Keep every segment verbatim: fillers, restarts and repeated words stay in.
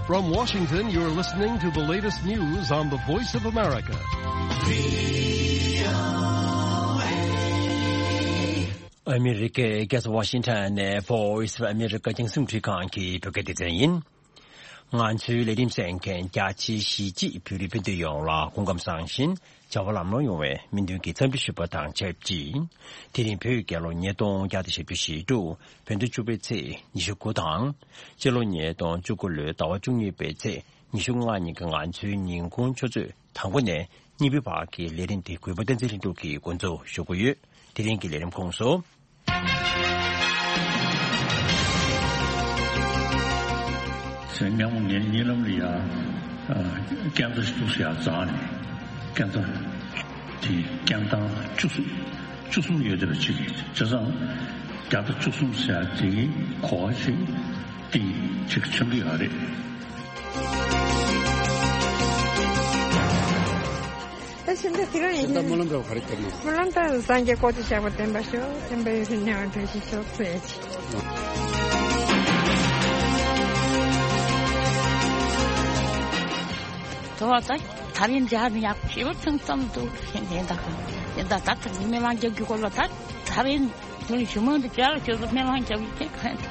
From Washington, you're listening to the latest news on the Voice of America. ཨ་མི་རི་ཀའི་རྒྱལ་ས་ཝ་ཤིང་ཊོན་ནས་Voice of America རྒྱང་སྲིང་འཕྲིན་ཁང་གི་བོད་སྐད་སྡེ་ཚན་ཡིན། ང་ཚོའི་ལས་རིམ་གསན་མཁན་རྒྱ་ཆེའི་གཞིས་བྱེས་བོད་རིགས་སྤུན་ཟླ་ཡོངས་ལ་སྐུ་ཁམས་བཟང་ཞིང་བྱ་བ་ལམ་ལྷོང་ཡོང་བའི་སྨོན་འདུན་གྱི་འཚམས་འདྲི་ཞུ་བ་དང་ཆབས་ཅིག་དེ་རིང་བོད་རྒྱལ་ལོ་ཉིས་སྟོང་བརྒྱ་དང་ཞེ་བཅུ་ཞེ་དྲུག་བོད་ཟླ་བཅུ་པའི་ཚེས་ཉི་ཤུ་དགུ་དང་། སྤྱི་ལོ་ཉིས་སྟོང་བཅུ་དགུ་ལོའི་ཟླ་བ་བཅུ་གཉིས་པའི་ཚེས་ཉི་ཤུ་ལྔ་ཉིན་གྱི་ང་ཚོའི་ཉིན་གུང་ཆུ་ཚོད་དང་པོ་ནས་གཉིས་པའི་བར་གྱི་ལས་རིམ་དེ་གུས་པ་བསྟན་འཛིན་ལྷུན་གྲུབ་ཀྱིས་འགོ་འཛུགས་ཞུ་གི་ཡོད། དེ་རིང་གི་ལས་རིམ་ཁོངས་སུ། སེམས་ཉམས་ངའི་གཉིད་ལམ་ལ་ཡ། སྐྱེ་འཚར་ཞིག་ཏུ་ཡ་བཟང་ནས། སྐྱེ་འཚར་དེ་སྐྱེ་སྟངས་བཅུ་གསུམ་བཅུ་གསུམ་ཡོད་བསྡད་པ་ཅིག་རེད། བྱས་ཙང་བརྒྱ་དང་བཅུ་གསུམ་ཟེར་ཡ་དེ་གོ་བ་ཞིག་དེ་ཅིག་མཚོན་གྱི་ཡོད་རེད། ད་ཕྱི་ཟླ་དེ་རིང་ཡིན། ད་སྨོན་ལམ་འདྲ་བ་ག་རེ་བརྒྱབ་ན། སྨོན་ལམ་ད་སངས་རྒྱས་བསྐལ་དུ་གཤེགས་པ་བསྟན་པ་ཤོག་བསྟན་པ་ཡུན་རིང་གནས་པར་འགྲོ་ཞིག་ཤོག་ཟེར་ཡ་ཅིག་དོ་བ་ད་ཐ་རིང་འཇག་ནི་ཡག་ཞེ་པོ་ཚང་ཙམ་འདུག་ཤེས་ངེས་ད་ག་ཡིན་ད་ད་ད་ནི་སྨོན་ལམ་རྒྱག་རྒྱུ་སྐོར་ལ་ད་ཐ་རིང་དུ་ནི་ཞུ་མང་དུ་བྱ་ལ་ཁྱོད་ཚོ་སྨོན་ལམ་རྒྱག་ཡི་ཁྱེད་ག་ཡིན།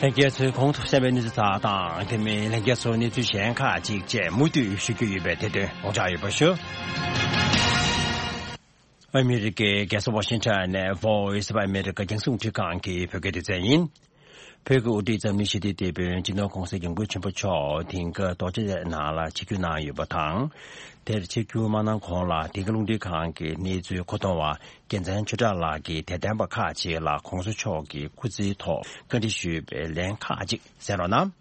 ལྷན་རྒྱས་ཚོས་གོང་དུ་གསན་པའི་གནས་ཚུལ་དག་དང་དེ་མིན་ལྷན་རྒྱས་ཚོ་གནས་ཚུལ་གཞན་ཁག་ཅིག་བཅས་མུ་མཐུད་ཞུ་རྒྱུ་ཡོད་པས་དེ་དོན་དགོངས་འཇགས་ཡོད་པ་ཞུ། ཨ་མི་རི་ཀའི་རྒྱལ་ས་ཝ་ཤིང་ཊོན་ནས་Voice of America རྒྱང་སྲིང་འཕྲིན་ཁང་གི་བོད་སྐད་སྡེ་ཚན་ཡིན། བོད་ཀྱི་དབུ་ཁྲིད་འཛམ་གླིང་ཞི་བདེའི་དེད་དཔོན་སྤྱི་ནོར་༸གོང་ས་༸སྐྱབས་མགོན་ཆེན་པོ་མཆོག་དེང་སྐབས་རྡོ་རྗེ་གདན་ནང་ལ་ཆིབས་བསྒྱུར་གནང་ཡོད་པ་དང་། དེར་ཆིབས་བསྒྱུར་མ་གནང་གོང་ལ་དེ་ག་རླུང་འཕྲིན་ཁང་གི་གནས་ཚུལ་མཁོ་གཏོང་བ་རྒྱལ་མཚན་ཆོས་གྲགས་ལགས་ཀྱིས་དད་ལྡན་པ་ཁག་ཅིག་ལ་༸གོང་ས་མཆོག་གི་སྐུ་ཚེའི་ཐོག་བཀའ་འདྲི་ཞུས་པའི་ལན་ཁག་ཅིག་གསན་རོགས་གནང་།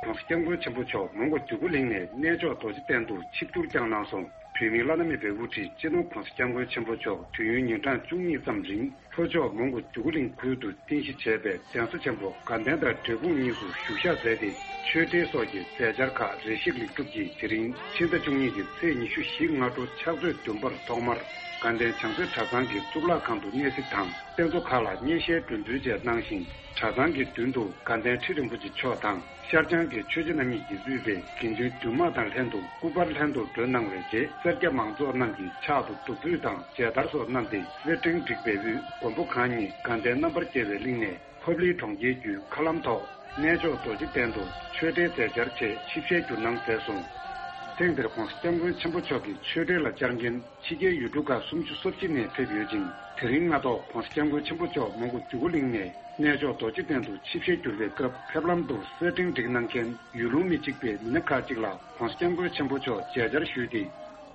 ༸གོང་ས་༸སྐྱབས་མགོན་ཆེན་པོ་མཆོག་མོན་གྷོ་འདོད་རྒུ་གླིང་ནས་གནས་མཆོག་རྡོ་རྗེ་གདན་དུ་ཆིབས་བསྒྱུར་བསྐྱངས་གནང་སོང་། བོད་མིའི་བླ་ན་མེད་པའི་དབུ་ཁྲིད་སྤྱི་ནོར་༸གོང་ས་༸སྐྱབས་མགོན་ཆེན་པོ་མཆོག་དུས་ཡུན་ཉིན་གྲངས་བཅུ་གཉིས་ཙམ་རིང་ལྷོ་ཕྱོགས་མོན་གྷོ་འདོད་རྒུ་གླིང་ཁུལ་དུ་རྟེན་གཞི་བྱས་པའི་གདན་ས་ཆེན་པོ་དགའ་ལྡན་དང་འབྲས་སྤུངས་གཉིས་སུ་བཞུགས་ཞག་མཛད་དེ། ཆོས་འབྲེལ་སོགས་ཀྱི་མཛད་འཆར་ཁག་རེ་ཞིག་ལེགས་གྲུབ་ཀྱིས་དེ་རིང་ཕྱི་ཟླ་བཅུ་གཉིས་ཀྱི་ཚེས་ཉི་ཤུ་བཞི་སྔ་དྲོ་ཕྱག་ཚོད་བདུན་པར་ཐོག་མར་དགའ་ལྡན་བྱང་རྩེ་གྲྭ་ཚང་གི་གཙུག་ལག་ཁང་དུ་གནས་གཟིགས་དང་། རྟེན་གཙོ་ཁག་ལ་བརྙན་ཤེལ་འགྲོ་འདུལ་བཅས་གནང་ཞིང་། གྲྭ་ཚང་གི་མདུན་དུ་དགའ་ལྡན་ཁྲི་རིན་པོ་ཆེ་མཆོག་དང་། ཤར་བྱང་གི་ཆོས་རྗེ་རྣམ་གཉིས་ཀྱིས་དབུས་པའི་དགེ་འདུན་འདུས་མང་དང་ལྷན་དུ་སྐུ་པར་ལྷན་དུ་མགྲོན་གནང་བའི་རྗེས། སེར་སྐྱ་མང་ཚོགས་རྣམས་ཀྱིས་ཕྱག་ཏུ་བདུག་སྤོས་དང་མཇལ་དར་སོགས་བསྣམས་ཏེ། སེར་ཕྲེང་བསྒྲིགས་པའི་དབུས་མགོན་པོ་གང་ཉིད་དགའ་ལྡན་རྣམ་པར་རྒྱལ་བའི་གླིང་ནས་ཕབ་ལེན་གྲོང་ཁྱེར་བརྒྱུད་མཁའ་ལམ་ཐོག་གནས་མཆོག་རྡོ་རྗེ་གདན་དུ་ཆོས་འབྲེལ་མཛད་འཆར་ཆེད་ཆིབས་ཞལ་བསྒྱུར་གནང་མཛད་སོང་། ཐེངས་འདིར་༸གོང་ས་༸སྐྱབས་མགོན་ཆེན་པོ་མཆོག་གི་ཆོས་འབྲེལ་ལ་བཅར་མཁན་ཕྱི་རྒྱལ་ཡུལ་གྲུ་ཁག་སུམ་ཅུ་སོ་གཅིག་ནས་ཕེབས་ཡོད་ཅིང་། དེ་རིང་སྔ་ཐོག་༸གོང་ས་༸སྐྱབས་མགོན་ཆེན་པོ་མཆོག་མོན་གྷོ་འདོད་རྒུ་གླིང་ནས་གནས་མཆོག་རྡོ་རྗེ་གདན་དུ་ཆིབས་ཞལ་བསྒྱུར་བའི་སྐབས། ཕེབས་ལམ་དུ་སེར་ཕྲེང་བསྒྲིགས་གནང་མཁན་ཡུལ་ལུང་མི་གཅིག་པའི་མི་སྣ་ཁག་ཅིག་ལ་༸གོང་ས་༸སྐྱབས་མགོན་ཆེན་པོ་མཆོག་མཇལ་བཅར་ཞུས་ཏེ།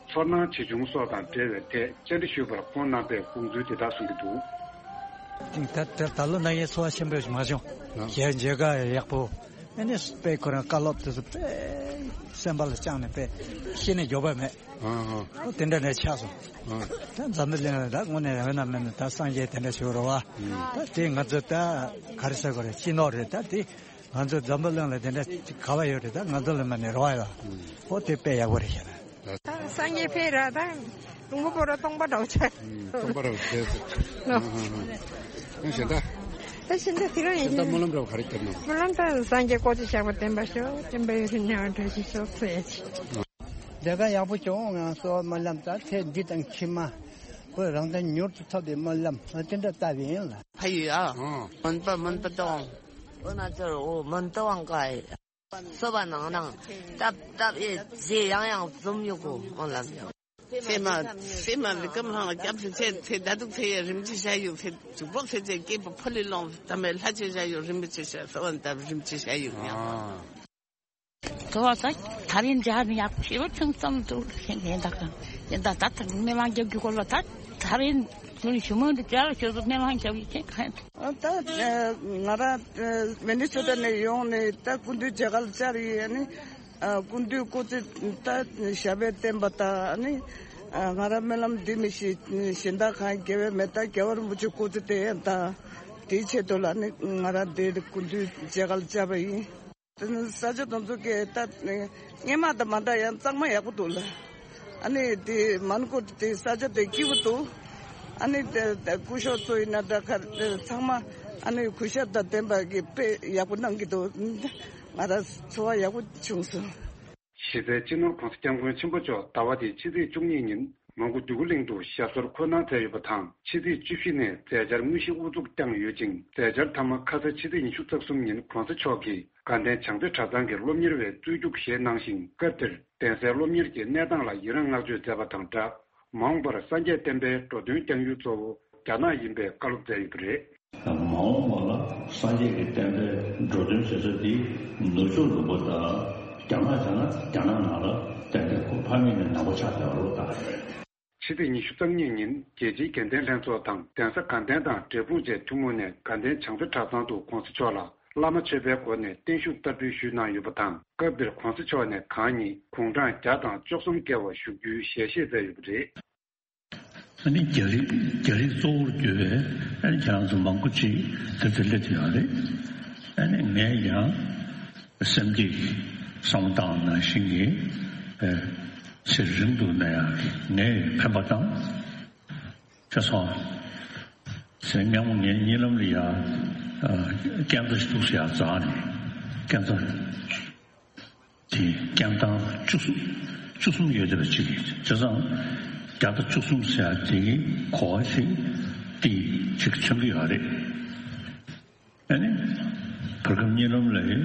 ཚོར་སྣང་ཇི་བྱུང་སོགས་དང་འབྲེལ་བའི་ཐད་བཅར་འདྲི་ཞུས་པར་ཁོང་གནང་པའི་དགོངས་ཚུལ་འདི་དག་གསུང་གི་འདུག། ད་ད་ད་ལོ་ན་ཡའི་ཚོར་བ་ཆེན་པོ་ཞིག་མ་བྱུང་། ཨ། ཞལ་མཇལ་ཁ་ཡག་པོ། ཨ་ནི་དཔེ་ཁོ་རང་བཀའ་སློབ་དེ་ཚོ་དཔེ་སེམས་པ་ལ་བཅངས་ནས་དཔེ་ཤེས་ནས་འཇོག་པ་མེད། ཨ་ཨ། ཨོ་དེ་འདྲ་འདྲ་ཆགས་སོང་། ཨ། ད་འཛམ་བུ་གླིང་ལ་ད་དངོས་གནས་ཡོད་ན་མེད་ན་ད་སངས་རྒྱས་དེ་འདྲ་ཞིག་རེད་བ། ཨ། ད་དེ་ང་ཚོ་ད་ག་རེ་ཟེར་དགོས་རེད། སྤྱི་ནོར་རེད། ད་དེ་ང་ཚོ་འཛམ་བུ་གླིང་ལ་དེ་འདྲ་ག་བ་ཡོད་རེད། ད་ང་ཚོ་ལ་མ་ནས་རེ་བ་ཡོད། ཨ། ཨོ་དེ་དཔེ་ཡག་པོ་རེད་ཤག་ད། ད་སངས་རྒྱས་ཕེབས་ར་ད་ལུང་པ་པོ་ར་སྟོང་པ་འདྲ་བོ་ཆགས། ཨ་སྟོང་པ་འདྲ་བོ་ཆགས་སོང་། ཨ་ཨ་ཨ། ཨ་གཞན་དག། ད་གཞན་དག་དེ་རང་ཡིན། གཞན་དག་སྨོན་ལམ་འདྲ་བོ་ག་རེ་བརྒྱབ་ན། སྨོན་ལམ་ད་སངས་རྒྱས་བསྐལ་དུ་གཤེགས་པ་བསྟན་པ་ཤོག་བསྟན་པ་ཡུན་རིང་གནས་པར་འགྲོ་ཞིག་ཤོག་ཟེར་ཡ་ཅིག། ལས་ཀ་ཡག་པོ་བྱུང་། ང་གསོལ་བ་སྨོན་ལམ་ད་ཚེ་འདི་དང་ཕྱི་མ་བོད་རང་བཙན་མྱུར་དུ་ཐོབ་པའི་སྨོན་ལམ་དེ་འདྲ་བཏབ་ཡིན་ལ། ཕ་ཡུལ་ཨ། ཨང་། མོན་པ་མོན་པ་དང་། འོ་ན་ཚོར་འོ་མོན་པ་དབང་ག་ཨེ། སོ་པ་ནང་ནང་སྟབས་སྟབས་ཨེ་རྗེས་ཡང་ཡང་འཛོམས་ཡོད་གོ་འོང་ལབ་ཡོང་། སེ་མ་སེ་མ་ལི་ཀམ་ཧང་སྐྱབས་སེ་ཚེ་ཚེ་ད་དུག་ཚེ་ཡ་རིམ་གྱིས་བྱ་ཡོད་ཚེ་དུག་པོག་ཚེ་ཚེ་སྐྱེས་པ་ཕོ་ལི་ལོང་ད་མེ་ལྷ་ཆེ་བྱ་ཡོད་རིམ་གྱིས་བྱ་སོ་བ་ད་རིམ་གྱིས་བྱ་ཡོད་ཡང་། ཨ། དོ་བ་ད་ད་རིང་འཇག་ནི་ཡག་ཞེ་པོ་ཆུང་ཙམ་འདུག་ཤེས་ངེས་ད་ག་ཡིན་ད་ད་ད་མི་མང་རྒྱབ་རྒྱུ་སྐོར་ལ་ད་ད་རིང་དུ་ནི་ཞུ་མོ་འདི་འཇག་ལ་ཁྱོད་ཚོ་མི་མང་རྒྱབ་ཡི་ཁྱེད་ག་ཡིན། ཨ་ད་ང་རང་མི་ནི་སོ་ཊ་ནས་ཡོང་ནས་ད་སྐུ་མདུན་མཇལ་ཁ་ལ་བཅར་ཡིན། ཨ་ནི་ཨ་སྐུ་མདུན་སྐུ་ཚེ་ད་ཞབས་པད་བརྟན་པ་དང་ཨ་ནི་ཨ་ང་རང་སྨོན་ལམ་འདི་ནི་ཞི་ཞི་ད་གང་དགེ་བའི་མེ་ད་རྒྱལ་བ་རིན་པོ་ཆེ་སྐུ་ཚེ་བརྟན་དང་དེའི་ཆེད་དུ་ལ་ནི་ང་རང་འདི་སྐུ་མདུན་མཇལ་ཁ་ལ་བཅར་བ་ཡིན། ས་ཆ་དེ་ཚོ་གི་ད་སྔོན་མ་དང་མ་འདྲ་ཡང་གཙང་མ་ཡག་པོ་འདུག་ལ། ཨ་ནི་དེ་མོན་གྷོ་དེ་ས་ཆ་དེ་སྐྱིད་པོ་འདུག། ཨ་ནི་དེ་དེ་སྐུ་ཞབས་ཚོ་ཡིན་ན་འདྲ་ག་རེ་ཚང་མ་ཨ་ནི་གུས་ཞབས་དང་ལྡན་པ་གི་དཔེ་ཡག་པོ་གནང་གི་འདུག་ང་རང་ཚོར་བ་ཡག་པོ་བྱུང་སོང་། གཞི་རྩའི་སྤྱི་ནོར་༸གོང་ས་༸སྐྱབས་མགོན་ཆེན་པོ་མཆོག་ཟླ་བ་འདིའི་ཕྱི་ཚེས་བཅུ་གཉིས་ཉིན་མོན་གྷོ་འདོད་རྒུ་གླིང་དུ་ཞབས་སོར་འཁོད་གནང་མཛད་ཡོད་པ་དང་། ཕྱི་ཚེས་བཅུ་བཞི་ནས་མཛད་འཆར་དངོས་གཞི་དབུ་འཛུགས་བསྐྱངས་ཡོད་ཅིང་། མཛད་འཆར་མཐའ་མ་ཁ་ས་ཕྱི་ཚེས་ཉི་ཤུ་རྩ་གསུམ་ཉིན་༸གོང་ས་མཆོག་གིས་དགའ་ལྡན་བྱང་རྩེ་གྲྭ་ཚང་གི་སློབ་གཉེར་བའི་རྩོད་རྒྱུགས་བཞེས་གནང་ཞིང་། སྐབས་དེར་གདན་སའི་སློབ་གཉེར་གྱི་གནས་སྟངས་ལ་ཡི་རངས་བསྔགས་བརྗོད་མཛད་པ་དང་སྦྲགས། མ་འོངས་པར་སངས་རྒྱས་བསྟན་པའི་འགྲོ་དོན་བསྐྱང་ཡུལ་གཙོ་བོ་རྒྱ་ནག་ཡིན་པའི་བཀའ་སློབ་མཛད་ཡོད་པ་རེད། མ་འོངས་པ་ལ་སངས་རྒྱས་ཀྱི་བསྟན་པའི་འགྲོ་དོན་བྱེད་ས་དེ་ནུབ་ཕྱོགས་ལུང་པ་དང་། རྒྱ་ནག་བྱས་ན་རྒྱ་ནག་ནང་ལ་ཏན་ཏན་ཁོ་ཕ་མེས་ནས་ནང་པ་ཆགས་བསྡད་པ་རེད་ད། ཕྱི་ཚེས་ཉི་ཤུ་རྩ་གཉིས་ཉིན་རྒྱལ་སྤྱིའི་དགེ་ལྡན་ལྷན་ཚོགས་དང་གདན་ས་དགའ་ལྡན་དང་འབྲས་སྤུངས་བཅས་ཐུན་མོང་ནས་དགའ་ལྡན་བྱང་རྩེ་གྲྭ་ཚང་དུ་༸གོང་ས་མཆོག་ལ་བླ་མ་མཆོད་པའི་སྒོ་ནས་བརྟན་བཞུགས་བསྟར་འབུལ་ཞུས་གནང་ཡོད་པ་དང་། སྐབས་དེར་༸གོང་ས་མཆོག་ནས་གང་ཉིད་དགུང་གྲངས་བརྒྱ་དང་བཅུ་གསུམ་བརྒལ་བ་བཞུགས་རྒྱུའི་ཞལ་བཞེས་མཛད་ཡོད་པ་རེད། ཨ་ནི་རྒྱ་རིགས་རྒྱ་རིགས་གཙོ་བོར་གྱུར་པའི་ཨ་ནི་ཁྱེད་རང་ཚོ་མང་པོ་ཅིག་དེ་ཚོ་སླེབས་ཡོད་རེད། ཨ་ནི་ངས་ཀྱང་སེམས་ཀྱི་བསམ་བློ་བཏང་ནང་བཞིན་གྱི་ཨ་ཚེ་རིང་དུ་གནས་ཡག་གི་ངས་འཕེན་པ་དང་། ཁ་སང་ཚེ་སྔ་མོ་ངའི་གཉིད་ལམ་ལ་ཡ་ཨ་རྐྱེན་རྩ་ཞིག་འདུག་ཟེར་ཡ་རྩ་ནས་རྐྱེན་རྩ། དེ་རྐྱེན་ཐང་བཅུ་གསུམ་བཅུ་གསུམ་ཡོད་བསྡད་པ་ཅིག་རེད། བྱས་ཙང་བརྒྱ་དང་བཅུ་གསུམ་ཟེར་ཡ་དེ་གི་གོ་བ་ཞིག་དེ་ཅིག་མཚོན་གྱི་ཡོད་རེད། ཨ་ནི་བར་སྐབས་གཉིད་ལམ་ལ་ཡིན་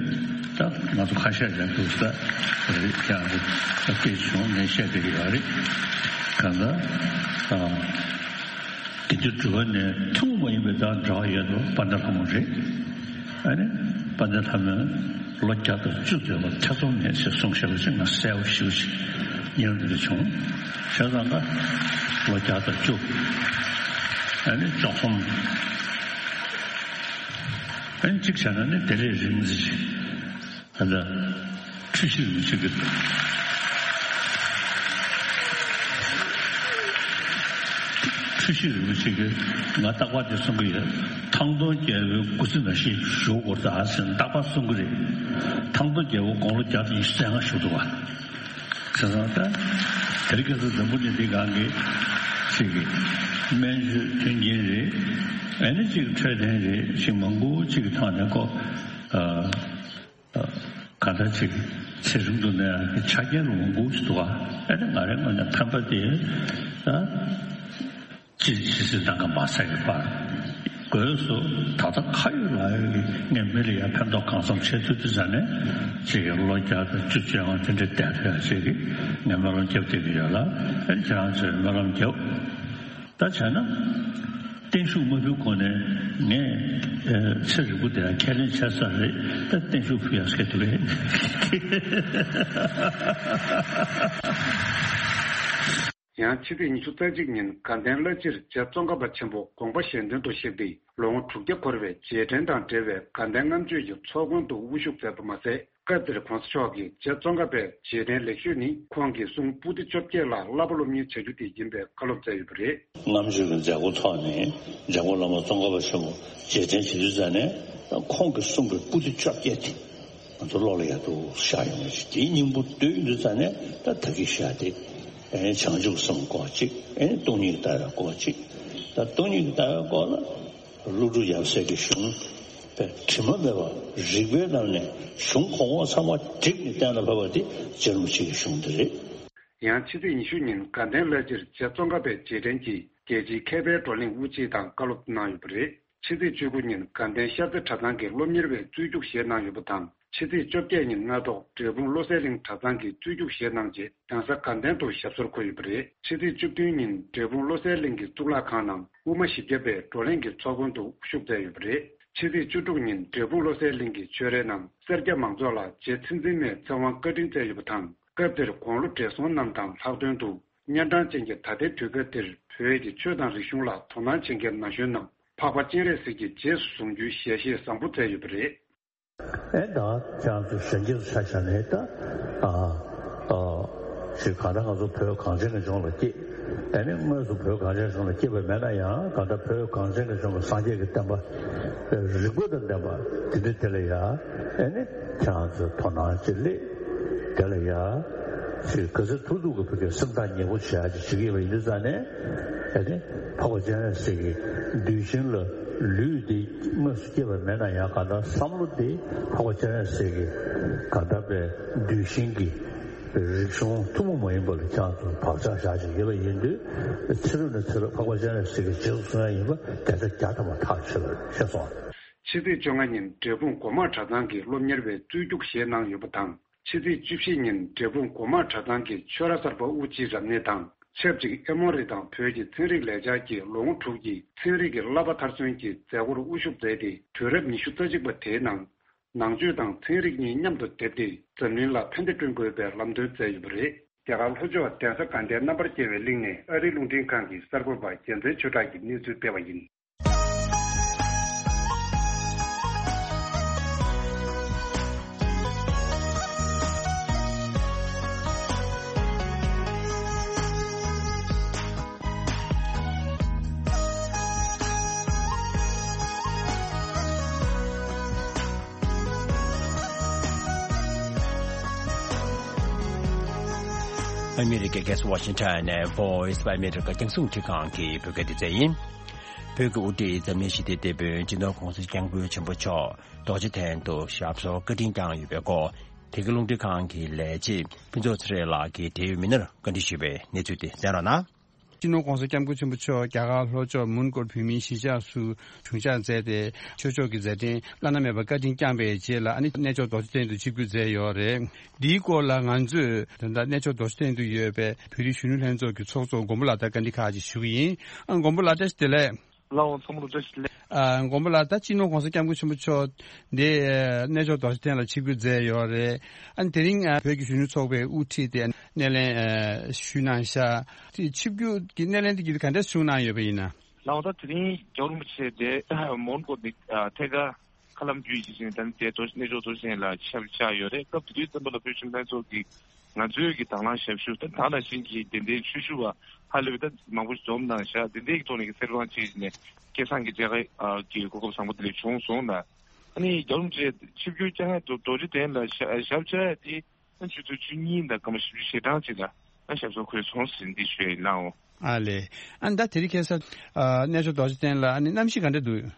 ད་ང་ཚོ་ཁ་ཤས་ཀྱང་འདུག་ས་རེད། ཀྱང་རེད་ད་སྐད་བྱུང་ངས་བཤད་བསྡད་ཀྱི་ཡོད་རེད། གང་ལྟར་ཨ། དེ་དུས་དྲི་བ་ནི་ཐུན་མོང་མ་ཡིན་པའི་དང་འབྲེལ་བ་ཡོད་དོ་དཔལ་ལྡན་ལྷ་མོ་རེད། ཨ་ནི་དཔལ་ལྡན་ལྷ་མོས་ལོ་བརྒྱ་དང་བཅུ་སྡོད་པར་ཐེ་ཚོམ་མེད་ཅེས་གསུངས་བཞག་པ་ཅིག་ང་གསལ་པོ་ཞེ་པོ་ཅིག་ཉན་འདོད་བྱུང་། བྱས་ཙང་ཀ་ལོ་བརྒྱ་དང་བཅུ་ཨ་ནི་བཅུ་གསུམ་ཨ་ནི་གཅིག་བྱས་ན་ནི་དེ་ལས་རིང་ཙམ་ཅིག་ད་ལྟ་འཁྲུལ་ཞིག་རིན་པོ་ཆེ་གི་འཁྲུལ་ཞིག་རིན་པོ་ཆེ་གི་ང་རྟག་པར་དེ་གསུང་གི་ཡོད། ཐང་སྟོང་རྒྱལ་པོའི་སྐུ་ཚེ་ནང་བཞིན་བཞུགས་དགོས་ད་ཟེར་ནས་རྟག་པར་གསུང་གི་རེད། ཐང་སྟོང་རྒྱལ་པོ་དགུང་ལོ་བརྒྱ་དང་ཉི་ཤུ་རྩ་ལྔ་བཞུགས་འདུག་བ། བྱས་ཙང་ད་དེ་རིང་ཁ་སང་འཛམ་བུ་གླིང་འདི་སྒང་གི་ཅིག་གི་སྨན་བཅོས་མཐུན་རྐྱེན་རེད། ཨ་ནི་ཅིག་འཕྲོད་བསྟེན་རེད། ཅིག་མང་པོ་ཅིག་གི་ཐོག་ནས་ཁོ་ཨ། གང་ལྟར་ཅིག་ཚེ་རིང་དུ་གནས་ཡག་གི་ཆ་རྐྱེན་རུ་འོང་དགོས་ཞིག་འདུག་ག་ཨ་ནི་ང་རའི་ངོས་ནས་ཕན་པ་དེ་ད་ཅི་ཇི་སྲིད་ལྟ་ག་མ་ཟ་གི་པར་དགོས་སུ་ད་ལྟ་ཁ་ཡོད་ལག་ཡོད་ཀྱི་ངས་མི་ལ་ཡང་ཕན་ཐོགས་གང་འཚམ་བྱེད་ཐུབ་དུས་ཙ་ནས་ཅིག་གི་ལོ་བརྒྱ་དང་བཅུ་བཅོ་ལྔ་དེ་འདྲ་བསྡད་ཐུབ་ཡག་ཅིག་གི་ངས་སྨོན་ལམ་རྒྱབ་བསྡད་ཀྱི་ཡོད་ལ། ཨ་ནི་ཁྱེད་རང་ཚོས་སྨོན་ལམ་རྒྱབ། ད་བྱས་ན། བརྟན་བཞུགས་མ་ཕུལ་གོང་ནས་ངས་ཚེ་རིང་པོ་དེ་ལ་ཁས་ལེན་བྱས་ཚར་རེད། ད་བརྟན་བཞུགས་ཕུལ་ཡག་སྐད་དུ་རེད། ཡང་ཕྱི་ཚེས་ཉི་ཤུ་རྩ་གཅིག་ཉིན་དགའ་ལྡན་བླ་སྤྱིར་རྗེ་ཙོང་ཁ་པ་ཆེན་པོ་དགོངས་པ་གཞན་དོན་དུ་གཤེགས་ཏེ་ལོ་ངོ་དྲུག་བརྒྱ་འཁོར་བའི་རྗེས་དྲན་དང་འབྲེལ་བའི་དགའ་ལྡན་ལྔ་མཆོད་ཀྱི་ཚོགས་མགོན་དུ་དབུ་བཞུགས་མཛད་པ་མ་ཟད། སྐབས་དེར་༸གོང་ས་མཆོག་གིས་རྗེ་ཙོང་ཁ་པའི་རྗེས་དྲན་ལེགས་ཤོས་ནི་ཁོང་གི་གསུང་པོ་ཏི་བཅོ་བརྒྱད་ལ་བསླབ་པ་སློབ་གཉེར་བྱ་རྒྱུ་དེ་ཡིན་པའི་བཀའ་སློབ་སྩལ་ཡོད་པ་རེད། ལྔ་མཆོད་ཀྱི་མཛད་སྒོ་ཐོག་ནས་འཇམ་མགོན་བླ་མ་ཙོང་ཁ་པ་ཆེན་པོ་རྗེས་དྲན་བྱེད་དུས་ཙ་ནས་ཁོང་གི་གསུང་གི་པོ་ཏི་བཅོ་བརྒྱད་དེ་ང་ཚོ་བློ་ལ་ཡག་ཏུ་ཤར་ཡོང་བ་ཞིག་དེའི་སྙིང་པོ་བསྡུས་ཡོང་དུས་ཙ་ནས་ད་ད་གིན་བཤད་དེ་བྱང་ཆུབ་གསུམ་སྐོར་གཅིག་སྟོང་ཉིད་ལྟ་བའི་སྐོར་གཅིག་ད་སྟོང་ཉིད་ལྟ་བའི་སྐོར་ལ། ཀླུ་སྒྲུབ་ཡབ་སྲས་ཀྱི་གཞུང་དེ་དྲི་མ་མེད་པ་རིགས་པའི་ལམ་ནས་གཞུང་གོང་འོག་ཚང་མ་བསྒྲིགས་ནས་གཏན་ལ་ཕབ་པ་དེ་རྗེ་རིན་པོ་ཆེ་གི་གཞུང་དེ་རེད། ཡང་ཕྱི་ཚེས་ཉི་ཤུ་ཉིན་དགའ་ལྡན་བླ་སྤྱིར་རྗེ་ཙོང་ཁ་པའི་རྗེས་དྲན་གྱིས་རྒྱལ་སྤྱིའི་མཁས་པའི་བགྲོ་གླེང་དབུ་འབྱེད་དང་བཀའ་སློབ་གནང་ཡོད་པ་རེད། ཕྱི་ཚེས་བཅུ་དགུ་ཉིན་དགའ་ལྡན་ཤར་རྩེ་གྲྭ་ཚང་གི་སློབ་གཉེར་བའི་རྩོད་རྒྱུགས་བཞེས་གནང་ཡོད་པ་དང་། ཕྱི་ཚེས་བཅོ་བརྒྱད་ཉིན་སྔ་དྲོ་འབྲས་སྤུངས་བློ་གསལ་གླིང་གྲྭ་ཚང་གིས་རྩོད་རྒྱུགས་བཞེས་གནང་རྗེས་གདན་ས་དགའ་ལྡན་དུ་ཞབས་སོར་འཁོད་ཡོད་པ་རེད། ཕྱི་ཚེས་བཅུ་བདུན་ཉིན་འབྲས་སྤུངས་བློ་གསལ་གླིང་གི་གཙུག་ལག་ཁང་ནང་དབུ་མ་བཞི་བརྒྱ་པའི་བགྲོ་གླེང་གི་ཚོགས་མགོན་དུ་དབུ་བཞུགས་མཛད་ཡོད་པ་རེད། ཕྱི་ཚེས་བཅུ་དྲུག་ཉིན་འབྲས་སྤུངས་བློ་གསལ་གླིང་གི་ཆོས་རའི་ནང་སེར་སྐྱ་མང་ཚོགས་ལ་རྗེ་ཚེ་བཙུན་མའི་ཚེ་དབང་བཀའ་དྲིན་སྩལ་ཡོད་པ་དང་། སྐབས་དེར་དགུང་ལོ་བགྲེས་སོང་རྣམས་དང་ལྷག་དོན་དུ་གཉན་འཕྲང་ཅན་གྱི་ད་ལྟའི་དུས་སྐབས་འདིར་བོད་ཀྱི་ཆོས་དང་རིག་གཞུང་ལ་དོ་སྣང་བྱེད་མཁན་ན་གཞོན་རྣམས་འཕགས་པ་སྤྱན་རས་གཟིགས་ཀྱི་རྗེས་སུ་བཟུང་རྒྱུའི་ཞལ་བཞེས་བཟང་པོ་མཛད་ཡོད་པ་རེད། ཨེ་ད་ཁྱེད་རང་ཚོ་གཞོན་སྐྱེས་ཚོ་ཆ་བཞག་ནས་ད་ཨ་ཨ་ཞིག་གང་ལྟར་ང་ཚོ་བོད་གངས་ཅན་གྱི་ལྗོངས་ལ་སྐྱེས། ཨེ་ནི་དངོས་སུ་བོད་གངས་ཅན་ལྗོངས་ལ་སྐྱེས་པ་མེད་ན་ཡང་གང་ལྟར་བོད་གངས་ཅན་གྱི་ལྗོངས་ལ་སངས་རྒྱས་ཀྱི་བསྟན་པ་རིག་པ་དང་ལྡན་པ་དེ་འདྲ་དེ་ལ་ཡ་ཨེ་ནི་ཁྱེད་རང་ཚོས་དོ་སྣང་ཅིག་སླེབས། དེ་ལ་ཡ་ཅིག་ག་ཚོད་ཐུབ་ཐུབ་ཀྱི་བོད་ཀྱི་སེམས་ཐག་ཉེ་པོ་བྱེད་ཡ་ཅིག་བྱེད་ཀྱི་ཡོད་པ་ཡིན་དུས་ཙང་ནས་ དེ་ནས་འཕགས་པ་སྤྱན་རས་གཟིགས་ཀྱི་གདུལ་ཞིང་ལ་ལུས་འདི་དངོས་སུ་སྐྱེས་པ་མེད་ན་ཡང་། གང་ལྟར་བསམ་བློ་འདི་འཕགས་པ་སྤྱན་རས་གཟིགས་ཀྱི་གང་ལྟར་པའི་གདུལ་ཞིང་གི་རིག་གཞུང་ཐུན་མོང་མ་ཡིན་པ་ལ་ཅང་ཙམ་བག་ཆགས་བཞག་བཞིན་ཡོད་པ་ཡིན་དུས། ཚེ་རབས་ནས་ཚེ་རབས་འཕགས་པ་སྤྱན་རས་གཟིགས་ཀྱི་རྗེས་སུ་བཟུང་ཡ་ཡིན་པ་བརྒྱ་ཆ་བརྒྱ་ཐམ་པ་ཐག་ཆོད་པ་རེད། ཤེས་སོང་། ཕྱི་ཚེས་བཅོ་ལྔ་ཉིན་འབྲས་སྤུངས་སྒོ་མང་གྲྭ་ཚང་གི་སློབ་གཉེར་བའི་གཙོས་རྒྱུགས་བཞེས་གནང་ཡོད་པ་དང་། ཕྱི་ཚེས་བཅུ་བཞི་ཉིན་འབྲས་སྤུངས་སྒོ་མང་གྲྭ་ཚང་གི་ཆོས་ར་གསར་པ་དབུ་སྐྱེས་རབ་གནས་དང་ཆབས་ཅིག་ཨེ་མོ་རི་དང་བོད་ཀྱི་ཚན་རིག་ལས་འཆར་གྱི་ལོ་ངོ་དྲུག་གི་ཚན་རིག་གི་བསླབ་པ་མཐར་སོན་གྱི་མཛད་སྒོར་དབུ་བཞུགས་མཛད་དེ། དུས་རབས་ཉི་ཤུ་རྩ་གཅིག་པ་དེའི་ནང་ནང་ཆོས་དང་ཚན་རིག་གཉིས་མཉམ་དུ་སྡེབ་སྟེ་འཛམ་གླིང་ལ་ཕན་བདེ་བསྐྲུན་དགོས་པའི་ལམ་སྟོན་མཛད་ཡོད་པ་རེད། རྒྱ་གར་ལྷོ་ཕྱོགས་གདན་ས་དགའ་ལྡན་རྣམ་པར་རྒྱལ་བའི་གླིང་ནས་ཨ་རིའི་རླུང་འཕྲིན་ཁང་གི་གསར་འགོད་པ་རྒྱལ་མཚན་ཆོས་གྲགས་ཀྱིས་གནས་ཚུལ་སྤེལ་བ་ཡིན། ཨ་མི་རི་ཀའི་རྒྱལ་ས་ཝ་ཤིང་ཊོན་ནས་Voice of America རྒྱང་སྲིང་འཕྲིན་ཁང་གི་བོད་སྐད་སྡེ་ཚན་ཡིན། བོད་ཀྱི་དབུ་ཁྲིད་འཛམ་གླིང་ཞི་བདེའི་དེད་དཔོན་སྤྱི་ནོར་༸གོང་ས་༸སྐྱབས་མགོན་ཆེན་པོ་མཆོག་རྡོ་རྗེ་གདན་དུ་ཞབས་སོར་བཀའ་དྲིན་བསྐྱངས་ཡོད་པའི་སྐོར། དེ་གའི་རླུང་འཕྲིན་ཁང་གི་ལས་བྱེད་ཕུན་ཚོགས་ཚེ་རིང་ལགས་ཀྱིས་འབྲེལ་ཡོད་མི་སྣར་བཀའ་འདྲི་ཞུས་པའི་གནས་ཚུལ་དེ་གསན་རོགས་གནང་། སྤྱི་ནོར་༸གོང་ས་༸སྐྱབས་མགོན་ཆེན་པོ་མཆོག་རྒྱ་གར་ལྷོ་ཕྱོགས་མོན་གྷོར་བོད་མིའི་གཞིས་ཆགས་སུ་ཞུ་འཆར་མཛད་དེ། ཆོས་ཕྱོགས་ཀྱི་མཛད་འཕྲིན་བླ་ན་མེད་པ་བཀའ་དྲིན་བསྐྱངས་པའི་རྗེས་ལ། ཨ་ནི་གནས་མཆོག་རྡོ་རྗེ་གདན་དུ་ཆིབས་བསྒྱུར་མཛད་ཡོད་རེད། འདིའི་སྐོར་ལ་ང་ཚོས་ད་ལྟ་གནས་མཆོག་རྡོ་རྗེ་གདན་དུ་ཡོད་པའི་བོད་རིགས་གཞོན་ནུ་ལྷན་ཚོགས་ཀྱི་ཚོགས་གཙོ་མགོན་པོ་ལགས་དང་བཀའ་འདྲི་ཁག་ཅིག་ཞུ་གི་ཡིན། ཨ། མགོན་པོ་ལགས་བཀྲ་ཤིས་བདེ་ལེགས། ལགས་འོང་། ཚང་མ་ལ་བཀྲ་ཤིས་བདེ་ལེགས། ཨ། མགོན་པོ་ལགས། ད་སྤྱི་ནོར་༸གོང་ས་༸སྐྱབས་མགོན་ཆེན་པོ་མཆོག་འདི་གནས་མཆོག་རྡོ་རྗེ་གདན་ལ་ཆིབས་བསྒྱུར་མཛད་ཡོད་རེད། ཨ་ནི་དེ་རིང་བོད་ཀྱི་གཞོན་ནུ་ཚོགས་པའི་དབུ་ཁྲིད་དེ་སྣེ་ལེན་ཞུས་གནང་ཤག་དེ་ཆིབས་བསྒྱུར་གྱི་སྣེ་ལེན་དེ་ག་འདྲ་བྱུང་གནང་ཡོད་པ་ཡིན་ན། ལགས་འོང་། ད་དེ་རིང་རྒྱལ་བ་རིན་པོ་ཆེ་དེ་མོན་གྷོ་ནས་ཐད་ཀར་མཁའ་ལམ་བརྒྱུད་ཀྱི་ཞིང་ད་ནི་དེ་རྡོ་གནས་མཆོག་རྡོ་རྗེ་གདན་ལ་ཆིབས་བཅར་ཡོད་རེད། སྐབས་དེ་དུས་ཙམ་པ་ལ་བོད་གཞོན་ལྷན་ཚོགས་ཀྱི་ང་ཚོའི་གི་དང་བླངས་ཞབས་ཞུ་ད་ད་ནང་བཞིན་གྱི་དེ་འདྲའི་ཆོས་ཞུ་བ་ཧ་ལས་པའི་ད་མང་པོ་ཞིག་འཛོམས་གནང་ཤག་དེ་འདྲའི་གི་ཐོག་ནས་གི་སེར་བང་བྱས་ནས་སྐལ་བཟང་གི་མཇལ་ཁ་གི་གོ་སྐབས་བཟང་པོ་དེ་འདྲ་བྱུང་སོང་ལ། ཨ་ནི་རྒྱལ་བ་རིན་པོ་ཆེ་ཆིབས་བསྒྱུར་བསྐྱངས་མཁན་རྡོ་རྗེ་གདན་ལ་ཞབས་བཅར་ཡ་དེ་ཨ་ཆུ་ཚོད་བཅུ་གཉིས་དང་སྐར་མ་བཞི་བཅུ་ཞེ་གྲངས་ཅིག་ལ་ཨ་ཞབས་སོར་འཁོད་སོང་ཟིན་འདི་ཞུ་ཡ་ཡིན། ལགས་འོང་། ཨ་ལས། ཨ་ནི་ད་དེ་རིང་ཁ་སང་གནས་མཆོག་རྡོ་རྗེ་གདན་ལ་ཨ་ནི་གནམ་གཤིས་ག་འདྲ་འདུག་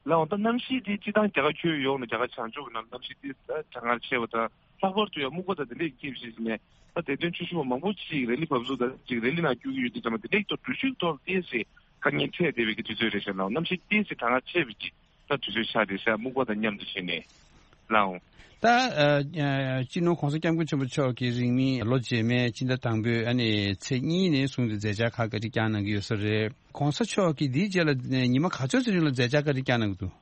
ལགས་འོང་། ད་གནམ་གཤིས་དེ་སྤྱིར་བཏང་རྒྱ་གར་ཁྱོན་ཡོངས་ནས་རྒྱ་གར་བྱང་ཕྱོགས་ཀྱི་ནང་གནམ་གཤིས་དེ་གྲང་ངར་ཆེ་བ་དང་། ལྷག་པར་དུ་ཡང་སྨུག་པ་དང་དེ་འདྲས་ཀྱིས་བྱས་ནས་ད་དེ་དོན་ཆོས་ཞུ་བ་མང་པོ་ཅིག་རེ་ལི་བབས་ཚུགས་དང་ཅིག་རེ་ལི་ནང་བསྐྱོད་ཀྱི་ཡོད་དུས་ཙམ་པ་དེ་འདྲས་ཀྱི་ཐོག་འགྲུལ་བཞུད་ཐོག་ཏོག་ཙམ་དཀའ་ངལ་འཕྲད་བསྡད་པའི་གི་དུས་ཚོད་རེད་ཤག་ལགས། གནམ་གཤིས་ཏོག་ཙམ་གྲང་ངར་ཆེ་བའི་གི་ད་དུས་ཚོད་ཆགས་བསྡད་ཤག་སྨུག་པ་དང་མཉམ་དུ་བྱས་ནས་ལགས་འོང་། ད་ཨ་ཨ་སྤྱི་ནོར་༸གོང་ས་༸སྐྱབས་མགོན་ཆེན་པོ་མཆོག་གི་རིང་མིན་ལོ་རྗེས་མའི་སྤྱི་ཟླ་དང་པོའི་ཨ་ནི་ཚེས་གཉིས་ནས་བཟུང་སྟེ་མཛད་འཆར་ཁག་བཀའ་འདྲི་བསྐྱངས་གནང་གི་ཡོད་ས་རེད། ༸གོང་ས་མཆོག་གིས་འདིའི་རྗེས་ལ་ཉི་མ་ག་ཚོད་ཙམ་རིང་ལ་མཛད་འཆར་བཀའ་འདྲི་བསྐྱངས་གནང་གི་འདུག་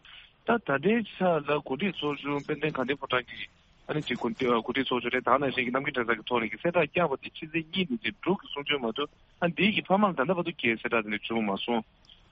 ད་ད་ལྟའི་ཆ་ལ་གོ་སྒྲིག་ཚོགས་ཆུང་དཔལ་ལྡན་དགའ་ལྡན་ཕོ་བྲང་གི་ཨ་ནི་ཅིག་གོ་སྒྲིག་གོ་སྒྲིག་ཚོགས་ཆུང་རེད། ད་ནང་བཞིན་གྱི་རྣམ་མཁྱེན་གྲྭ་ཚང་གི་ཐོག་ནས་ཀྱི་གསལ་བསྒྲགས་བསྐྱངས་པ་དེ་ཕྱི་ཚེས་གཉིས་ནས་ཀྱི་འབྲུག་གི་གསུང་ཆོས་མ་གཏོགས་ཨ་འདིའི་གི་ཕ་མ་ལ་ད་ལྟ་བར་དུ་གི་གསལ་བསྒྲགས་དེ་འདྲ་བྱུང་མ་སོང་།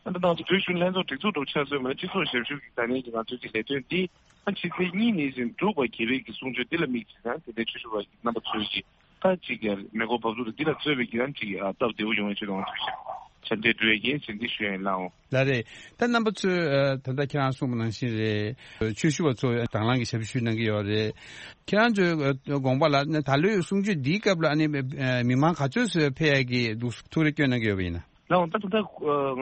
ཨ་ད་ནང་དུ་བོད་གཞོན་ལྷན་ཚོགས་སྒྲིག་འཛུགས་འགྲོ་ཆ་སོན་མ་ནས་སྤྱི་ཚོགས་ཞབས་ཞུ་གི་ས་གནས་ཀྱི་ང་ཚོའི་གི་ལས་དོན་འདི་ཨ་ཕྱི་ཚེས་གཉིས་ནས་ཀྱི་འབྲུག་པ་རྒྱལ་བའི་གི་གསུང་ཆོས་འདི་ལ་དམིགས་ཀྱི་ཡང་དེ་འདྲའི་ཆོས་ཞུ་བ་གི་རྣམ་པ་ཚོས་ཀྱི་ད་ཅིག་ཡང་མེ་འཁོར་བབས་ཚུགས་དང་འདི་ལ་གཙོས་པའི་གི་ཡང་ཅིག་ཡང་སྟབས་བདེ་པོ་ཡོང་བའི་ཆེད་དུ་ང་ཚོས་ཀྱི་ཆ་འདྲེ་འགྲོ་ཡ་ཡིན་ཟེར་འདི་ཞུ་ཡ་ཡིན། ལགས་འོང་། ལགས་རེད། ད་རྣམ་པ་ཚོས་ཨ་ད་ལྟ་ཁྱེད་རང་གསུངས་པ་ནང་བཞིན་རེད། ཆོས་ཞུ་བ་ཚོ་དང་བླངས་ཀྱི་ཞབས་ཞུ་གནང་གི་ཡོད་རེད། ཁྱེད་རང་ཚོའི་ཨ་དགོངས་པ་ལ་ད་ལོའི་གསུང་ཆོས་འདིའི་སྐབས་ལ་ཨ་ནི་ཨ་མི་མང་ག་ཚོད་ཙམ་ཕེབས་ཡ་གི་འདུག་ཐུགས་རེ་བསྐྱོན་གནང་གི་ཡོད་པ་ཡིན་ན། ལགས་འོང་། ད་ད་ལྟ་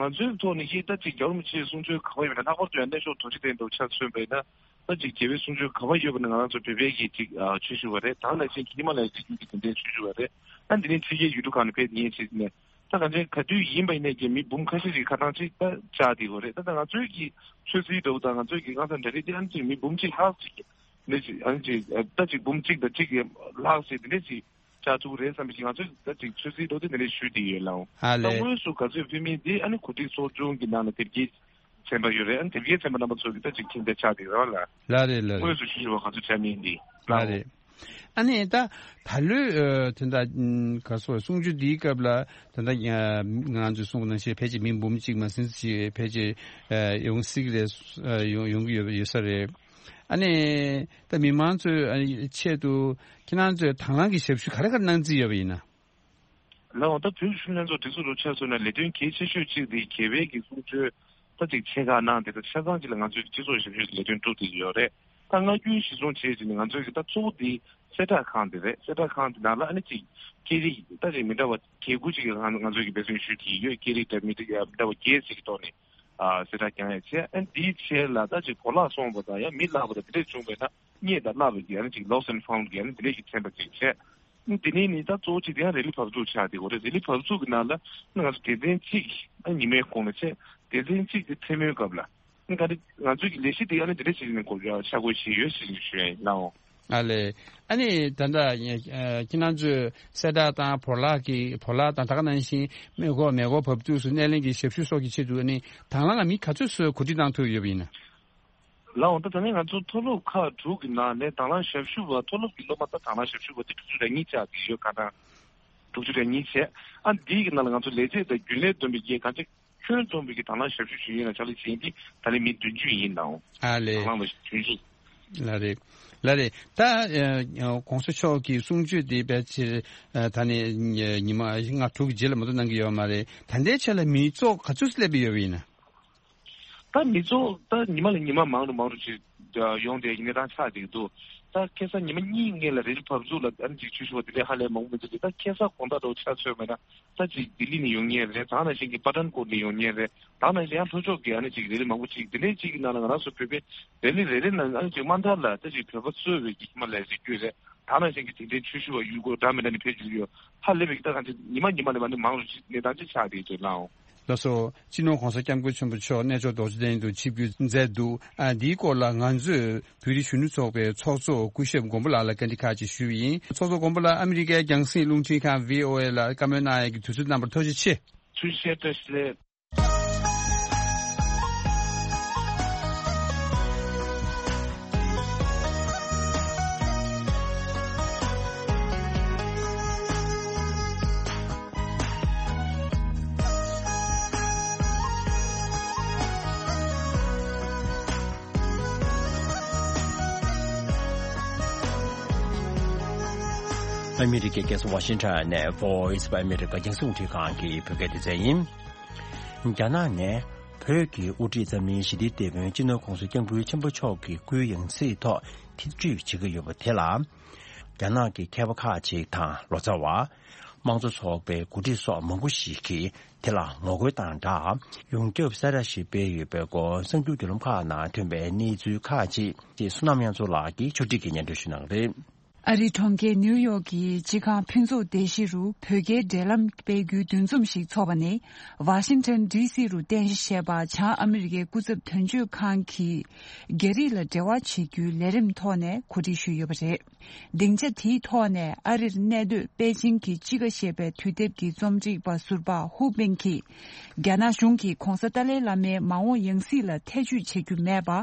ང་ཚོའི་ཐོག་ནས་ཀྱི་ད་ཅིག་རྒྱལ་བ་རིན་པོ་ཆེའི་གསུང་ཆོས་ག་པར་ཡོད་པ་ན་ལྷག་པར་དུ་ཡང་གནས་མཆོག་རྡོ་རྗེ་གདན་དུ་ཆ་མཚོན་པ་ཡིན་ན། ད་ཅིག་རྒྱལ་བའི་གསུང་ཆོས་ག་པར་ཡོད་པ་ན་ང་རང་ཚོ་བོད་པའི་གི་ཅིག་ཨ་ཆོས་ཞུ་བ་རེད། ད་ནང་བཞིན་གྱི་ཧི་མ་ལ་ཡའི་རི་རྒྱུད་ཀྱི་དེ་འདྲའི་ཆོས་ཞུ་བ་རེད། ཨ་འདི་ནས་ཕྱི་རྒྱལ་ཡུལ་གྲུ་ཁག་ནས་ཕེབས་ཡིན་ཟེར་ནས་ད་གང་ཅི་ག་དུས་ཡིན་པ་ཡིན་ནས་ཀྱི་མི་འབུམ་ཁ་ཤས་ཤིག་ཁ་ཐང་ཅིག་ད་བཅར་བསྡད་ཡོད་རེད། ད་ད་ང་ཚོའི་གི་ཆོས་སྲིད་འདྲ་བོ་དང་ང་ཚོའི་གི་ཁང་གསར་འདྲ་རེད་དེ་ཨ་ནི་ཅིག་མི་འབུམ་གཅིག་ལྷག་ཅིག་འདི་ཅིག་ཨ་ནི་ཅིག་ད་ཅིག་འབུམ་གཅིག་དང་གཅིག་གི་ལྷག་ཟེར་འདི་འདྲ་ཅིག་བཅར་ཐུབ་ཀྱི་རེད་བསམ་པའི་ཅིག་ང་ཚོས་ད་ཅིག་ཆོས་སྲིད་འདྲ་བོ་དེ་འདི་འདྲ་ཞུས་བསྡད་ཡོད། ལགས་འོང་། ཨ་ད་ལས། དངོས་སུ་ག་ཚོད་ཕེབས་མིན་དེ་ཨ་ནི་གོ་སྒྲིག་ཚོགས་ཆུང་གི་ནང་ལ་དེབ་སྐྱེལ་ཚན་པ་ཡོད་རེད། ཨ་ནི་དེབ་སྐྱེལ་ཚན་པ་རྣམ་པ་ཚོ་གི་ད་ཅིག་མཁྱེན་རྒྱ་ཆགས་བསྡད་རེད་བ་ལ། ལགས་རེད། ལགས་རེད། དངོས་སུ་ཞུ་བ་ག་ཚོད་བྱ་མིན་འདི། ལགས་ལགས་འོང་། རེད། ཨ་ནི་ད་ད་ལོའི་ཨ་དེ་འདྲ་ཨམ་ག་སོ་གསུང་ཆོས་འདིའི་སྐབས་ལ་ད་ལྟ་ང་ང་ཚོས་གསུངས་པ་ནང་བཞིན་ཕལ་ཆེར་མི་འབུམ་གཅིག་མ་ཟིན་ཞིག་ཕལ་ཆེར་ཨ་ཡོང་སྲིད་ཀྱི་རེད། ཨ་ཡོང་ཡོང་གི་ཡོད་ཡོད་ས་རེད། ཨ་ནི་ད་མི་མང་ཚོའི་ཨ་ཆེད་དུ་ཁྱེད་རང་ཚོས་དང་བླངས་ཀྱི་ཞབས་ཞུ་ག་རེ་ག་རེ་གནང་རྩིས་ཡོད་པ་ཡིན་ན། ལགས་འོང་། ད་བོད་ཀྱི་གཞོན་ནུ་ལྷན་ཚོགས་སྒྲིག་འཛུགས་རུ་ཆ་མཚོན་ན་ལས་དོན་གལ་ཆེ་ཤོས་གཅིག་དེ་རྒྱལ་བའི་གི་གསུང་ཆོས་ད་ཅིག་ཆེ་ཁག་གནང་དེ་ད་ཆ་ཚང་གཅིག་ལ་ང་ཚོའི་སྤྱི་ཚོགས་ཞབས་ཞུའི་ལས་དོན་སྒྲུབ་བསྡད་ཀྱི་ཡོད་རེད། ད་སྔ་རྒྱུན་གཞི་བཟུང་བྱས་ཀྱི་ནི་ང་ཚོའི་གི་ད་གཙོ་བོ་དེ་ གསལ་བསྒྲགས་ཁང་དེ་རེད། གསལ་བསྒྲགས་ཁང་དེ་ནང་ལ་ཨ་ནི་ཅིག་སྐད་རིགས་ད་ཅིག་མི་འདྲ་བ་བརྒྱད་དགུ་ཅིག་གི་ང་ང་ཚོས་ཀྱི་འབད་བརྩོན་ཞུས་ཀྱི་ཡོད། སྐད་རིགས་འདྲ་མི་འདྲ་མི་འདྲ་བ་བརྒྱད་ཅིག་གི་ཐོག་ནས་ཨ་གསལ་བསྒྲགས་རྒྱག་ཡ་བྱས། ཨ་འདིའི་ཆེད་ལ་ད་ཅིག་བོར་བརླག་སོང་བ་དང་ཡང་མི་བརླག་པ་དང་དེ་འདྲས་བྱུང་བས་ན་རྙེད་དང་བརླག་པའི་གི་ཨ་ནི་ཅིག་lost and found་གི་ཨ་ནི་དེ་འདྲས་ཀྱི་ཚན་པ་ཅིག་བྱས། དེ་ནས་ནི་ད་གཙོ་བོ་གཅིག་དེ་ཡང་རེ་ལི་བབས་ཚུགས་ཆགས་བསྡད་ཡོད་རེད། རེ་ལི་བབས་ཚུགས་ཀྱི་ནང་ལ་ང་ཚོ་སྡེ་ཚན་གཅིག་ཨ་ཉི་མའི་གོང་ལ་བྱས། སྡེ་ཚན་གཅིག་དེ་མཚན་མོའི་སྐབས་ལ་ཨ་ག་རེ་ང་ཚོའི་གི་ལས་གཞི་དེ་ཡང་ནི་དེ་འདྲ་ཞིག་ནས་གོ་ཤ་བགོས་བྱས་ཡོད་ཞེས་ཞུ་ཡ་ཡིན་ལགས། ཨ་ལས། ཨ་ནི་ད་ལྟ་ཁྱེད་རང་ཚོས་གསལ་བསྒྲགས་དང་བོར་བརླག་གི་བོར་བརླག་དང་ད་ག་ནང་བཞིན་མེ་འཁོར་མེ་འཁོར་བབས་དུས་སུ་སྣེ་ལེན་གྱི་ཞབས་ཞུ་སོགས་ཀྱི་ཆེད་དུ་ཨ་ནི་དང་བླངས་མི་ག་ཚོད་ཙམ་གོ་སྒྲིག་བཏང་ཐུབ་ཡོད་པ་ཡིན་ན། ལགས་འོང་། ད་ད་ནི་ང་ཚོ་མཐོ་སློབ་ཁག་དྲུག་གི་ནང་ནས་དང་བླངས་ཞབས་ཞུ་བ་མཐོ་སློབ་ཀྱི་སློབ་མ་ད་དང་བླངས་ཞབས་ཞུ་བ་དེ་དྲུག་ཅུ་རེ་གཉིས་ཆགས་ཀྱི་ཡོད། ཁ་གྲངས་དྲུག་ཅུ་རེ་གཉིས་བྱས། ཨ་འདིའི་གི་ནང་ལ་ང་ཚོ་ལས་བྱེད་དང་རྒྱུན་ལས་བསྡོམས་པའི་གི་གང་ཅི་ཁྱོན་བསྡོམས་པའི་གི་དང་བླངས་ཞབས་ཞུ་ཞུ་ཡིན་ལ་ཕྱག་ལས་བྱེད་མཁན་དེ་ད་ལན་མི་བདུན་ཅུ་ཡིན་ནའང་ཨ་ལས། དང་བླངས་པ་བདུན་ཅུ། ལ་རེད། ལ་རེད། ད་ཨ་གོང་ས་མཆོག་གི་གསུང་ཆོས་དེ་ཕལ་ཆེར་ཨ་ད་ནི་ཉི་མ་ལྔ་དྲུག་གི་རྗེས་ལ་མ་གཏོགས་གནང་གི་ཡོད་མ་རེད། ད་ལྟའི་ཆ་ལ་མི་ཚོགས་ག་ཚོད་སླེབས་ཡོད་པ་ཡིན་ན། ད་མི་ཚོགས་ད་ཉི་མ་ལ་ཉི་མ་མང་རུ་མང་རུ་ཅིག་ཡོང་བསྡད་ཀྱི་གནས་སྟངས་ཆགས་བསྡད་ཀྱི་འདུག་ད་ཁ་སང་ཉི་མ་གཉིས་སྔོན་ལ་རེ་ལི་བབས་ཚུགས་ལ་ཨ་ནི་ཅིག་ཆོས་ཞུ་བ་དེ་འདྲས་ཧ་ལས་མང་པོ་མི་འདུག་ད་ཁ་སང་དགོང་དག་འདྲ་བོ་ཆ་མཚོན་པ་ན་ད་ཅིག་ལྡི་ལི་ནས་ཡོང་མཁན་རེད། ད་ནང་བཞིན་གྱི་པ་ཐན་ཀོཊ་ནས་ཡོང་མཁན་རེད། ད་ནང་བཞིན་ཡང་ལྷོ་ཕྱོགས་ཀྱི་ཨ་ནི་ཅིག་རེ་ལི་མང་པོ་ཅིག་དེ་འདྲས་ཅིག་གི་ནང་ལ་ང་རང་ཚོ་བོད་པའི་རེ་ལི་རེ་རེ་ནང་ཨ་ནི་ཅིག་དམའ་མཐའ་ལ་ད་ཅིག་བོད་པ་གཙོས་པའི་གི་ཧི་མ་ལ་ཡའི་རི་རྒྱུད་རེད། ད་ནང་བཞིན་གྱི་དེ་འདྲའི་ཆོས་ཞུ་བ་ཡུལ་སྐོར་འདྲ་མི་འདྲ་ནས་ཕེབས་བཞིན་ཡོད། ཧ་ལས་པའི་གི་ད་གང་ཅི་ཉི་མ་ཉི་མ་ལས་མ་ནི་མང་རུ་ཅིག་གནས་སྟངས་ཅིག་ཆགས་བསྡད་ཡོད་ལགས་འོང་། ལགས་སོ། སྤྱི་ནོར་གོང་ས་སྐྱབས་མགོན་ཆེན་པོ་མཆོག་གནས་མཆོག་རྡོ་རྗེ་གདན་དུ་ཆིབས་བསྒྱུར་མཛད་འདུག་ཨ་འདིའི་སྐོར་ལ་ང་ཚོས་བོད་རིགས་གཞོན་ནུ་ཚོགས་པའི་ཚོགས་གཙོ་སྐུ་ཞབས་མགོན་པོ་ལགས་ལ་བཀའ་འདྲི་ཁག་ཅིག་ཞུས་པ་ཡིན། ཚོགས་གཙོ་མགོན་པོ་ལགས། ཨ་མི་རི་ཀའི་རྒྱང་སྲིང་རླུང་འཕྲིན་ཁང་བྷི་ཨོ་ཨེ་ལ་བཀའ་མོལ་གནང་ཡས་ཀྱི་དུས་ཚོད་གནང་བར་ཐུགས་རྗེ་ཆེ། ཐུགས་རྗེ་ཆེ། བཀྲ་ཤིས་བདེ་ལེགས། ཨ་མི་རི་ཀའི་རྒྱལ་ས་ཝ་ཤིང་ཊོན་ནས་Voice of America་རྒྱང་སྲིང་རླུང་འཕྲིན་ཁང་གི་བོད་སྐད་སྡེ་ཚན་ཡིན། རྒྱ་ནག་ནས་བོད་ཀྱི་དབུ་ཁྲིད་འཛམ་གླིང་ཞི་བདེའི་དེད་དཔོན་སྤྱི་ནོར་༸གོང་ས་༸སྐྱབས་མགོན་ཆེན་པོ་མཆོག་གི་སྐུའི་ཡང་སྲིད་ཐོག་ཐེ་བྱུས་བྱེད་ཀྱི་ཡོད་པ་དེ་ལ། རྒྱ་ནག་གི་མཁས་པ་ཁག་ཅིག་དང་ལོ་ཙཱ་བ། དམངས་གཙོ་ཚོགས་པའི་འགོ་ཁྲིད་སོགས་མང་པོ་ཞིག་གིས་དེ་ལ་ངོ་རྒོལ་དང་སྦྲགས། ཡོངས་ཁྱབ་གསལ་བསྒྲགས་ཤིག་སྤེལ་ཡོད་པའི་སྐོར་གསར་འགྱུར་བརྒྱུད་ལམ་ཁག་ནང་ཐོན་པའི་གནས་ཚུལ་ཁག་ཅིག་ཅེས་བསོད་ནམས་དབྱངས་མཚོ་ལགས་ཀྱིས་ཕྱོགས་སྒྲིག་གིས་སྙན་སྒྲོན་ཞུ་གནང་གི་རེད། ཨ་རིའི་གྲོང་ཁྱེར་ནིའུ་ཡོག་གི་སྤྱི་ཁང་ཕུན་ཚོགས་སྡེ་བཞི་རུ་བོད་རྒྱའི་འབྲེལ་ལམ་སྤེལ་རྒྱུའི་འདུ་འཛོམས་ཤིག་འཚོགས་པ་ནི། ཝ་ཤིང་ཊོན་ཌི་སི་རུ་རྟེན་གཞི་བྱས་པ་བྱང་ཨ་མི་རི་ཀའི་སྐུ་ཚབ་དོན་གཅོད་ཁང་གིས་རྒྱ་རིགས་ལ་འབྲེལ་བ་བྱེད་རྒྱུའི་ལས་རིམ་ཐོག་ནས་གོ་སྒྲིག་ཞུས་ཡོད་པ་རེད། སྡིངས་ཆ་དེའི་ཐོག་ནས་ཨ་རིར་གནས་སྡོད་པེ་ཅིང་གི་ཅི་ག་ཞེས་པའི་དུས་དེབ་ཀྱི་རྩོམ་སྒྲིག་པ་ཟུར་པ་ཧུའུ་པིང་གིས། རྒྱ་ནག་གཞུང་གིས་༸གོང་ས་ཏཱ་ལའི་བླ་མའི་མ་འོངས་ཡང་སྲིད་ལ་ཐེ་བྱུས་བྱེད་རྒྱུ་མེད་པ།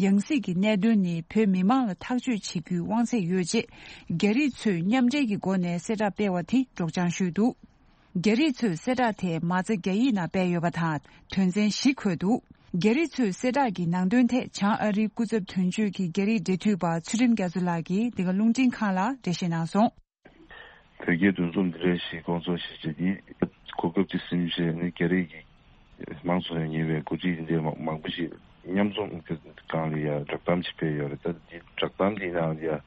ཡང་སྲིད་ཀྱི་གནད་དོན་ནི་བོད་མི་མང་ལ་ཐག་གཅོད་བྱེད་རྒྱུའི་དབང་ཚད་ཡོད་ཅེས། རྒྱ་རིགས་ཚོས་མཉམ་འབྲེལ་གྱི་སྒོ་ནས་གསལ་བསྒྲགས་སྤེལ་བ་དེ་སྒྲོག་སྦྱང་ཞུས་འདུག་རྒྱ་རིགས་ཚོས་གསལ་བསྒྲགས་དེ་མ་རྩ་རྒྱ་ཡིག་ནང་སྤེལ་ཡོད་པ་དང་དོན་ཚན་བཞི་འཁོད་འདུག་རྒྱ་རིགས་ཚོས་གསལ་བསྒྲགས་ཀྱི་ནང་དོན་ཐད་བྱང་ཨ་རིའི་སྐུ་ཚབ་དོན་གཅོད་ཀྱི་རྒྱ་རིགས་འབྲེལ་མཐུད་པ་ཚུལ་ཁྲིམས་རྒྱ་མཚོ་ལགས་ཀྱིས་འདི་ག་རླུང་འཕྲིན་ཁང་ལ་འགྲེལ་བཤད་གནང་སོང་། བོད་རྒྱའི་འདུ་འཛོམས་འདི་འདྲ་ཞིག་སྐོང་ཚོགས་ཤིག་བྱེད་དུས་གོ་སྐབས་ཅིག་ཟིན་བྱས་ནས་རྒྱ་རིགས་ཀྱི་མང་ཚོགས་ནས་ཉེ་བའི་འགོ་ཁྲིད་འདི་འདྲའི་མང་པོ་ཞིག་མཉམ་འཛོམས་ཀྱི་སྒང་ལ་ཡ་བསྒྲགས་གཏམ་ཞིག་སྤེལ་ཡོད་རེད། ད་འདི་བསྒྲགས་གཏམ་འདིའི་ནང་ལ་ཡ་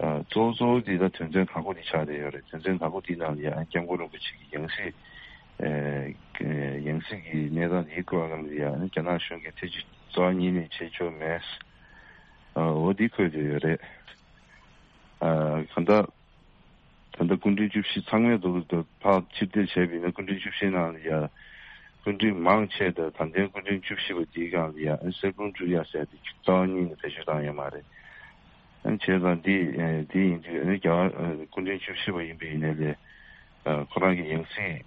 གཙོ་བོ་གཙོ་བོ་འདི་ད་དོན་ཚན་དང་པོ་འདི་ཆགས་བསྡད་ཡོད་རེད། དོན་ཚན་དང་པོ་འདིའི་ནང་ལ་ཡ་སྐྱབས་མགོན་རིན་པོ་ཆེ་གི་ཡང་སྲིད་ཡང་སྲིད་ཀྱི་གནས་སྟངས་འདིའི་སྐོར་ལ་ཡ་རྒྱ་ནག་གཞུང་གིས་ཐེ་བྱུས་རྩ་བ་ཉིད་ནས་བྱེད་ཆོག་མེད། འོ་འདི་འཁོད་བསྡད་ཡོད་རེད། གང་ལྟར། ད་ལྟ་སྐུ་ཕྲེང་བཅུ་བཞི་ཚང་མས་འདུག་འདུག་ཕར་ཕྱིར་བལྟས་བྱས་པ་ཡིན་ན་སྐུ་ཕྲེང་བཅུ་བཞི་ནང་ལ་ཡ། སྐུ་ཕྲེང་མང་ཆེ་དང་ད་ལྟའི་སྐུ་ཕྲེང་བཅུ་བཞི་པ་འདིའི་སྒང་ལ་ཡ་གསེར་བུམ་འབྲུ་ཡ་ཟེར་ཏེ་རྩ་བ་ཉིད་ནས་བེད་སྤྱོད་བཏང་ཡོད་མ་རེད། བྱས་ཙང་འདི་འདི་ཡིན་དུས་རྒྱ་གར་སྐུ་ཕྲེང་བཅུ་བཞི་པ་ཡིན་པ་ཡིན་ནའི་ལས། ཁོ་རང་གི་ཡང་སྲིད་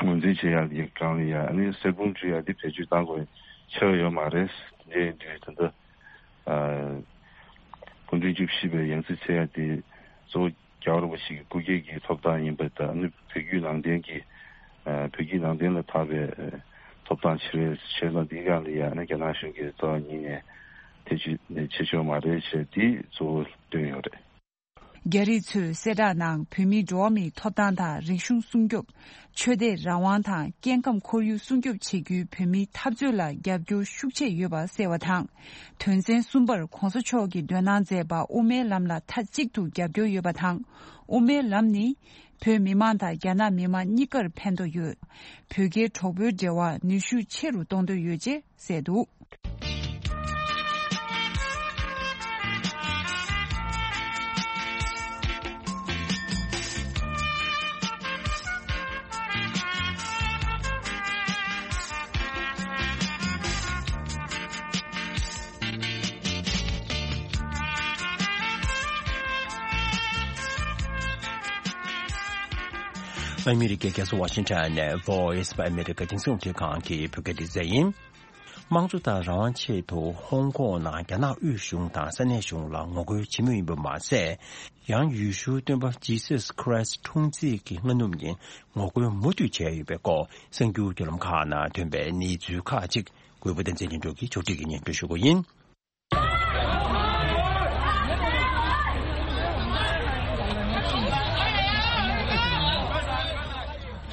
ངོས་འཛིན་བྱེད་ཡ་འདིའི་སྒང་ལ་ཡ་གསེར་བུམ་འབྲུ་ཡ་འདི་བེད་སྤྱོད་བཏང་དགོས་ཆགས་ཡོད་མ་རེད། འདི་ཡིན་དུས་ད་ལྟ། སྐུ་ཕྲེང་བཅུ་བཞི་པའི་ཡང་སྲིད་འཚོལ་ཡ་དེ་གཙོ་བོ་རྒྱལ་བ་རིན་པོ་ཆེ་གི་སྐུ་སྒེར་གྱི་ཐོབ་ཐང་ཡིན་པ་དང་ནི་བོད་བརྒྱུད་ནང་བསྟན་གྱི་བོད་བརྒྱུད་ནང་བསྟན་ལ་བཏགས་པའི་ཐོབ་ཐང་ཆེ་བའི་ཆེད་དུ་འདིའི་སྒང་ལ་ཡང་ནི་རྒྱ་ནག་གཞུང་གིས་རྩ་བ་ཉིད་ནས་ཐེ་བྱུས་བྱེད་ཆོག་མ་རེད་ཅེས་དེ་གཙོ་བོ་བཏོན་ཡོད་རེད། རྒྱ་རིགས་ཚོས་གསལ་བསྒྲགས་ནང་བོད་མིའི་འགྲོ་བ་མིའི་ཐོབ་ཐང་དང་རིག་གཞུང་སྲུང་སྐྱོབ། ཆོས་དད་རང་དབང་དང་སྐྱེ་ཁམས་ཁོར་ཡུག་སྲུང་སྐྱོབ་བྱེད་རྒྱུའི་བོད་མིའི་འཐབ་རྩོད་ལ་རྒྱབ་སྐྱོར་ཤུགས་ཆེ་ཡོད་པ་གསལ་བ་དང་། དོན་ཚན་གསུམ་པར་༸གོང་ས་མཆོག་གིས་འདོན་གནང་མཛད་པ་དབུ་མའི་ལམ་ལ་མཐའ་གཅིག་ཏུ་རྒྱབ་སྐྱོར་ཡོད་པ་དང་། དབུ་མའི་ལམ་ནི་བོད་མི་མང་དང་རྒྱ་ནག་མི་མང་གཉིས་ཀར་ཕན་ཐོགས་ཡོད། བོད་རྒྱའི་གྲོགས་པོའི་འབྲེལ་བ་ནུས་ཤུགས་ཆེ་རུ་གཏོང་འདོད་ཡོད་ཅེས་གསལ་འདུག། ཨ་མི་རི་ཀའི་རྒྱལ་ས་ཝ་ཤིང་ཊོན་ནས་Voice of America་རྒྱང་སྲིང་རླུང་འཕྲིན་ཁང་གི་བོད་སྐད་སྡེ་ཚན་ཡིན། དམངས་གཙོ་དང་རང་དབང་ཆེད་དུ་ཧོང་ཀོང་ནང་རྒྱ་ནག་དབུས་གཞུང་དང་ས་གནས་གཞུང་ལ་ངོ་རྒོལ་བྱེད་མུས་ཡིན་པ་མ་ཟད། ཡང་ཡེ་ཤུའི་སྟོན་པ་Jesus Christ་འཁྲུངས་ཚེས་ཀྱི་སྔ་ནུབ་ཉིན་ངོ་རྒོལ་མུ་མཐུད་བྱས་ཡོད་པའི་སྐོར་གསར་འགྱུར་བརྒྱུད་ལམ་ཁག་ནང་ཐོན་པའི་གནས་ཚུལ་ཁག་ཅིག་གུས་པ་བསྟན་འཛིན་ལྷུན་གྲུབ་ཀྱིས་ཕྱོགས་སྒྲིག་གིས་སྙན་སྒྲོན་ཞུ་གི་ཡིན།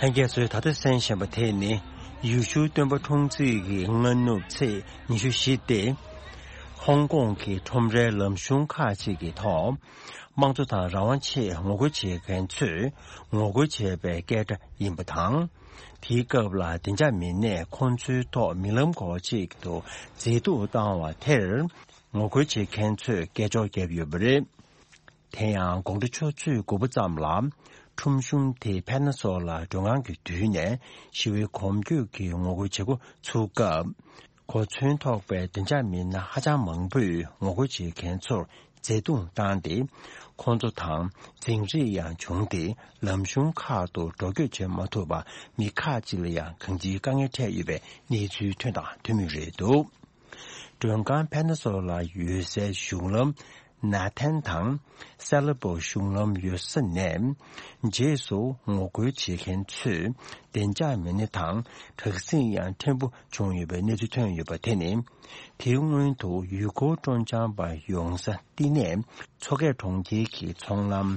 ལྷན་རྒྱས་ཚོས་ད་ལྟ་གསན་བཞིན་པ་དེ་ནི་ཡེ་ཤུའི་སྟོན་པ་འཁྲུངས་ཚེས་ཀྱི་སྔ་ནུབ་ཚེས་ཉི་ཤུ་བཞི་སྟེ། ཧོང་ཀོང་གི་ཁྲོམ་རའི་ལམ་གཞུང་ཁག་ཅིག་གི་ཐོག་དམངས་གཙོ་དང་རང་དབང་ཆེད་ངོ་རྒོལ་བྱེད་མཁན་ཚོས་ངོ་རྒོལ་བྱས་པའི་སྐད་སྒྲ་ཡིན་པ་དང་། དེའི་སྐབས་ལ་བདེ་འཇགས་མི་སྣས་ཁོང་ཚོའི་ཐོག་མི་ལམ་སྐོར་ཅིག་ཏུ་མཛེས་སྡུག་བཏང་བ་དེར་ངོ་རྒོལ་བྱེད་མཁན་ཚོས་སྐད་ཅོར་བརྒྱབ་ཡོད་པ་རེད། དེ་ཡང་དགོང་དྲོ་ཆུ་ཚོད་དགུ་པ་ཙམ་ལ་ཁྲོམ་གཞུང་དེའི་ཕེ་ན་སོ་ལ་མགྲོན་ཁང་གི་མདུན་ནས་ཞི་བའི་གོམ་བགྲོད་ཀྱི་ངོ་རྒོལ་བྱེད་འགོ་ཚུགས་སྐབས། གོ་མཚོན་ཐོགས་པའི་བདེ་འཇགས་མི་སྣ་ཧ་ཅང་མང་པོས་ངོ་རྒོལ་བྱེད་མཁན་ཚོར་བརྩེ་དུང་བཏང་སྟེ། ཁོང་ཚོ་དང་འཛིང་རེས་ཡང་བྱུང་སྟེ། ལམ་གཞུང་ཁག་ཏུ་འགྲོ་སྐྱོད་བྱེད་མ་ཐུབ་པར་མི་ཁག་ཅིག་ལ་ཡང་གང་ཅིའི་དཀའ་ངལ་འཕྲད་ཡོད་པའི་གནས་ཚུལ་ཐོན་དང་ཐོན་མུས་རེད་འདུག། མགྲོན་ཁང་ཕེ་ན་སོ་ལ་ཡོད་སའི་གཞུང་ལམ་ན་ཐན་དང་སེ་ལ་པོ་གཞུང་ལམ་ཡོད་ས་ནས། རྗེས་སུ་ངོ་རྒོལ་བྱེད་མཁན་ཚོས་བདེ་འཇགས་མི་སྣ་དང་དྲག་ཟིང་ཡང་ཕྲན་བུ་བྱུང་ཡོད་པའི་གནས་ཚུལ་ཐོན་ཡོད་པ་དེ་ནི། དེའི་སྔོན་དུ་ཡུལ་སྐོར་སྤྲོ་འཆམ་པ་ཡོང་ས་བསྟི་གནས་མཚོ་སྐྱེས་གྲོང་ཁྱེར་གྱི་ཚོང་ལམ་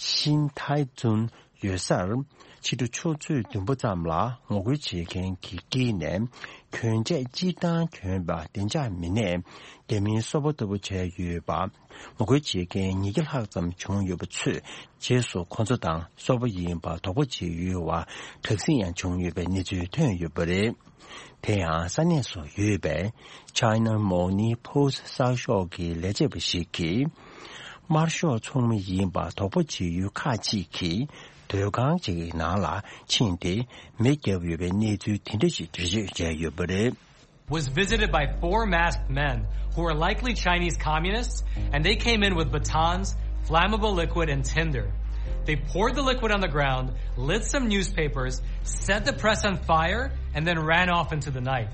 ཤིན་ཐའི་ཙུན་ཡོད་སར། ཕྱི་དྲོ་ཆུ་ཚོད་བདུན་པ་ཙམ་ལ་ངོ་རྒོལ་བྱེད་མཁན་གྱི་དཀྱིལ་ནས་གྱོན་ཆས་སྤྱིར་བཏང་གྱོན་པ་བདེ་འཇགས་མི་སྣས་རྒྱ་མིའི་སོ་པ་ལྟ་བུ་བྱས་ཡོད་པ། ངོ་རྒོལ་བྱེད་མཁན་ཉིས་བརྒྱ་ལྷག་ཙམ་བྱུང་ཡོད་པ་ཚོས་རྗེས་སུ་ཁོ་ཚོ་དང་སོ་པ་ཡིན་པ་དོགས་པ་བྱེད་ཡུལ་བ་དྲག་ཟིང་ཡང་བྱུང་ཡོད་པའི་གནས་ཚུལ་ཐོན་ཡོད་པ་རེད། དེ་ཡང་ས་གནས་སུ་ཡོད་པའི་China Morning Post་གསར་ཤོག་གི་ལས་བྱེད་པ་ཞིག་གིས། དམར་ཤོག་ཚོགས་མི་ཡིན་པ་དོགས་པ་བྱེད་ཡུལ་ཁག་ཅིག་གིས་སྡོད་ཁང་ཅིག་གི་ནང་ལ་ཕྱིན་ཏེ་མེ་བརྒྱབ་ཡོད་པའི་གནས་ཚུལ་དེ་འདྲ་ཞིག་འགྲེལ་བརྗོད་བྱས་ཡོད་པ་རེད། Was visited by four masked men who were likely Chinese communists, and they came in with batons, flammable liquid, and tinder. They poured the liquid on the ground, lit some newspapers, set the press on fire, and then ran off into the night.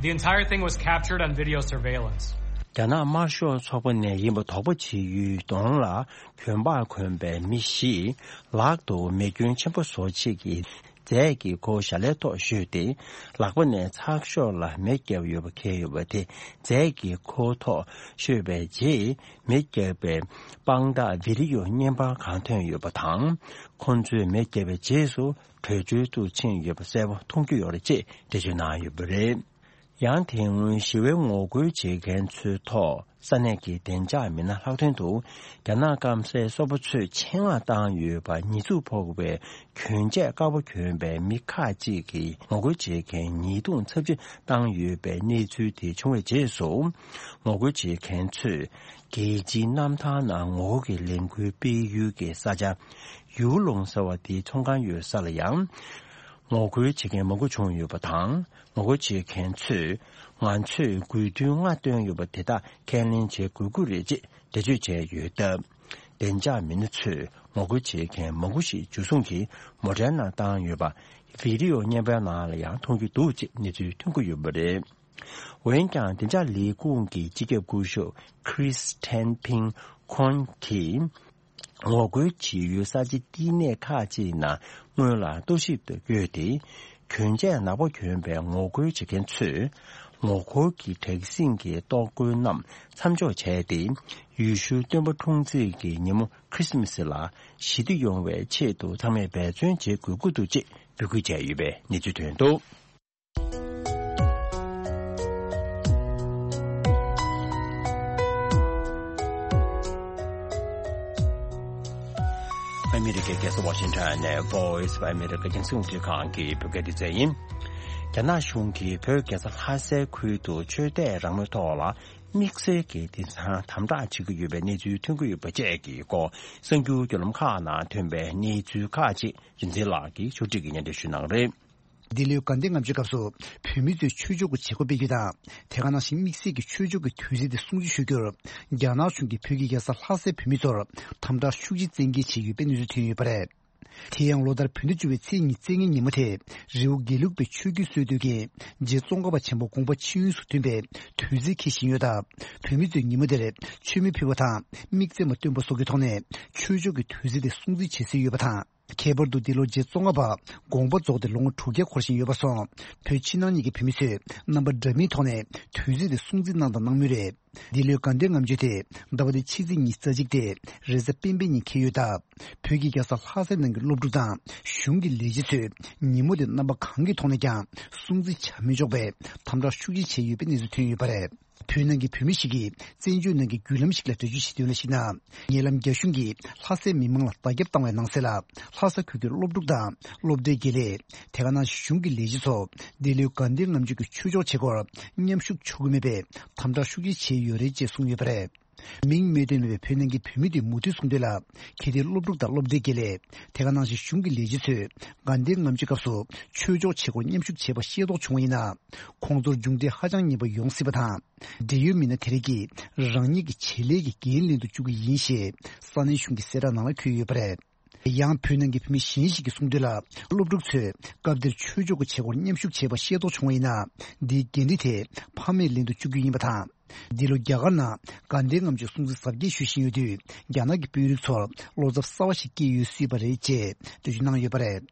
The entire thing was captured on video surveillance. རྒྱ་ནག་དམར་ཤོག་ཚོགས་པ་ནས་ཡིན་པ་དོགས་པ་བྱེད་ཡུལ་གདོང་ལ་བོད་པ་གོན་པའི་མི་བཞིས་ལག་ཏུ་མེ་སྐྱོན་ཆེན་པོ་བཟོ་བྱེད་ཀྱི་རྫས་ཀྱི་ཁོ་ཞལ་ལའི་ཐོག་བཞོས་ཏེ། ལག་པ་ནས་ཚགས་ཤོག་ལ་མེ་བརྒྱབ་ཡོད་པ་འཁེལ་ཡོད་པ་དེ་རྫས་ཀྱི་ཁོ་ཐོག་བཞོས་པའི་རྗེས། མེ་བརྒྱབ་པའི་དཔང་རྟགས་བི་ཌི་ཡོ་བརྙན་པར་གང་ཐོན་ཡོད་པ་དང་། ཁོ་ཚོས་མེ་བརྒྱབ་པའི་རྗེས་སུ་བྲོས་བྱོལ་དུ་ཕྱིན་ཡོད་པ་གསལ་པོ་མཐོང་རྒྱུ་ཡོད་རེད་ཅེས་འགྲེལ་བརྗོད་གནང་ཡོད་པ་རེད། ཡང་དེ་སྔོན་ཞི་བའི་ངོ་རྒོལ་བྱེད་མཁན་ཚོའི་ཐོག་ས་གནས་ཀྱི་བདེ་འཇགས་མི་སྣ་ལྷག་དོན་དུ་རྒྱ་ནག་སྐམ་སའི་སོ་པ་ཚོས་ཆེད་མངགས་བཏང་ཡོད་པ་ཉེས་འཛུགས་ཕོག་པའི་གྱོན་ཆས་དཀར་པོ་གྱོན་པའི་མི་ཁག་ཅིག་གིས་ངོ་རྒོལ་བྱེད་མཁན་ཉེས་རྡུང་ཚབས་ཆེ་བཏང་ཡོད་པའི་གནས་ཚུལ་དེ་བྱུང་བའི་རྗེས་སུ། ངོ་རྒོལ་བྱེད་མཁན་ཚོས་རྒྱལ་སྤྱིའི་གནམ་ཐང་ནང་ངོ་རྒོལ་གྱི་ལས་འགུལ་སྤེལ་ཡུལ་གྱི་ས་ཆ་ཡུའུ་ལུང་ཟེར་བ་དེའི་ཚོང་ཁང་ཡོད་ས་ལ་ཡང་ངོ་རྒོལ་བྱེད་མཁན་མང་པོ་བྱུང་ཡོད་པ་དང་། ངོ་རྒོལ་བྱེད་མཁན་ཚོས་ང་ཚོས་དགོས་འདུན་ལྔ་བཏོན་ཡོད་པ་དེ་དག་ཁས་ལེན་བྱེད་དགོས་ཀྱི་རེད་ཅེས་འགྲེལ་བརྗོད་བྱས་ཡོད་སྟབས། བདེ་འཇགས་མི་སྣ་ཚོས་ངོ་རྒོལ་བྱེད་མཁན་མང་པོ་ཞིག་འཇུ་བཟུང་གིས་མོ་ཊའི་ནང་བཏང་ཡོད་པ་བི་ཌི་ཡོ་བརྙན་པའི་ནང་ལ་ཡང་མཐོང་རྒྱུ་འདུག་ཅེས་གནས་ཚུལ་ཐོན་གྱི་ཡོད་པ་རེད། འོན་ཀྱང་བདེ་འཇགས་ལས་ཁུངས་ཀྱི་སྤྱི་ཁྱབ་སྐུ་ཞབས་Chris Ten Ping Kong་གིས། ངོ་རྒོལ་བྱེད་ཡུལ་ས་ཆའི་བསྟི་གནས་ཁག་ཅིག་ནང་སྔོན་ལ་རྟོག་ཞིབ་ཏུ་བསྐྱོད་དེ། གྱོན་ཆས་ནག་པོ་གྱོན་པའི་ངོ་རྒོལ་བྱེད་མཁན་ཚོས། ངོ་རྒོལ་གྱི་དྲག་ཟིང་གི་གཏོར་རྒོལ་རྣམས་མཚམས་འཇོག་བྱས་ཏེ། ཡེ་ཤུ་སྟོན་པ་འཁྲུངས་ཚེས་ཀྱི་ཉིན་མོ་ཁྲི་སི་མ་སི་ལ་ཞི་བདེ་ཡོང་བའི་ཆེད་དུ་ཚང་མས་འབད་བརྩོན་བྱེད་དགོས་ཀྱི་འདུག་ཅེས་འབོད་སྐུལ་བྱས་ཡོད་པའི་གནས་ཚུལ་ཐོན་འདུག། ཨ་མི་རི་ཀའི་རྒྱལ་ས་ཝ་ཤིང་ཊོན་ནས་Voice of America རྒྱང་སྲིང་རླུང་འཕྲིན་ཁང་གི་བོད་སྐད་སྡེ་ཚན་ཡིན། རྒྱ་ནག་གཞུང་གིས་བོད་རྒྱལ་ས་ལྷ་སའི་ཁུལ་དུ་ཆོས་དད་རང་མོས་ཐོག་ལ་དམིགས་བསལ་གྱི་དེང་སང་དམ་དྲག་བྱེད་ཀྱི་ཡོད་པའི་གནས་ཚུལ་ཐོན་གྱི་ཡོད་པ་བཅས་ཀྱི་སྐོར་གསར་འགྱུར་བརྒྱུད་ལམ་ཁག་ནང་ཐོན་པའི་གནས་ཚུལ་ཁག་ཅིག་རིག་འཛིན་ལགས་ཀྱིས་ཕྱོགས་སྒྲིག་གིས་སྙན་སྒྲོན་ཞུ་གནང་གི་རེད། འདི་ལོའི་དགའ་ལྡན་ལྔ་མཆོད་སྐབས་སུ་བོད་མི་ཚོས་ཆོས་ཕྱོགས་ཀྱི་བྱེད་སྒོ་སྤེལ་རྒྱུ་དང་། དེ་ག་ནང་བཞིན་དམིགས་བསལ་གྱི་ཆོས་ཕྱོགས་ཀྱི་དུས་ཚིགས་དེ་སྲུང་བརྩི་ཞུ་རྒྱུར། རྒྱ་ནག་གཞུང་གིས་བོད་ཀྱི་རྒྱལ་ས་ལྷ་སའི་བོད་མི་ཚོར་དམ་དྲག་ཤུགས་ཆེ་བཙན་འགེལ་བྱས་ཡོད་པའི་གནས་ཚུལ་ཐོན་ཡོད་པ་རེད། དེ་ཡང་ལོ་ལྟར་བོད་ཟླ་བཅུ་པའི་ཚེས་ཉི་ཤུ་རྩ་ལྔའི་ཉིན་མོ་དེ་རི་བོ་དགེ་ལུགས་པའི་ཆོས་བརྒྱུད་སྲོལ་གཏོད་མཁན་རྗེ་ཙོང་ཁ་པ་ཆེན་པོ་དགོངས་པ་ཆེན་ཡུན་སུ་ཐོན་པའི་དུས་ཚིགས་འཁེལ་བཞིན་ཡོད་སྟབས། བོད་མི་ཚོས་ཉིན་མོ་དེར་མཆོད་མེ་ཕུལ་བ་དང་དམིགས་བརྩེ་མ་བཏོན་པ་སོགས་ཀྱི་ཐོག་ནས་ཆོས་ཕྱོགས་ཀྱི་དུས་ཚིགས་དེ་སྲུང་བརྩི་བྱེད་སྲོལ་ཡོད་པ་དང་། ཁྱད་པར་དུ་འདི་ལོ་རྗེ་ཙོང་ཁ་པ་དགོངས་པ་རྫོགས་ཏེ་ལོ་ངོ་དྲུག་བརྒྱ་འཁོར་བཞིན་ཡོད་པར་སོང་། བོད་ཕྱི་ནང་གཉིས་ཀྱི་བོད་མི་ཚོས་རྣམ་པ་འདྲ་མིན་ཐོག་ནས་དུས་ཚིགས་དེ་སྲུང་བརྩི་གནང་དང་གནང་མུས་རེད། འདི་ལོའི་དགའ་ལྡན་ལྔ་མཆོད་དེ་ཟླ་བ་འདིའི་ཕྱི་ཚེས་ཉི་ཤུ་རྩ་གཅིག་སྟེ་རེས་གཟའ་སྤེན་པའི་ཉིན་འཁེལ་ཡོད་སྟབས། བོད་ཀྱི་རྒྱལ་ས་ལྷ་སའི་ནང་གི་སློབ་ཕྲུག་དང་གཞུང་གི་ལས་བྱེད་ཚོས་ཉིན་མོ་དེ་རྣམ་པ་གང་གི་ཐོག་ནས་ཀྱང་སྲུང་བརྩི་བྱ་མི་ཆོག་པའི་དམ་དྲག་ཤུགས་ཆེ་བྱས་ཡོད་པའི་གནས་ཚུལ་ཐོན་ཡོད་པ་རེད། བོད་ནང་གི་བོད་མི་ཞིག་གིས་བཙན་བྱོལ་ནང་གི་བརྒྱུད་ལམ་ཞིག་ལ་འགྲེལ་བརྗོད་བྱེད་དོན་ལ་གཞིགས་ན། ཉེ་ལམ་རྒྱ་གཞུང་གིས་ལྷ་སའི་མི་མང་ལ་བརྡ་ཁྱབ་བཏང་བའི་ནང་གསལ་ལ། ལྷ་ས་ཁུལ་གྱི་སློབ་ཕྲུག་དང་སློབ་གྲྭའི་དགེ་ལས། དེ་ག་ནང་བཞིན་གཞུང་གི་ལས་བྱེད་ཚོ་འདི་ལོའི་དགའ་ལྡན་ལྔ་མཆོད་ཀྱི་ཆོས་ཕྱོགས་བྱེད་སྒོར་མཉམ་ཞུགས་ཆོག་གི་མེད་པའི་དམ་དྲག་ཤུགས་ཆེ་བྱས་ཡོད་རེད་ཅེས་གསུངས་ཡོད་པ་རེད། མིང་སྨོས་དོན་མེད་པའི་བོད་ནང་གི་བོད་མི་དེས་མུ་མཐུད་གསུངས་དོན་ལ། གལ་ཏེ་སློབ་ཕྲུག་དང་སློབ་གྲྭའི་དགེ་ལས། དེ་ག་ནང་བཞིན་གཞུང་གི་ལས་བྱེད་ཚོས་དགའ་ལྡན་ལྔ་མཆོད་སྐབས་སུ་ཆོས་ཕྱོགས་བྱེད་སྒོར་མཉམ་ཞུགས་བྱས་པ་ཤེས་རྟོགས་བྱུང་བ་ཡིན་ན། ཁོང་ཚོར་མཇུག་འབྲས་ཧ་ཅང་ངན་པ་ཡོང་སྲིད་པ་དང་། འབྲེལ་ཡོད་མི་སྣ་དེ་རིགས་ཀྱིས་རང་ཉིད་ཀྱི་བྱེད་ལས་ཀྱི་འགན་ལེན་དུ་བཅུག་གི་ཡིན་ཞེས་ས་གནས་གཞུང་གི་གསལ་བསྒྲགས་ནང་ལ་འཁོད་ཡོད་པ་རེད། ཡང་བོད་ནང་གི་བོད་མི་གཞན་ཞིག་གིས་གསུངས་དོན་ལ། སློབ་ཕྲུག་ཚོས་སྐབས་དེར་ཆོས་ཕྱོགས་ཀྱི་བྱེད་སྒོར་མཉམ་ཞུགས་བྱས་པ་ཤེས་རྟོགས་བྱུང་བ་ཡིན་ན། འདིའི་འགན་འཁྲི་དེ་ཕ་མས་ལེན་དུ་བཅུག་རྒྱུ་ཡིན་པ་དང་། འདི་ལོ་རྒྱ་གར་ནང་དགའ་ལྡན་ལྔ་མཆོད་སྲུང་བརྩི་གཟབ་རྒྱས་ཞུ་བཞིན་ཡོད་དུས། རྒྱ་ནག་གི་དཔོན་རིགས་ཚོར་བློ་འཚབ་གསར་བ་ཞིག་སྐྱེས་ཡོད་སྲིད་པ་རེད་ཅེས་འགྲེལ་བརྗོད་གནང་ཡོད་པ་རེད།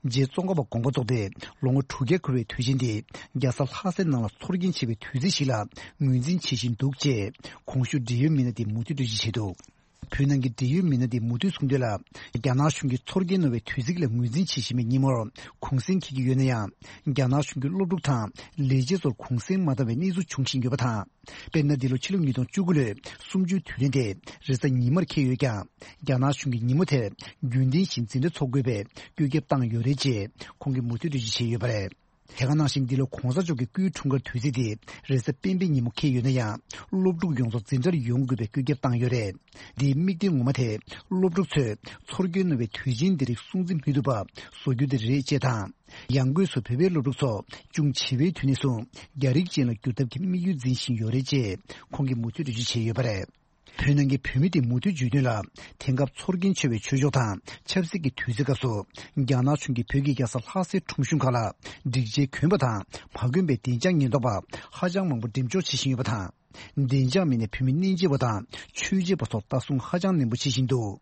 རྗེ་ཙོང་ཁ་པ་དགོངས་པ་རྫོགས་ཏེ་ལོ་ངོ་དྲུག་བརྒྱ་འཁོར་བའི་དུས་ཆེན་འདི་རྒྱལ་ས་ལྷ་སའི་ནང་ལ་ཚོར་སྐྱེན་ཆེ་བའི་དུས་ཚིགས་ཤིག་ལ་ངོས་འཛིན་བྱེད་བཞིན་འདུག་ཅེས་གོང་ཞུས་འབྲེལ་ཡོད་མི་སྣ་དེས་མུ་མཐུད་འགྲེལ་བརྗོད་བྱས་འདུག། བོད་ནང་གི་འབྲེལ་ཡོད་མི་སྣ་དེས་མུ་མཐུད་གསུངས་དོན་ལ། རྒྱ་ནག་གཞུང་གིས་ཚོར་སྐྱེན་གནང་བའི་དུས་ཚིགས་ལ་ངོས་འཛིན་བྱེད་བཞིན་པའི་ཉིན་མོར་གུང་སེང་འཁེལ་གྱི་ཡོད་ན་ཡང་། རྒྱ་ནག་གཞུང་གིས་སློབ་ཕྲུག་དང་ལས་བྱེད་ཚོར་གུང་སེང་མ་བཏང་བའི་གནས་ཚུལ་འབྱུང་བཞིན་ཡོད་པ་དང་། དཔེར་ན། འདི་ལོ་ཕྱི་ལོ་ཉིས་སྟོང་བཅུ་དགུ་ལོའི་གསུམ་བཅུའི་དུས་དྲན་དེ་རེས་གཟའ་ཉི་མར་འཁེལ་ཡོད་ཀྱང་། རྒྱ་ནག་གཞུང་གིས་ཉིན་མོ་དེར་རྒྱུན་ལྡན་བཞིན་འཛིན་གྲྭ་འཚོགས་དགོས་པའི་བཀོད་ཁྱབ་བཏང་ཡོད་རེད་ཅེས་ཁོང་གིས་མུ་མཐུད་འགྲེལ་བརྗོད་བྱས་ཡོད་པ་རེད། དེ་ག་ནང་བཞིན། འདི་ལོ་གོང་ས་མཆོག་གི་སྐུའི་འཁྲུངས་སྐར་དུས་ཚིགས་དེ་རེས་གཟའ་སྤེན་པའི་ཉིན་མོ་འཁེལ་ཡོད་ན་ཡང་། སློབ་ཕྲུག་ཡོངས་རྫོགས་འཛིན་གྲྭར་ཡོང་དགོས་པའི་བཀོད་ཁྱབ་བཏང་ཡོད་རེད། འདིའི་དམིགས་དོན་ངོ་མ་དེ། སློབ་ཕྲུག་ཚོས་ཚོར་སྐྱེན་གནང་བའི་དུས་ཆེན་འདི་རིགས་སྲུང་བརྩི་མི་ཐུབ་པ་བཟོ་རྒྱུ་དེ་རེད་ཅེས་དང་། ཡང་སྒོས་སུ་བོད་པའི་སློབ་ཕྲུག་ཚོ་ཅུང་བྱིས་པའི་དུས་ནས་བཟུང་རྒྱ་རིགས་ཅན་ལ་བསྒྱུར་ཐབས་ཀྱི་དམིགས་ཡུལ་འཛིན་བཞིན་ཡོད་རེད་ཅེས་ཁོང་གིས་མུ་མཐུད་འགྲེལ་བརྗོད་བྱས་ཡོད་པ་རེད། བོད་ནང་གི་བོད་མི་དེས་མུ་མཐུད་བརྗོད་དོན་ལ། དེང་སྐབས་ཚོར་སྐྱེན་ཆེ་བའི་ཆོས་ཕྱོགས་དང་ཆབ་སྲིད་ཀྱི་དུས་ཚིགས་སྐབས་སུ། རྒྱ་ནག་གཞུང་གིས་བོད་ཀྱི་རྒྱལ་ས་ལྷ་སའི་ཁྲོམ་གཞུང་ཁག་ལ་སྒྲིག་ཆས་གྱོན་པ་དང་མ་གྱོན་པའི་བདེ་འཇགས་ཉེན་རྟོག་པ་ཧ་ཅང་མང་པོ་འགྲེམས་འཇོག་བྱེད་བཞིན་ཡོད་པ་དང་། བདེ་འཇགས་མི་སྣས་བོད་མི་གནས་མཇལ་བ་དང་ཆོས་མཇལ་བ་ཚོར་ལྟ་སྲུང་ཧ་ཅང་ནན་པོ་བྱེད་བཞིན་འདུག།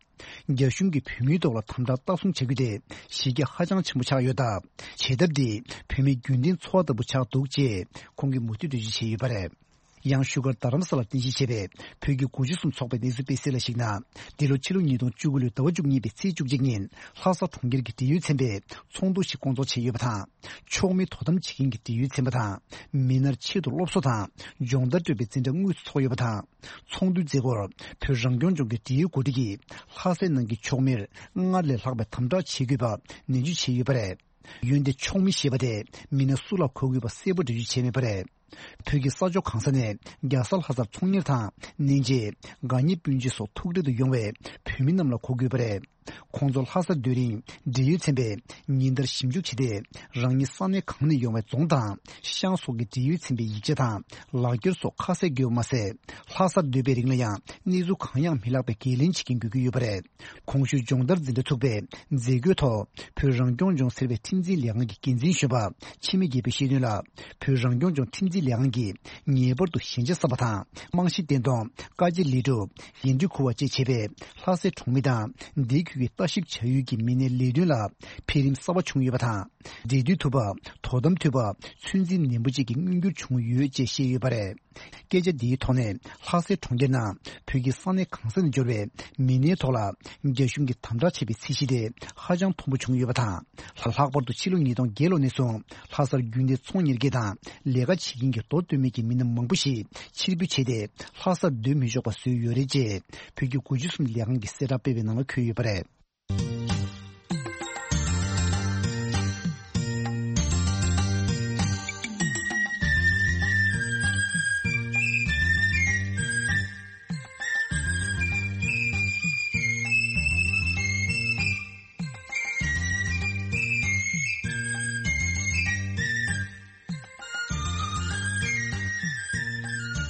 རྒྱ་གཞུང་གིས་བོད་མིའི་ཐོག་ལ་དམ་དྲག་ལྟ་སྲུང་བྱ་རྒྱུ་དེ་གཞི་རྒྱ་ཧ་ཅང་ཆེན་པོ་ཆགས་ཡོད་སྟབས། བྱེད་ཐབས་འདིས་བོད་མིའི་རྒྱུན་ལྡན་འཚོ་བ་ལྟ་བུ་ཆགས་འདུག་ཅེས་ཁོང་གིས་མུ་མཐུད་འགྲེལ་བརྗོད་བྱས་ཡོད་པ་རེད། ཡང་བཞུགས་སྒར་རྡ་རམ་ས་ལར་རྟེན་གཞི་བྱས་པའི་བོད་ཀྱི་དགུ་བཅུ་གསུམ་ཚོགས་པའི་གནས་ཚུལ་སྤེལ་གསལ་ལ་གཞིགས་ན། འདི་ལོ་ཕྱི་ལོ་ཉིས་སྟོང་བཅུ་དགུ་ལོའི་ཟླ་བ་བཅུ་གཉིས་པའི་ཚེས་བཅུ་གཅིག་ཉིན་ལྷ་ས་གྲོང་ཁྱེར་གྱི་འབྲེལ་ཡོད་ཚན་པས་ཚོགས་འདུ་ཞིག་བསྐོང་ཚོགས་བྱས་ཡོད་པ་དང་། ཕྱོགས་མིས་དོ་དམ་བྱེད་མཁན་གྱི་འབྲེལ་ཡོད་ཚན་པ་དང་། མི་སྣར་ཆེད་དུ་སློབ་གསོ་དང་སྦྱོང་བརྡར་སྤྲོད་པའི་འཛིན་གྲྭ་དངོས་སུ་འཚོགས་ཡོད་པ་དང་། ཚོགས་འདུའི་མཛད་སྒོར་བོད་རང་སྐྱོང་ལྗོངས་ཀྱི་འབྲེལ་ཡོད་འགོ་ཁྲིད་ཀྱིས་ལྷ་སའི་ནང་གི་ཕྱོགས་མིར་སྔར་ལས་ལྷག་པའི་དམ་དྲག་བྱེད་དགོས་པ་ནན་བརྗོད་བྱས་ཡོད་པ་རེད། འོན་ཏེ་ཕྱོགས་མི་ཞེས་པ་དེ་མི་སྣ་སུ་ལ་གོ་དགོས་པ་གསལ་པོ་འགྲེལ་བརྗོད་བྱས་མེད་པ་རེད། བོད་ཀྱི་ས་ཕྱོགས་གང་ས་ནས་རྒྱལ་ས་ལྷ་སར་ཚོང་གཉེར་དང་གནས་མཇལ། དགའ་ཉེ་སྤུན་མཆེད་སོགས་ཐུག་འཕྲད་དུ་ཡོང་བའི་བོད་མི་རྣམས་ལ་གོ་དགོས་པ་རེད། ཁོང་ཚོ་ལྷ་སར་སྡོད་རིང་འབྲེལ་ཡོད་ཚན་པས་ཉིན་ལྟར་ཞིབ་འཇུག་བྱས་ཏེ། རང་ཉིད་ས་གནས་གང་ནས་ཡོང་བའི་རྫོང་དང་ཤང་སོགས་ཀྱི་འབྲེལ་ཡོད་ཚན་པའི་ཡིག་ཆ་དང་ལག་འཁྱེར་སོགས་ཁ་གསལ་དགོས་པ་མ་ཟད། ལྷ་སར་སྡོད་པའི་རིང་ལ་ཡང་གནས་ཚུལ་གང་ཡང་མི་ལྷག་པའི་འགན་ལེན་བྱེད་ཀྱིན་དགོས་ཀྱི་ཡོད་པ་རེད། གོང་ཞུས་སྦྱོང་བརྡར་འཛིན་གྲྭ་ཚུགས་པའི་མཛད་སྒོའི་ཐོག་བོད་རང་སྐྱོང་ལྗོངས་ཟེར་བའི་ཁྲིམས་འཛིན་ལས་ཁང་གི་འགན་འཛིན་གཞོན་པ་འཆི་མེད་རྒྱལ་པོས་བཤད་དོན་ལ། བོད་རང་སྐྱོང་ལྗོངས་ཁྲིམས་ ལས་ཁང་གིས་ངེས་པར་དུ་ཞན་ཆ་གསབ་པ་དང་། རྨང་གཞི་བརྟན་གཏོང་། ཀ་རྗེ་ལས་སྒྲུབ། འགན་འཁྲི་འཁུར་བ་བཅས་བྱེད་པའི་ལྷ་སའི་གྲོང་མི་དང་། འདི་ཁུལ་གྱི་ལྟ་ཞིབ་བྱ་ཡུལ་གྱི་མི་སྣའི་ལས་དོན་ལ་འཕེལ་རིམ་གསར་པ་བྱུང་ཡོད་པ་དང་། འབྲེལ་མཐུད་ཐུབ་པ། དོ་དམ་ཐུབ་པ། ཚོད་འཛིན་ནན་པོ་བཅས་ཀྱི་མངོན་འགྱུར་བྱུང་ཡོད་ཅེས་བཤད་ཡོད་པ་རེད། སྐད་ཆ་འདིའི་ཐོག་ནས། ལྷ་སའི་གྲོང་ཁྱེར་ནང་བོད་ཀྱི་ས་གནས་གང་ས་ནས་འབྱོར་བའི་མི་སྣའི་ཐོག་ལ། རྒྱ་གཞུང་གིས་དམ་དྲག་བྱས་པའི་ཚད་གཞི་དེ་ཧ་ཅང་མཐོན་པོ་བྱུང་ཡོད་པ་དང་། ལྷག་པར་དུ་ཕྱི་ལོ་ཉིས་སྟོང་བརྒྱད་ལོ་ནས་བཟུང་ལྷ་སར་རྒྱུན་ལྡན་ཚོང་གཉེར་མཁན་དང་ལས་ཀ་བྱེད་མཁན་གྱི་མདོ་སྟོད་སྨད་ཀྱི་མི་སྣ་མང་པོ་ཞིག་ཕྱིར་འབུད་བྱས་ཏེ། ལྷ་སར་སྡོད་མི་ཆོག་པ་བཟོས་ཡོད་རེད་ཅེས་བོད་ཀྱི་དགུ་བཅུ་གསུམ་ལས་ཁང་གི་གསལ་བསྒྲགས་སྤེལ་བའི་ནང་ལ་འཁོད་ཡོད་པ་རེད།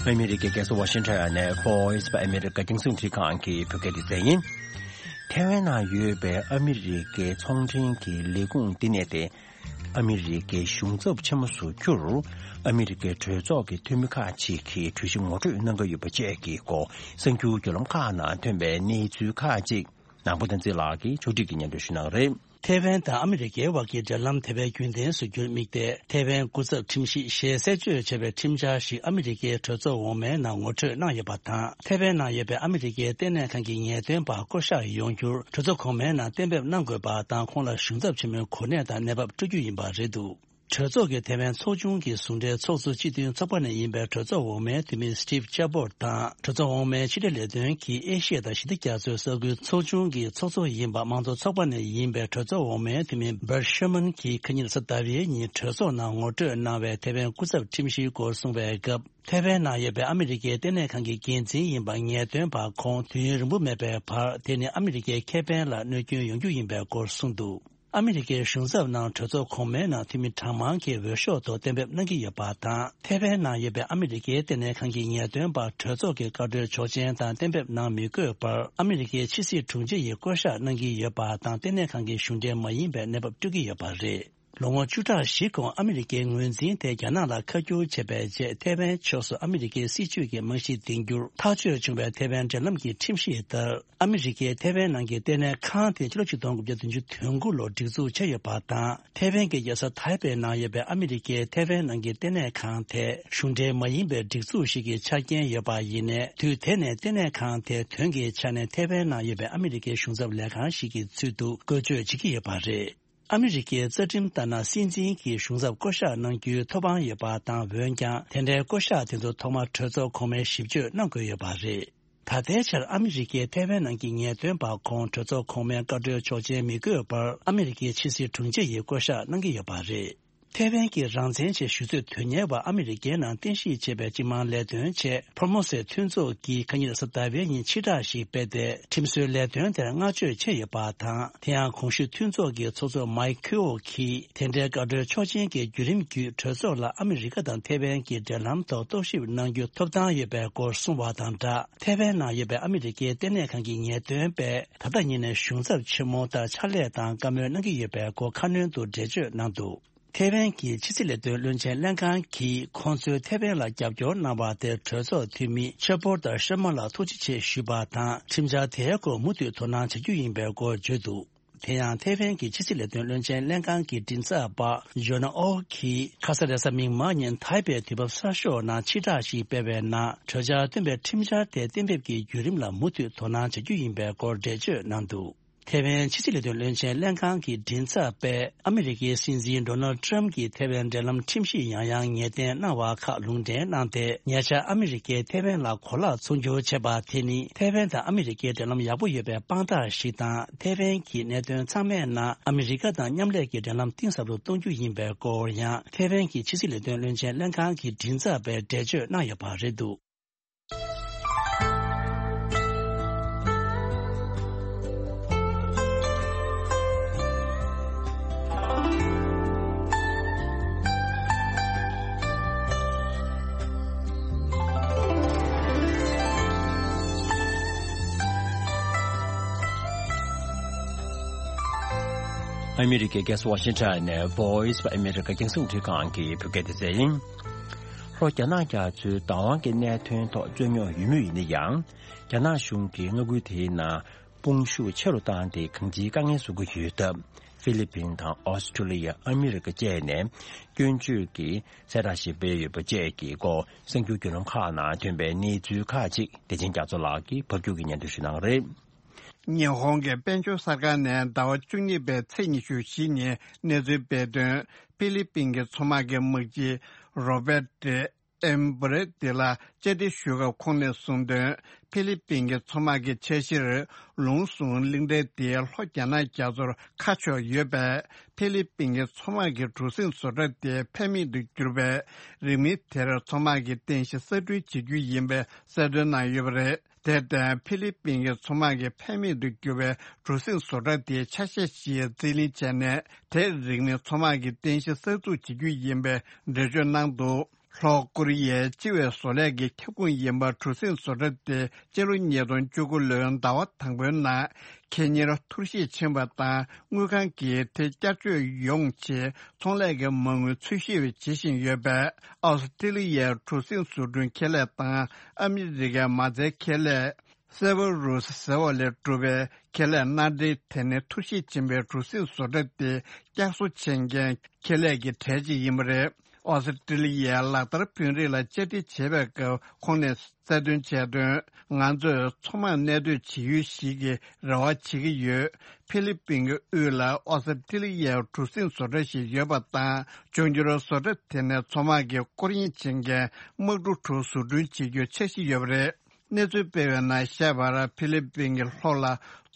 ཨ་མི་རི་ཀའི་རྒྱལ་ས་ཝ་ཤིང་ཊོན་ནས་Voice of America རྒྱང་སྲིང་རླུང་འཕྲིན་ཁང་གི་བོད་སྐད་སྡེ་ཚན་ཡིན། ཐའེ་ཝན་ནང་ཡོད་པའི་ཨ་མི་རི་ཀའི་ཚོང་འབྲེལ་གྱི་ལས་ཁུངས་འདི་ནས་ཏེ། ཨ་མི་རི་ཀའི་གཞུང་ཚབ་ཆེན་མོ་བཟོ་རྒྱུར། ཨ་མི་རི་ཀའི་གྲོས་ཚོགས་ཀྱི་འཐུས་མི་ཁག་ཅིག་གིས་གྲོས་གཞི་ངོ་སྤྲོད་གནང་གི་ཡོད་པ་བཅས་ཀྱི་སྐོར་གསར་འགྱུར་བརྒྱུད་ལམ་ཁག་ནང་ཐོན་པའི་གནས་ཚུལ་ཁག་ཅིག་ནང་པ་བསྟན་འཛིན་ལགས་ཀྱིས་ཕྱོགས་སྒྲིག་གིས་སྙན་སྒྲོན་ཞུ་གནང་གི་རེད། ཐའེ་ཝན་དང་ཨ་མི་རི་ཀའི་དབར་གྱི་འབྲེལ་ལམ་དེ་བས་རྒྱུན་ལྡན་བཟོ་རྒྱུར་དམིགས་ཏེ། ཐའེ་ཝན་སྐུ་ཚབ་ཁྲིམས་ཞིབ་ཞེས་གསལ་བརྗོད་བྱས་པའི་ཁྲིམས་འཆར་ཞིག་ཨ་མི་རི་ཀའི་གྲོས་ཚོགས་འོག་མའི་ནང་ངོ་སྤྲོད་གནང་ཡོད་པ་དང་། ཐའེ་ཝན་ནང་ཡོད་པའི་ཨ་མི་རི་ཀའི་ལྟེ་གནས་ཁང་གི་ངེས་སྟོན་པ་བསྐོ་གཞག་ཡོང་རྒྱུར་གྲོས་ཚོགས་གོང་མའི་ནང་གཏན་འབེབས་གནང་དགོས་པ་དང་། ཁོང་ལ་གཞུང་ཚབ་ཆེན་མོའི་གོ་གནས་དང་གནས་བབ་སྤྲོད་རྒྱུ་ཡིན་པ་རེད་འདུག་གྲོས་ཚོགས་ཀྱི་ཐའེ་ཝན་ཚོགས་ཆུང་གི་ཟུང་འབྲེལ་ཚོགས་གཙོ་སྤྱི་མཐུན་ཚོགས་པ་ནས་ཡིན་པའི་གྲོས་ཚོགས་འོག་མའི་འཐུས་མི་Steve Chabot དང་། གྲོས་ཚོགས་འོག་མའི་ཕྱི་འབྲེལ་ལས་དོན་གྱི་ཨེ་ཤི་ཡ་དང་ཞི་བདེ་རྒྱ་མཚོའི་ས་ཁུལ་ཚོགས་ཆུང་གི་ཚོགས་གཙོ་ཡིན་པ་དམངས་གཙོ་ཚོགས་པ་ནས་ཡིན་པའི་གྲོས་ཚོགས་འོག་མའི་འཐུས་མི་Bert Sherman གྱིས་ཁ་ཉིན་གཟའ་ཟླ་བའི་ཉིན་གྲོས་ཚོགས་ནང་ངོ་སྤྲོད་གནང་བའི་ཐའེ་ཝན་སྐུ་ཚབ་ཁྲིམས་ཞིབ་སྐོར་གསུངས་པའི་སྐབས། ཐའེ་ཝན་ནང་ཡོད་པའི་ཨ་མི་རི་ཀའི་ལྟེ་གནས་ཁང་གི་འགན་འཛིན་ཡིན་པ་ངེས་སྟོན་པ་ཁོང་དུས་ཡུན་རིང་པོ་མེད་པའི་བར། དེ་ནི་ཨ་མི་རི་ཀའི་ཁེ་ཕན་ལ་གནོད་སྐྱོན་ཡོང་རྒྱུ་ཡིན་པའི་སྐོར་གསུངས་འདུག་ཨ་མི་རི་ཀའི་གཞུང་ཚབ་ནང་གྲོས་ཚོགས་གོང་མའི་ནང་འཐུས་མི་གྲངས་མང་གིས་འོས་ཤོག་ཐོག་གཏན་འབེབས་གནང་གི་ཡོད་པ་དང་། ཐའེ་ཝན་ནང་ཡོད་པའི་ཨ་མི་རི་ཀའི་ལྟེ་གནས་ཁང་གི་ངེས་སྟོན་པ་གྲོས་ཚོགས་ཀྱི་བཀའ་འཁྲོལ་ཆོག་མཆན་དང་གཏན་འབེབས་གནང་མི་དགོས་པར། ཨ་མི་རི་ཀའི་ཕྱི་སྲིད་དྲུང་ཆེ་ཡིས་བསྐོ་གཞག་གནང་གི་ཡོད་པ་དང་། ལྟེ་གནས་ཁང་གི་གཞུང་འབྲེལ་མ་ཡིན་པའི་གནས་བབ་སྤྲོད་ཀྱི་ཡོད་པ་རེད། ལོ་ངོ་བཅུ་ཕྲག་བཞི་གོང་ཨ་མི་རི་ཀའི་ངོས་འཛིན་དེ་རྒྱ་ནག་ལ་ཁ་བསྒྱུར་བྱས་པའི་རྗེས། ཐའེ་ཝན་ཕྱོགས་སུ་ཨ་མི་རི་ཀའི་སྲིད་བྱུས་ཀྱི་རྨང་གཞི་འདིང་རྒྱུར་ཐག་གཅོད་བྱུང་བའི་ཐའེ་ཝན་འབྲེལ་ལམ་གྱི་ཁྲིམས་གཞི་ལྟར། ཨ་མི་རི་ཀས་ཐའེ་ཝན་ནང་གི་ལྟེ་གནས་ཁང་དེ་ཕྱི་ལོ་ཆིག་སྟོང་དགུ་བརྒྱ་བདུན་ཅུ་དོན་དགུ་ལོར་སྒྲིག་འཛུགས་བྱས་ཡོད་པ་དང་། ཐའེ་ཝན་གྱི་རྒྱལ་ས་ཐའེ་པེ་ནང་ཡོད་པའི་ཨ་མི་རི་ཀའི་ཐའེ་ཝན་ནང་གི་ལྟེ་གནས་ཁང་དེ་གཞུང་འབྲེལ་མ་ཡིན་པའི་སྒྲིག་འཛུགས་ཤིག་གི་ཆ་རྐྱེན་ཡོད་པ་ཡིན་ནའི། དུས་དེ་ནས་ལྟེ་གནས་ཁང་དེ་དོན་གྱི་ཆ་ནས་ཐའེ་ཝན་ནང་ཡོད་པའི་ཨ་མི་རི་ཀའི་གཞུང་ཚབ་ལས་ཁང་ཞིག་གི་ཚུལ་དུ་བཀོལ་སྤྱོད་བྱེད་ཀྱི་ཡོད་པ་རེད། ཨ་མི་རི་ཀའི་རྩ་ཁྲིམས་ལྟར་ན། སྲིད་འཛིན་གྱིས་གཞུང་ཚབ་བསྐོ་གཞག་གནང་རྒྱུའི་ཐོབ་དབང་ཡོད་པ་དང་། འོན་ཀྱང་། དེ་འདྲའི་བསྐོ་གཞག་དེ་ཚོ་ཐོག་མར་གྲོས་ཚོགས་གོང་མའི་ཞིབ་དཔྱོད་གནང་དགོས་ཡོད་པ་རེད། ད་ལྟའི་ཆར་ཨ་མི་རི་ཀའི་ཐའེ་ཝན་ནང་གི་ངེས་སྟོན་པ་ཁོང་གྲོས་ཚོགས་གོང་མའི་བཀའ་འཁྲོལ་ཆོག་མཆན་མི་དགོས་པར། ཨ་མི་རི་ཀའི་ཕྱི་སྲིད་དྲུང་ཆེ་ཡིས་བསྐོ་གཞག་གནང་གི་ཡོད་པ་རེད། ཐའེ་ཝན་གྱི་རང་བཙན་ཆེད་ཞུ་རྩོད་དོན་གཉེར་བ་ཨ་མི་རི་ཀའི་ནང་རྟེན་གཞི་བྱས་པའི་སྤྱི་དམངས་ལས་དོན་ཆེད་ཕོར་མོ་སའི་མཐུན་ཚོགས་ཀྱིས་ཁ་ཉིན་གཟའ་ཟླ་བའི་ཉིན་ཕྱིར་བསྒྲགས་ཤིག་སྤེལ་ཏེ། ཁྲིམས་བཟོའི་ལས་དོན་དེར་བསྔགས་བརྗོད་བྱས་ཡོད་པ་དང་། དེ་ཡང་གོང་ཞུས་མཐུན་ཚོགས་ཀྱི་ཚོགས་གཙོ་མའེ་ཁུའོ་གིས། དེ་འདྲའི་བཀའ་འཁྲོལ་ཆོག་མཆན་གྱི་བརྒྱུད་རིམ་བརྒྱུད། གྲོས་ཚོགས་ལ་ཨ་མི་རི་ཀ་དང་ཐའེ་ཝན་གྱི་འབྲེལ་ལམ་ཐོག་རྟོག་ཞིབ་གནང་རྒྱུ་ཐོབ་ཐང་ཡོད་པའི་སྐོར་གསུངས་པ་དང་སྦྲགས། ཐའེ་ཝན་ནང་ཡོད་པའི་ཨ་མི་རི་ཀའི་ལྟེ་གནས་ཁང་གི་ངེས་སྟོན་པས། ད་ལྟ་ཉིད་ནས་གཞུང་ཚབ་ཆེན་མོ་ལྟར་ཕྱག་ལས་དང་བཀའ་མོལ་གནང་གི་ཡོད་པའི་སྐོར་ཁ་སྣོན་དུ་འགྲེལ་བརྗོད་གནང་འདུག་ཐའེ་ཝན་གྱི་ཕྱི་སྲིད་ལས་དོན་བློན་ཆེན་ལྷན་ཁང་གིས་ཁོང་ཚོས་ཐའེ་ཝན་ལ་རྒྱབ་སྐྱོར་གནང་བ་དེར་གྲོས་ཚོགས་འཐུས་མི་ཆེ་པོར་དང་ཤ་མ་ལ་ཐུགས་རྗེ་ཆེ་ཞུས་པ་དང་། ཁྲིམས་འཆར་དེའི་སྐོར་མུ་མཐུད་དོ་སྣང་བྱ་རྒྱུ་ཡིན་པའི་སྐོར་བརྗོད་འདུག་དེ་ཡང་ཐའེ་ཝན་གྱི་ཕྱི་སྲིད་ལས་དོན་བློན་ཆེན་ལྷན་ཁང་གི་མགྲིན་ཚབ་པ་ཇོ་ན་ཨོ་གིས་ཁ་ས་རེས་གཟའ་མིག་དམར་ཉིན་ཐའེ་པེ་དུས་བབ་གསར་ཤོག་ནང་ཕྱིར་བསྒྲགས་ཤིག་སྤེལ་བའི་ནང་། གྲོས་འཆར་བཏོན་པའི་ཁྲིམས་འཆར་དེ་གཏན་འབེབས་ཀྱི་བརྒྱུད་རིམ་ལ་མུ་མཐུད་དོ་སྣང་བྱ་རྒྱུ་ཡིན་པའི་སྐོར་འགྲེལ་བརྗོད་གནང་འདུག་ཐའེ་ཝན་ཕྱི་སྲིད་ལས་དོན་བློན་ཆེན་ལྷན་ཁང་གི་མགྲིན་ཚབ་པས། ཨ་མི་རི་ཀའི་སྲིད་འཛིན་ཌོ་ནལ་ཊམ་གྱིས་ཐའེ་ཝན་འབྲེལ་ལམ་ཁྲིམས་གཞི་ཡང་ཡང་ངེས་གཏན་གནང་བ་ཁག་ལུང་འདྲེན་གནང་སྟེ། ཉེ་ཆར་ཨ་མི་རི་ཀས་ཐའེ་ཝན་ལ་གོ་ལག་ཚོང་སྒྱུར་བྱས་པ་དེ་ནི། ཐའེ་ཝན་དང་ཨ་མི་རི་ཀའི་འབྲེལ་ལམ་ཡག་པོ་ཡོད་པའི་དཔང་རྟགས་ཤིག་དང་། ཐའེ་ཝན་གྱི་གནད་དོན་ཚང་མའི་ནང་ཨ་མི་རི་ཀ་དང་མཉམ་ལས་ཀྱི་འབྲེལ་ལམ་གཏིང་ཟབ་ཏུ་གཏོང་རྒྱུ་ཡིན་པའི་སྐོར་ཡང་། ཐའེ་ཝན་གྱི་ཕྱི་སྲིད་ལས་དོན་བློན་ཆེན་ལྷན་ཁང་གི་མགྲིན་ཚབ་པས་འགྲེལ་བརྗོད་གནང་ཡོད་པ་རེད་འདུག་ཨ་མི་རི་ཀའི་རྒྱལ་ས་ཝ་ཤིང་ཊོན་ནས་Voice of America རྒྱང་སྲིང་རླུང་འཕྲིན་ཁང་གི་བོད་སྐད་སྡེ་ཚན་ཡིན། ལྷོ་རྒྱ་ནག་རྒྱ་མཚོའི་བདག་དབང་གི་གནད་དོན་ཐོག་རྩོད་རྙོག་ཡོད་མུས་ཡིན་ན་ཡང་། རྒྱ་ནག་གཞུང་གིས་མངའ་ཁུལ་དེའི་ནང་དཔུང་ཤུགས་ཆེ་རུ་བཏང་སྟེ་གང་ཅིའི་དཀའ་ངལ་བཟོ་གི་ཡོད་སྟབས། ཧྥི་ལི་པིན་དང་ཨོ་སི་ཁྲུ་ལི་ཡ། ཨ་མི་རི་ཀ་བཅས་ནས་སྐྱོན་བརྗོད་ཀྱི་གསལ་བསྒྲགས་ཤིག་སྤེལ་ཡོད་པ་བཅས་ཀྱི་སྐོར་གསར་འགྱུར་བརྒྱུད་ལམ་ཁག་ནང་ཐོན་པའི་གནས་ཚུལ་ཁག་ཅིག་བདེ་ཆེན་རྒྱ་མཚོ་ལགས་ཀྱིས་ཕབ་སྒྱུར་གྱིས་སྙན་སྒྲོན་ཞུ་གནང་གི་རེད། ཉི་ཧོང་གི་དཔལ་འབྱོར་གསར་ཁང་ནས་ཟླ་བ་བཅུ་གཉིས་པའི་ཚེས་ཉི་ཤུ་བཞི་ཉིན་གནས་ཚུལ་སྤེལ་དོན། ཧྥི་ལི་པིན་གྱི་མཚོ་དམག་གི་དམག་སྤྱི་རོ་བེ་ཏྲེ་ཨེམ་བུ་རེ་ཏི་ལ་བཅར་འདྲི་ཞུས་སྐབས་ཁོང་ནས་གསུངས་དོན། ཧྥི་ལི་པིན་གྱི་མཚོ་དམག་གི་འཆར་གཞིར། ལུང་ཟུང་གླིང་ཕྲན་དེ་ལྷོ་རྒྱ་ནག་རྒྱ་མཚོར་ཁ་ཕྱོགས་ཡོད་པས། ཧྥི་ལི་པིན་གྱི་མཚོ་དམག་གི་གྲུ་གཟིངས་བཟོ་གྲྭ་དེ་ཕན་མེད་དུ་གྱུར་པས། རིང་མིན་དེར་མཚོ་དམག་གི་རྟེན་གཞི་གསར་སྐྲུན་བྱེད་རྒྱུ་ཡིན་པའི་གསལ་སྟོན་གནང་ཡོད་པ་རེད། དེར་བརྟེན། ཧྥི་ལི་པིན་གྱི་མཚོ་དམག་གི་ཕན་མེད་དུ་གྱུར་བའི་གྲུ་གཟིངས་བཟོ་གྲྭ་དེའི་ཆ་ཤས་ཤིག་རྩིས་ལེན་བྱས་ནས། དེར་རིང་མིན་མཚོ་དམག་གི་རྟེན་གཞི་གསར་འཛུགས་བྱེད་རྒྱུ་ཡིན་པའི་འགྲེལ་བརྗོད་གནང་འདུག་ལྷོ་ཀོ་རི་ཡའི་སྤྱི་བའི་བཟོ་ལས་ཀྱི་ཁྱབ་ཁོངས་ཡིན་པ་གྲུ་གཟིངས་བཟོ་གྲྭ་དེ་སྤྱི་ལོ་ཉིས་སྟོང་བཅུ་དགུ་ལོའི་ཟླ་བ་དང་པོའི་ནང་ཁེ་གཉེར་འཐོར་ཞིག་ཕྱིན་པ་དང་། དངུལ་ཁང་གིས་དེ་བསྐྱར་བཅོས་ཡོང་ཆེད་ཚོང་ལས་ཀྱི་མ་དངུལ་འཚོལ་ཞིབ་བྱེད་བཞིན་ཡོད་པས། ཨོ་སི་ཀྲི་ལི་ཡའི་གྲུ་གཟིངས་བཟོ་སྐྲུན་ཁེ་ལས་དང་ཨ་མི་རི་ཀའི་མ་རྩའི་ཁེ་ལས། སེ་ཝ་རུས་ཟེར་བ་ལས་གྲུབ་པའི་ཁེ་ལས་མནའ་འབྲེལ་དེ་ནི་འཐོར་ཞིག་ཕྱིན་པའི་གྲུ་གཟིངས་བཟོ་གྲྭ་དེ་བསྐྱར་གསོ་བྱེད་མཁན་ཁེ་ལས་ཀྱི་གྲས་ཅིག་ཡིན་པ་རེད། ཨོ་སི་ཀྲི་ལི་ཡའི་ལག་བསྟར་དཔོན་རིགས་ལ་བཅར་འདྲི་བྱེད་པའི་སྐབས་ཁོང་ནས་གསལ་སྟོན་བྱས་དོན། ང་ཚོས་མཚོ་དམག་གནད་སྡོད་བྱེད་ཡུལ་ཞིག་གི་རེ་བ་བྱེད་ཀྱི་ཡོད། ཧྥི་ལི་པིན་གྱི་དབུས་ལ་ཨོ་སི་ཀྲི་ལི་ཡའི་གྲུ་གཟིངས་བཟོ་གྲྭ་ཞིག་ཡོད་པ་དང་། འབྱུང་འགྱུར་བཟོ་གྲྭ་དེ་ནས་མཚོ་དམག་གི་སྐོར་གཡེང་བྱེད་མཁན་དམག་གྲུ་དྲུག་བཟོ་སྐྲུན་བྱེད་རྒྱུའི་འཆར་གཞི་ཡོད་པ་རེད། གནས་ཚུལ་སྤེལ་བའི་ནང་བཤད་པར། ཧྥི་ལི་པིན་གྱི་ལྷོ་ལ་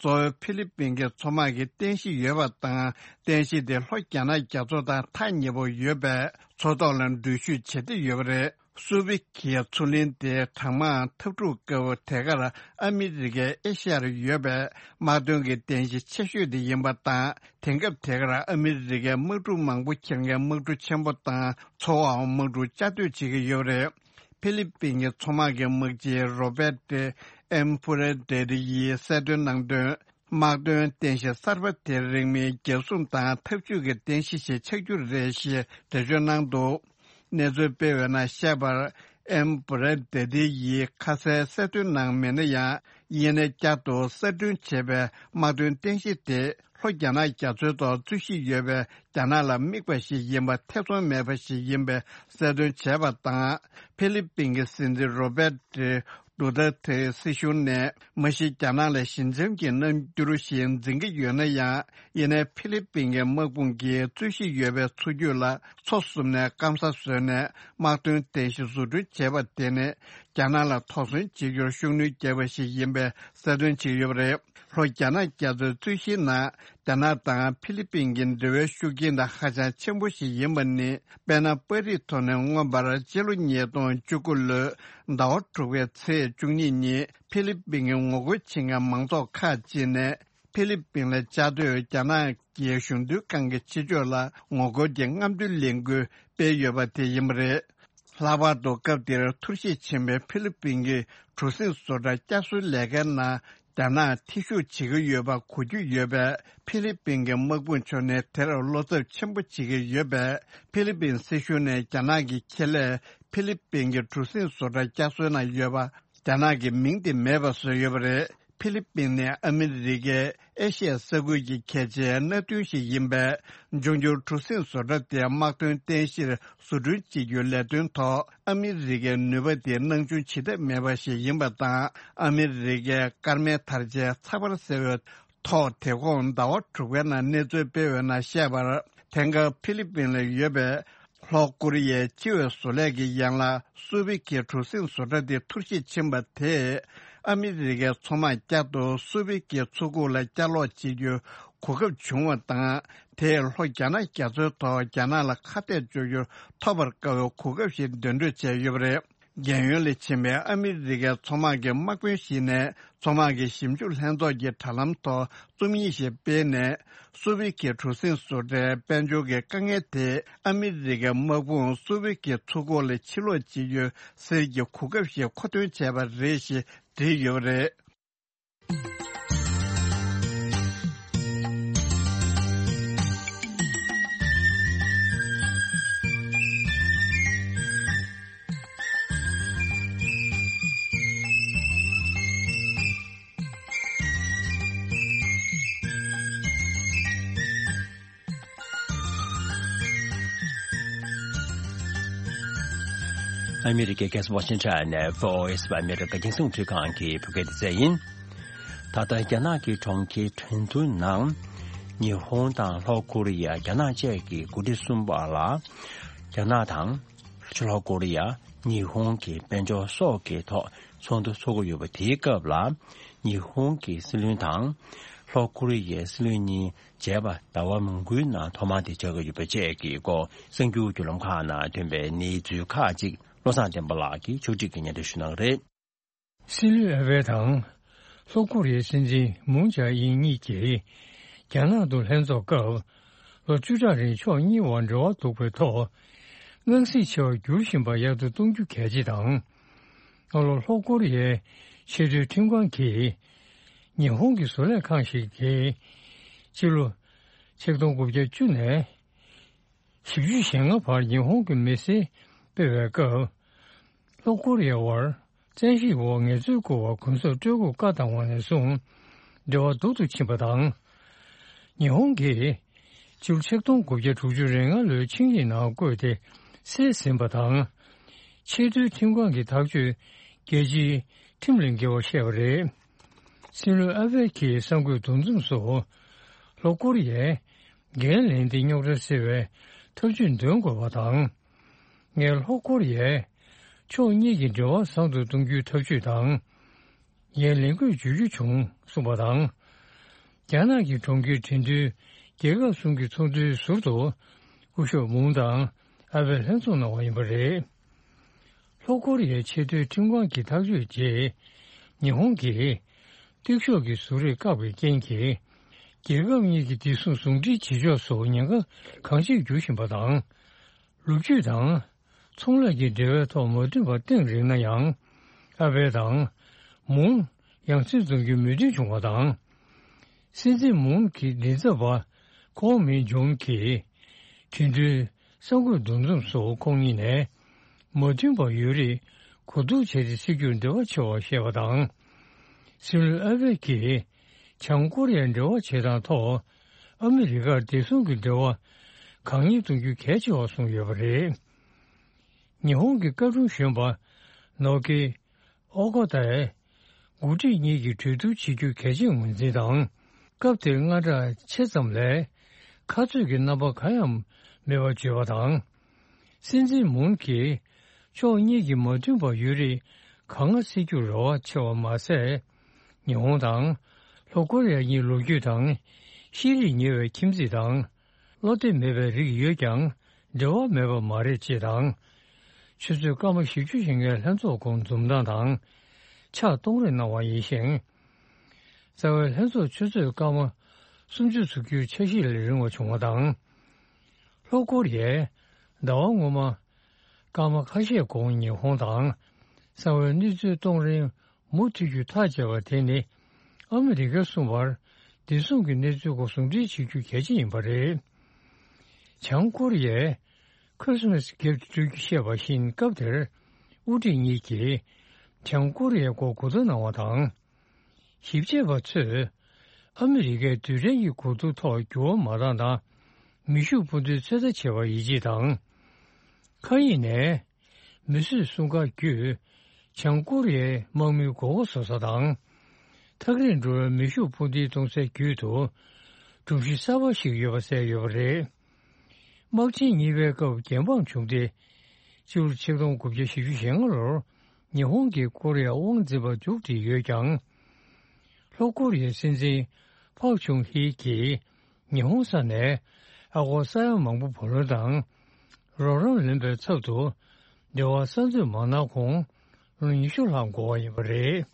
གཙོ་བོ་ཧྥི་ལི་པིན་གྱི་མཚོ་དམག་གི་རྟེན་གཞི་ཡོད་པ་དང་། རྟེན་གཞི་དེ་ལྷོ་རྒྱ་ནག་རྒྱ་མཚོ་དང་ཐག་ཉེ་པོ་ཡོད་པས། མཚོ་ཐོག་ལ་འགྲུལ་བཞུད་བྱེད་བདེ་ཡོད་པ་རེད། སུ་པི་ཁའི་མཚོ་གླིང་དེ་གྲང་དམག་འཐབ་འཁྲུག་སྐབས་དེ་གར་ཨ་མི་རི་ཀའི་ཨེ་ཤ་ཡར་ཡོད་པའི་དམག་དོན་གྱི་རྟེན་གཞི་ཆེ་ཤོས་དེ་ཡིན་པ་དང་། དེང་སྐབས་དེ་གར་ཨ་མི་རི་ཀའི་དམག་གྲུ་མང་པོ་འཁྱེར་མཁན་དམག་གྲུ་ཆེན་པོ་དང་། མཚོ་འོག་དམག་གྲུ་བཅའ་སྡོད་བྱེད་ཀྱི་ཡོད་པ་རེད། ཧྥི་ལི་པིན་གྱི་མཚོ་དམག་གི་དམག་སྤྱི་རོ་བེ་ཏེ་ཨེམ་ཕུ་རེ་ཏེ་ཏི་ཡིས་གསལ་སྟོན་གནང་དོན། དམག་དོན་རྟེན་གཞི་གསར་པ་དེ་རིང་མིན་རྒྱལ་སྲུང་དང་འཐབ་ཇུས་ཀྱི་རྟེན་གཞི་ཞིག་ཆགས་རྒྱུ་རེད་ཞེས་འགྲེལ་བརྗོད་གནང་འདུག་གནས་ཚུལ་སྤེལ་བའི་ནང་བཤད་པར། ཨེམ་བྷུ་རེ་ཏེ་ཏི་ཡིས་ཁ་གསལ་གསལ་སྟོན་གནང་མེད་ན་ཡང་། ཡིན་ནའི་བསྐྱར་དུ་གསར་སྐྲུན་བྱས་པའི་དམག་དོན་རྟེན་གཞི་དེ་ལྷོ་རྒྱ་ནག་རྒྱ་མཚོའི་ཐོག་རྩོད་གཞི་ཡོད་པའི་རྒྱ་ནག་ལ་དམིགས་པ་ཞིག་ཡིན་པ་ཐེ་ཚོམ་མེད་པ་ཞིག་ཡིན་པའི་གསལ་སྟོན་བྱས་པ་དང་། ཧྥི་ལི་པིན་གྱི་སྲིད་འཛིན་རོ་བེ་ཏྲི་ཌུ་ཏེ་ཏེ་སྲིད་གཞུང་ནས་མ་གཞི་རྒྱ་ནག་ལ་ཞི་འཇམ་གྱི་རྣམ་འགྱུར་ཞིག་འཛིན་གྱི་ཡོད་ན་ཡང་། ཡིན་ནའི་ཧྥི་ལི་པིན་གྱི་དམག་དཔུང་གིས་རྩོད་གཞི་ཡོད་པའི་མཚོ་རྒྱུད་ལ་མཚོ་བསུབས་ནས་སྐམ་ས་བཟོས་ནས་དམག་དོན་རྟེན་གཞི་བཟོ་སྐྲུན་བྱས་པ་དེ་ནི་རྒྱ་ནག་ལ་དོགས་ཟོན་བྱེད་རྒྱུར་ཤུགས་སྣོན་བརྒྱབ་པ་ཞིག་ཡིན་པའི་གསལ་སྟོན་བྱས་ཡོད་པ་རེད། ལྷོ་རྒྱ་ནག་རྒྱ་མཚོའི་རྩོད་གཞིའི་ནང་རྒྱ་ནག་དང་ཧྥི་ལི་པིན་གྱི་འབྲེལ་བའི་ཤུགས་རྐྱེན་དང་ཧ་ཅང་ཆེན་པོ་ཞིག་ཡིན་པ་ནི། དཔེར་ན། པར་རིས་ཐོག་ནས་མངོན་པར་སྤྱི་ལོ་ཉིས་སྟོང་བཅུ་དགུ་ལོའི་ཟླ་བ་དྲུག་པའི་ཚེས་བཅུ་གཉིས་ཉིན་ཧྥི་ལི་པིན་གྱིས་ངོ་རྒོལ་བྱེད་མཁན་མང་ཚོགས་ཁག་ཅིག་ནས། ཧྥི་ལི་པིན་ལ་བཅའ་སྡོད་རྒྱ་ནག་གི་གཞུང་དོན་ཁང་གི་ཕྱི་ཕྱོགས་ལ་ངོ་རྒོལ་གྱི་རྔམ་སྟོན་ལས་འགུལ་སྤེལ་ཡོད་པ་དེ་ཡིན་པ་རེད། ལྷག་པར་དུ་སྐབས་དེར་འཐོར་ཞིག་ཕྱིན་པའི་ཧྥི་ལི་པིན་གྱི་གྲུ་གཟིངས་བཟོ་གྲྭ་བསྐྱར་གསོའི་ལས་ཀའི་ནང་རྒྱ་ནག་ཐེ་ཞུགས་བྱེད་ཀྱི་ཡོད་པ་གོ་རྒྱུ་ཡོད་པས། ཧྥི་ལི་པིན་གྱི་དམག་དཔུང་ཕྱོགས་ནས་དེར་བློ་འཚབ་ཆེན་པོ་བྱེད་ཀྱི་ཡོད་པས། ཧྥི་ལི་པིན་སྲིད་གཞུང་ནས་རྒྱ་ནག་གི་ཁེ་ལས་ཧྥི་ལི་པིན་གྱི་གྲུ་གཟིངས་བཟོ་གྲྭ་བསྐྱར་གསོའི་ནང་ཡོད་པ། རྒྱ་ནག་གི་མིང་དེ་མེད་པ་བཟོས་ཡོད་པ་རེད། ཧྥི་ལི་པིན་ནི་ཨ་མི་རི་ཀའི་ཨེ་ཤི་ཡ་ས་ཁུལ་གྱི་གལ་ཆེའི་མནའ་མཐུན་ཞིག་ཡིན་པས། འབྱུང་འགྱུར་གྲུ་གཟིངས་བཟོ་གྲྭ་དེ་དམག་དོན་རྟེན་གཞིར་བཟོ་སྐྲུན་བྱེད་རྒྱུའི་ལས་དོན་ཐོག་ཨ་མི་རི་ཀའི་ནུས་པ་དེ་སྣང་ཆུང་བྱེད་ཐབས་མེད་པ་ཞིག་ཡིན་པ་དང་། ཨ་མི་རི་ཀའི་སྐར་མའི་དར་ཆའི་ཚགས་པར་ཟེར་བའི་ཐོག་དེ་གོང་ཟླ་བ་དྲུག་པའི་ནང་གནས་ཚུལ་སྤེལ་བའི་ནང་བཤད་པར། དེང་སྐབས་ཧྥི་ལི་པིན་ལ་ཡོད་པའི་ལྷོ་ཀོ་རི་ཡའི་སྤྱི་བའི་བཟོ་ལས་ཀྱི་ཡན་ལག་སུ་བི་ཁའི་གྲུ་གཟིངས་བཟོ་གྲྭ་དེ་འཐོར་ཞིག་ཕྱིན་པ་དེས། ཨ་མི་རི་ཀའི་མཚོ་དམག་བསྐྱར་དུ་སུ་བི་ཁའི་མཚོ་ཁུག་ལ་བསྐྱར་ལོག་བྱེད་རྒྱུའི་གོ་སྐབས་བྱུང་བ་དང་། དེས་ལྷོ་རྒྱ་ནག་རྒྱ་མཚོའི་ཐོག་རྒྱ་ནག་ལ་ཁ་གཏད་གཅོག་རྒྱུར་ཐོབ་པར་དཀའ་བའི་གོ་སྐབས་ཤིག་འདོན་སྤྲོད་བྱས་ཡོད་པ་རེད། རྒན་ཡོལ་ལ་ཕྱིན་པའི་ཨ་མི་རི་ཀའི་མཚོ་དམག་གི་དམག་དཔོན་ཞིག་ནས། མཚོ་དམག་གི་ཞིབ་འཇུག་ལྷན་ཚོགས་ཀྱི་དྲ་ལམ་ཐོག་རྩོམ་ཡིག་ཞིག་སྤེལ་ནས། སུ་བི་ཁའི་གྲུ་གཟིངས་བཟོ་གྲྭའི་དཔལ་འབྱོར་གྱི་དཀའ་ངལ་དེས། ཨ་མི་རི་ཀའི་དམག་དཔུང་སུ་བི་ཁའི་མཚོ་ཁུག་ལ་ཕྱིར་ལོག་བྱེད་རྒྱུའི་གསེར་གྱི་གོ་སྐབས་ཤིག་མཁོ་འདོན་བྱས་པ་རེད་ཞེས་བྲིས་ཡོད་པ་རེད། ཨ་མི་རི་ཀའི་རྒྱལ་ས་ཝ་ཤིང་ཊོན་ནས་བྷི་ཨོ་ཨེ་ཨ་མི་རི་ཀ་རྒྱང་སྲིང་རླུང་འཕྲིན་ཁང་གི་བོད་སྐད་སྡེ་ཚན་ཡིན། ད་ལྟ་རྒྱ་ནག་གི་གྲོང་ཁྱེར་ཁྲེང་ཏུའུ་ནང་ཉི་ཧོང་དང་ལྷོ་ཀོ་རི་ཡ། རྒྱ་ནག་བཅས་ཀྱི་འགོ་ཁྲིད་གསུམ་བར་ལ་རྒྱ་ནག་དང་ལྷོ་ཀོ་རི་ཡ། ཉི་ཧོང་གི་དཔལ་འབྱོར་སོགས་ཀྱི་ཐོག་ཚོགས་འདུ་འཚོགས་ཀྱི་ཡོད་པ་དེའི་སྐབས་ལ། ཉི་ཧོང་གི་སྲིད་བློན་དང་ལྷོ་ཀོ་རི་ཡའི་སྲིད་བློན་གཉིས་མཇལ་བ་ཟླ་བ་མང་པོའི་ནང་ཐོག་མ་དེ་བྱ་དགོས་ཡོད་པ་བཅས་ཀྱི་སྐོར་གསར་འགྱུར་བརྒྱུད་ལམ་ཁག་ནང་ཐོན་པའི་གནས་ཚུལ་ཁག་ཅིག་བློ་བཟང་བསྟན་པ་ལགས་ཀྱིས་ཕྱོགས་སྒྲིག་གིས་སྙན་སྒྲོན་ཞུ་གནང་གི་རེད། སྲིད་བློན་ཨ་བྷེ་དང་ལྷོ་ཀོ་རི་ཡའི་སྲིད་འཛིན་མུན་ཇཱ་ཨིན་གཉིས་ཀྱིས་རྒྱ་ནག་ཏུ་ལྷན་ཚོགས་སྐབས་ལོ་བཅུ་ཕྲག་རིང་ཕྱོགས་གཉིས་བར་འབྲེལ་བ་གཏུག་པའི་ཐོག་དངངས་སྲིད་ཆེ་བར་འགྱུར་བཞིན་པ་ཡག་ཏུ་གཏོང་རྒྱུ་གལ་ཆེ་དང་། སྔ་ལོ་ལྷོ་ཀོ་རི་ཡའི་ཆེས་མཐོའི་ཁྲིམས་ཁང་གིས་ཉི་ཧོང་གི་བཟོ་ལས་ཁང་ཞིག་གིས་སྤྱི་ལོ་ཆིག་སྟོང་དགུ་བརྒྱ་བཅུ་ནས་བཞི་བཅུ་ཞེ་ལྔ་བར་ཉི་ཧོང་གི་མི་སེར་སྤེལ་བའི་སྐབས། ལྷོ་ཀོ་རི་ཡ་བར་བཙན་ཤེད་འོག་ངལ་རྩོལ་བསྐུར་བར་གུན་གསབ་སྤྲོད་འགོ་བཀའ་བཏང་བ་ནས་བཟུང་འབྲེལ་བ་སྡུག་ཏུ་ཕྱིན་པ་དང་། ཉི་ཧོང་གིས་སྤྱི་ལོ་ཆིག་སྟོང་དགུ་བརྒྱ་དྲུག་ཅུ་རེ་ལྔ་ལོའི་ཆིངས་ཡིག་ནང་བཀོད་དེ་སེལ་ཟིན་པ་དང་། ཆེས་མཐོའི་ཁྲིམས་ཁང་གི་ཐག་གཅོད་རྒྱལ་སྤྱིའི་ཁྲིམས་ལས་འགལ་བར་བཤད་པ་རེད། སྲིད་བློན་ཨ་བྷེ་ཀྱིས་གསར་འགོད་འདུ་འཛོམས་སུ་ལྷོ་ཀོ་རི་ཡས་འགན་ལེན་ཏེ་རྙོག་དྲ་སེལ་བའི་ཐབས་ཇུས་འདོན་དགོས་པ་དང་། ངས་ལྷོ་ཀོ་རི་ཡས་ཕྱོགས་གཉིས་ཀྱི་འབྲེལ་བ་བཟང་དུ་གཏོང་རྒྱུའི་ཐབས་ཇུས་དང་། ངས་ལས་འགུལ་བརྗོད་རྒྱུ་བྱུང་གསུངས་པ་དང་། རྒྱ་ནག་གི་གྲོང་ཁྱེར་ཁྲེང་ཏུའུ་རྒྱལ་ཁབ་གསུམ་གྱི་ཚོགས་འདུའི་ཟུར་དུ་སྐུ་ཞབས་མུང་དང་ཨ་བྷེ་ལྷན་ཚོགས་གནང་བ་ཡིན་པ་རེད། ལྷོ་ཀོ་རི་ཡའི་ཆེས་མཐོའི་ཁྲིམས་ཁང་གི་ཐག་གཅོད་རྗེས། ཉི་ཧོང་གིས་གཏུག་ཤོག་གི་གཟུགས་རིས་བཀག་པའི་རྐྱེན་གྱིས། རྒྱལ་ཁབ་གཉིས་ཀྱི་བདེ་སྲུང་ཟུང་འབྲེལ་བྱེད་ཕྱོགས་སུ་ཉེན་ཁ་གང་ཆེར་འགྱུར་བཞིན་པ་དང་། ལོ་རྒྱུས་དང་ཚོང་ལས་ཀྱི་འབྲེལ་བའི་ཐོག་མ་མཐུན་པ་གཏིང་རིང་ན་ཡང་། ཨ་བྷེ་དང་མུང་ཡང་སེ་འཛོམས་རྒྱུའི་མོས་མཐུན་བྱུང་བ་དང་། སྲིད་འཛིན་མུང་གི་མགྲིན་ཚབ་པ་ཁོང་མིན་ཇོམ་གྱིས་ཁྲེང་ཏུའུ་གསར་འགོད་འདུ་འཛོམས་སུ་ཁོང་གཉིས་ནས་མ་མཐུན་པ་ཡོད་རིགས་གོ་བསྡུར་བྱས་ཏེ་སེལ་རྒྱུར་འབྲེལ་བ་ཆེ་བར་བཤད་པ་དང་། སྲིད་བློན་ཨ་བྷེ་ཀྱིས་བྱང་ཀོ་རི་ཡར་འབྲེལ་བ་བྱེད་སྟངས་ཐོག་ཨ་མི་རི་ཀར་བདེ་སྲུང་གི་འབྲེལ་བ་གང་མྱུར་གཏོང་རྒྱུ་གལ་ཆེ་བར་གསུངས་ཡོད་པ་རེད། ཉི་ཧོང་གི་བཀའ་དྲུང་གཞོན་པ་ནོ་ཀི་ཨོ་ཀོ་ཏའི་འགོ་ཁྲིད་གཉིས་ཀྱིས་གྲོས་བསྡུར་བྱེད་རྒྱུ་གལ་ཆེར་ངོས་འཛིན་དང་། སྐབས་དེར་དངངས་སྐྲག་ཆེ་ཙམ་ལས་ཁ་རྩོད་ཀྱི་རྣམ་པ་གང་ཡང་མེད་པར་བརྗོད་པ་དང་། སྲིད་འཛིན་མུན་གྱིས་ཕྱོགས་གཉིས་ཀྱི་མ་མཐུན་པ་ཡོད་རིགས་གང་སྔ་སེལ་རྒྱུར་རེ་བ་ཆེ་བ་མ་ཟད། ཉི་ཧོང་དང་ལྷོ་ཀོ་རི་ཡ་གཉིས་ལོ་རྒྱུས་དང་ཤེས་རིག་ཉེ་བའི་ཁྱིམ་མཚེས་དང་། བློ་གཏད་མེད་པའི་རིགས་ཡོད་ཀྱང་འབྲེལ་བ་མེད་པ་མ་རེད་ཅེས་དང་། ཆུ་ཚོད་སྐར་མ་བཞི་བཅུ་ཞིག་སྔའི་ལྷན་ཚོགས་ཁོངས་འཛོམས་སྟངས་དང་ཕྱག་གཏོང་རེས་གནང་བ་ཡིན་ཞིང་། རྩ་བའི་ལྷན་ཚོགས་ཆུ་ཚོད་སྐར་མ་སུམ་ཅུ་ཚུགས་རྒྱུའི་འཆར་གཞི་ལས་རིང་བ་བྱུང་བ་དང་། ལྷོ་ཀོ་རི་ཡས་ཟླ་བ་སྔོན་མ་སྐར་མ་ཁ་ཤས་གོང་ཉི་ཧོང་དང་གསང་བའི་གནས་ཚུལ་གཏོང་རིང་མུ་མཐུད་རྒྱུ་ཐག་བཅད་པ་དེ་ནི་ཨ་མི་རི་ཀ་གསུམ་བར་བདེ་སྲུང་གི་གནས་ཚུལ་སྐོར་ཟུང་འབྲེལ་བྱེད་རྒྱུ་གལ་ཆེ་ཡིན་པ་རེད། བྱང་ཀོ་རི་ཡས་ཁི་རི་སི་མ་སི་གྱེར་དུ་སྤྲོད་རྒྱུ་བཤད་པ་བཞིན་སྐབས་དེར་དབུ་ཁྲིད་གཉིས་ཀྱིས་བྱང་ཀོ་རི་ཡའི་སྐོར་གོ་བསྡུར་གནང་བ་དང་། ཞིབ་དཔྱད་པ་ཚོས་ཨ་མི་རི་ཀས་རྡུལ་ཕྲན་གྱི་གོ་བསྡུར་ཐོག་འགྱུར་བ་མ་བཏང་དང་མེ་ཤུགས་འཕུར་མདེལ་ཚོད་ལྟ་བྱས་པར་ཡིད་ཆེས་དང་། མཁའ་དབྱིངས་ནས་མི་གསོད་སྲུང་སྐར་བརྒྱུད་བྱང་ཀོ་རི་ཡའི་དམག་མིའི་མགོ་སྐོར་བཟོ་ས་དང་། ཐག་རིང་འགྲོ་བའི་མེ་ཤུགས་འཕུར་མདེལ་གཏོང་སའི་རྒྱུད་དུ་སྒྲོམ་གཞི་གསར་པ་ཞིག་ཡོད་པ་གསལ་ཡོད་པ་རེད། དམག་ཆེན་གཉིས་པའི་སྐབས་རྒྱལ་འབངས་བྱུང་སྟེ། སྤྱི་ལོ་ཆིག་སྟོང་དགུ་བརྒྱ་བཞི་བཅུ་ཞེ་ལྔ་ལོར་ཉི་ཧོང་གིས་ཀོ་རི་ཡར་དབང་འཛིན་པ་མཇུག་སྒྲིལ་ཡོད་ཀྱང་། ལྷོ་ཀོ་རི་ཡའི་སྲིད་འཛིན་ཕག་ཆུང་ཧི་གིས་ཉི་ཧོང་ས་ནས་ཨ་སྒོར་ས་ཡ་མང་པོ་བུ་ལོན་དང་རོགས་རམ་ལེན་པའི་ཚབ་ཏུ་འབྲེལ་བ་གསར་འཛུགས་མ་གནང་གོང་ལོ་ཉི་ཤུ་ལྷག་འགོར་བ་ཡིན་པ་རེད།